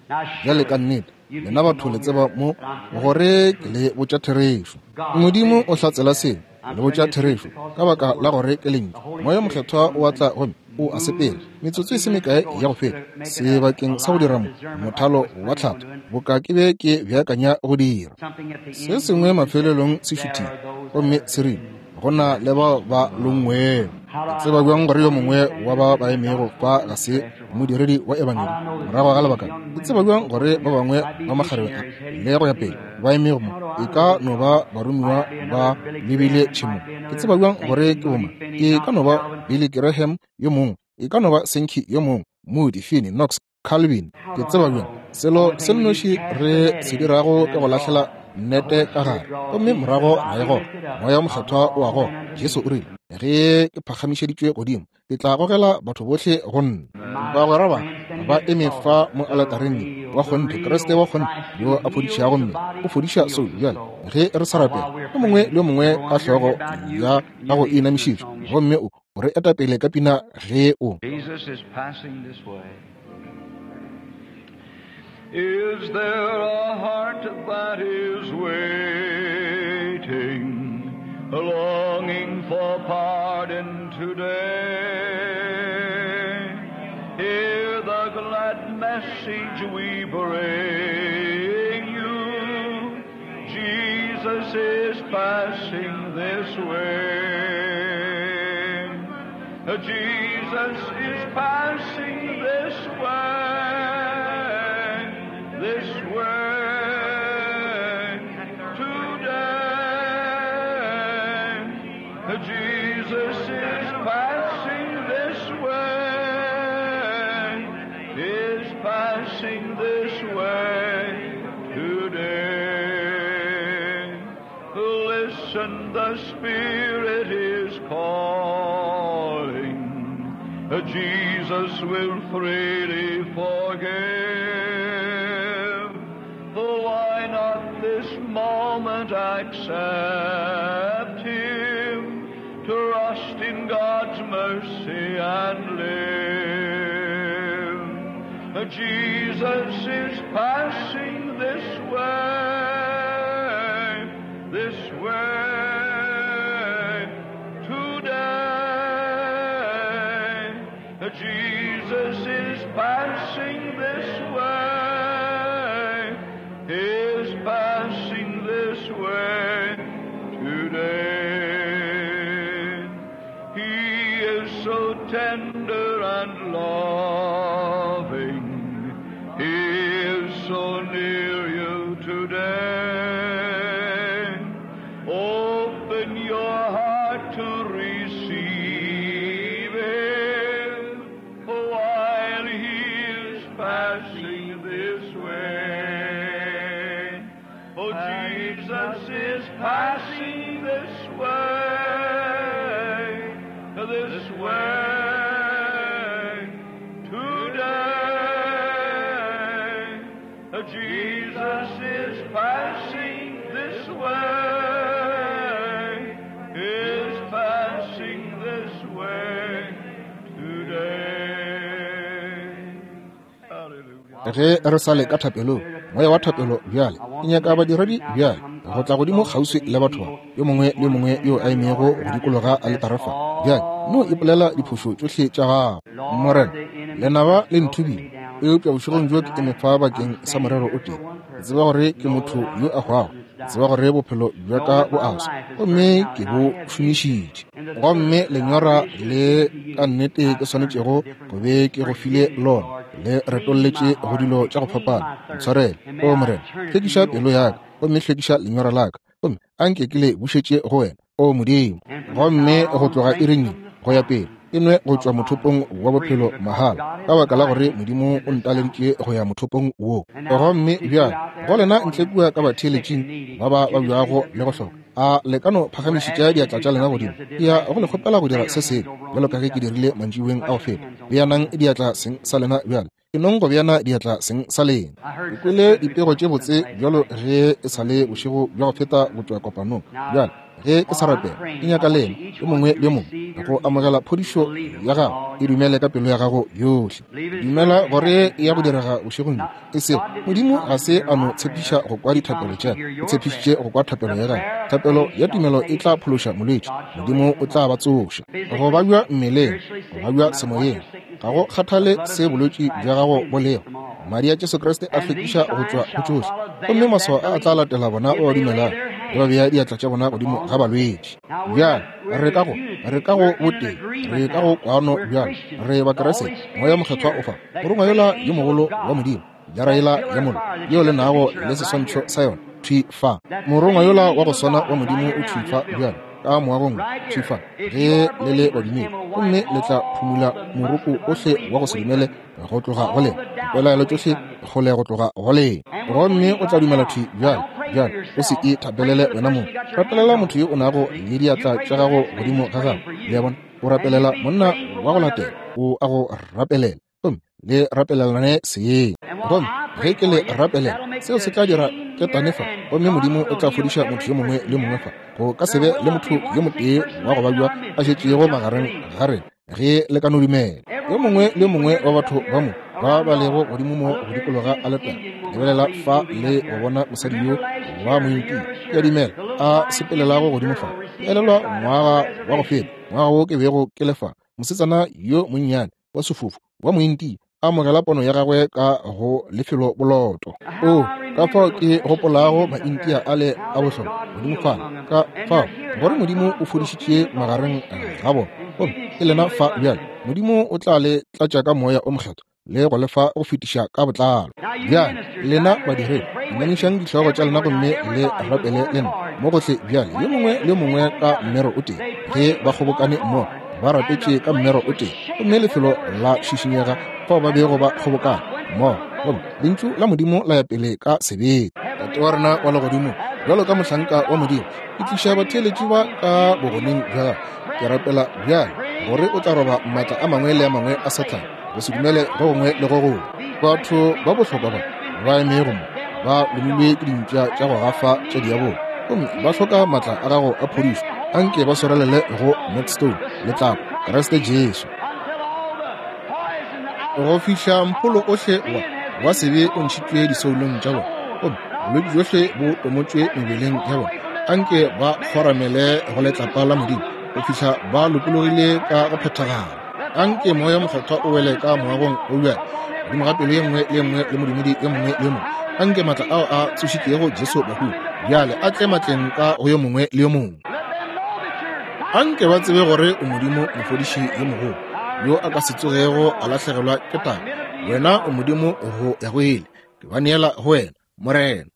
Speaker 2: bjale ka nnete lena batho le tseba mo gore ke le botša therešo. Modimo o hlatsela seo, le botša therešo ka baka la gore ke lentšu. Moya Mokgethwa o a tla gomme o a sepela. Metsotso e se mekae ya go feta, sebakeng sa go dira mo mothalo wa tlhatho, boka ke be ke beakanya go dira se sengwe, mafelelong se šuthile gomme se rile, go na le bao ba longwego. Ke tseba bjang gore yo mongwe wa ba ba emego fa ga se modiredi wa ebangedi morago ga lebaka? Ke tseba bjang gore ba bangwe ba makgarebe a le go ya pele ba emego mo e ka no ba baromiwa ba lebile tšhemong? Ke tseba bjang gore ke boma? E ka no ba Billy Graham yo mongwe, e ka no ba Sankey yo mongwe, Moody, Finney, Knox, Calvin. Ke tseba bjang? Selo se nnoši re se dirago ke go lahlela nnete ka gare, gomme morago ra e goga. Moya wo Mokgethwa o a goga. Jesu o rile, ge ke phagamišeditšwe godimo, ke tla gogela batho bohle go nna. Bagwera ba ba eme fa mo aletareng ye, wa kgonthe, Kriste wa kgonthe yo a fodišago mme o fodiša soulo. Bjale ge re sa rapela, yo mongwe le yo mongwe ka hlogo ya gago e inamišitšwe, gomme o re etapele ka pina ge o.
Speaker 1: Jesus is passing this way. Is there a heart that is waiting, longing for pardon today? Hear the glad message we bring you. Jesus is passing this way. Jesus is passing this way, this way today. Jesus is passing this way, is passing this way today. Listen, the Spirit is calling. Jesus will freely forgive. Why not this moment accept Him? Trust in God's mercy and live. Jesus is passing this way, this way today. Jesus is passing this way, is passing this way today. He is so tender and loving. He is so near you today. Open your heart to receive Him while He is passing this way. Oh, Jesus is passing this way, this way today. Jesus is passing this way, is passing this way
Speaker 2: Ge re sa le ka thapelong, moya wa thapelo bjale, ke nyaka badiredi bjale go tla godimo kgauswi le batho ba, yo mongwe le yo mongwe yo a emego go dikologa aletare fa. Bjale no ipolela diphošo tšohle tša gago. Morena, lenaba le nthubile, eupša bošegong bjo ke eme fa bakeng sa morero o tee. Ke tseba gore ke motho yo a hwago, ke tseba gore bophelo bja ka bo a swa, gomme ke bo šomišitše. Gomme lenyora le ka nnete ke swanetšego go be ke go file lona, le retolletše go dilo tša go fapana. Ntshwarele, O Morena, hlwekiša pelo ya ka, gomme hlwekiša lenyora la ka, gomme a nke ke le bušetše go wena, O Modimo. Gomme go tloga iring ye go ya pele, ke nwe go tšwa mothopong wa bophelo mahala, ka baka la gore Modimo o ntaleditše go ya mothopong wo. Gomme bjale go lena ntle kua ka batheeletšing ba ba babjago le go hloka, a le ka no phagamišetša diatla tša lena godimo? Ke ya go le kgopela go dira se sengwe, bjalo ka ge ke dirile mantšiboeng a go feta. Beanang diatla seng sa lena bjale. Ke nong go beana diatla seng sa lena. Ke kwele dipego tše botse bjalo ge e sa le bošego bja go feta go tšwa kopanong. Bjale, ge ke sa rapela, ke nyaka lena, yo mongwe le yo mongwe, go amogela phodišo ya gago. E dumele ka pelo ya gago yohle. Dumela gore e ya go direga bošegong bjo. E sego, Modimo ga se a no tshepiša go kwa dithapelo tša, o tshepišitše go kwa thapelo ya gago. Thapelo ya tumelo e tla phološa molwetši. Modimo o tla ba tsoša. Go babja mmeleng, go babja semoyeng, ga go kgathale se bolwetši bja gago bo lego, Madi a Jesu Kriste a hlwekiša go tšwa go tšohle. Gomme maswao a a tla latela bona ba ba dumelago, ge ba bea diatla tša bona godimo ga balwetši. Bjale, re ka go, re ka go botee, re ka go kwano bjale, re Bakriste, Moya Mokgethwa o fa, Morongwa yola yo mogolo wa Modimo, jara yela ya mollo, yeo le nago le seswantšho sa yona, thwi fa. Morongwa yola wa go swana wa Modimo o thwi fa bjale, ka moagong, thwi fa, ge le le badumedi, gomme le tla phumula moroko ohle wa go se dumele go tloga go lena, dipelaelo tšohle kgole go tloga go lena, gomme o tla dumela thwi bjale. Bjale o se ithapelele wena mong, rapelela motho yo o nago le diatla tša gago godimo ga gago. Le a bona? O rapelela monna wa go latela, o a go rapelela, gomme le rapelelane seng. Gomme ge ke le rapelela, seo se tla dira ketane fa, gomme Modimo o tla fodiša motho yo mongwe le mongwe fa. Go ka se be le motho yo motee wa go babja a šetšego magareng ga rena, ge le ka no dumela. Yo mongwe le yo mongwe wa batho ba mo ba ba lego godimo mo go dikologa aletare, lebelela fa le go bona mosadi yo wa mointia, ke a dumela, a sepelelago godimo fa. Ke elelwa ngwaga wa go feta, ngwaga wo ke bego ke le fa, mosetsana yo monnyane wa sefofu wa mointia a amogela pono ya gagwe ka go lefelo boloto. O, ka fao ke gopolago Maintia ale a bohlokwa godimo fale, ka fao gore Modimo o fodišitše magareng ga bona. Gomme ke lena fa bjale. Modimo o tla le tlatša ka Moya o Mokgethwa le go le fa go fetiša ka botlalo. Bjale, lena badiredi, inamišang dihlogo tša lena gomme le rapele le nna mo gohle bjale, yo mongwe le yo mongwe ka mmero o tee. Ge ba kgobokane mmogo, ba rapetše ka mmero o tee, gomme lefelo la šišinyega fao ba bego ba kgobokana mmogo, gomme Lentšu la Modimo la ya pele ka sebete. Tate wa rena wa Legodimo, bjalo ka mohlanka wa Modimo, ke tliša batheeletši ba ka bogoneng bja gago. Ke rapela bjale gore o tla roba maatla a mangwe le a mangwe a Sathane, go se dumele go gongwe le go gongwe. Batho ba bohlokwa ba ba emego mo ba lomilwe ke dimpša tša go gafa tša diabolo, gomme ba hloka maatla a gago a phodišo. Anke ba swarelele go Northstone, letlapa, Kriste Jesu. Go fihla mpholo ohle wa, wa sebe o ntšhitšwe disoulong tša bona, gomme bolwetši bjohle bo tomotšwe mebeleng ya bona. Anke ba kgoramele go letlapa la Modimo go fihla ba lokologile ka go phethagala. Anke Moya Mokgethwa o wele ka moagong o bjale, godimo ga pelo ye nngwe le ye nngwe le modumedi yo mongwe le yo mongwe. Anke maatla ao a tsošitšego Jesu bahung bjale a tle matleng ka go yo mongwe le yo mongwe. Anke ba tsebe gore o Modimo mofodiši yo mogolo, yo a ka se tsogego a lahlegelwa ke taba. Wena o Modimo go ya go ile. Ke ba neela go wena, Morena.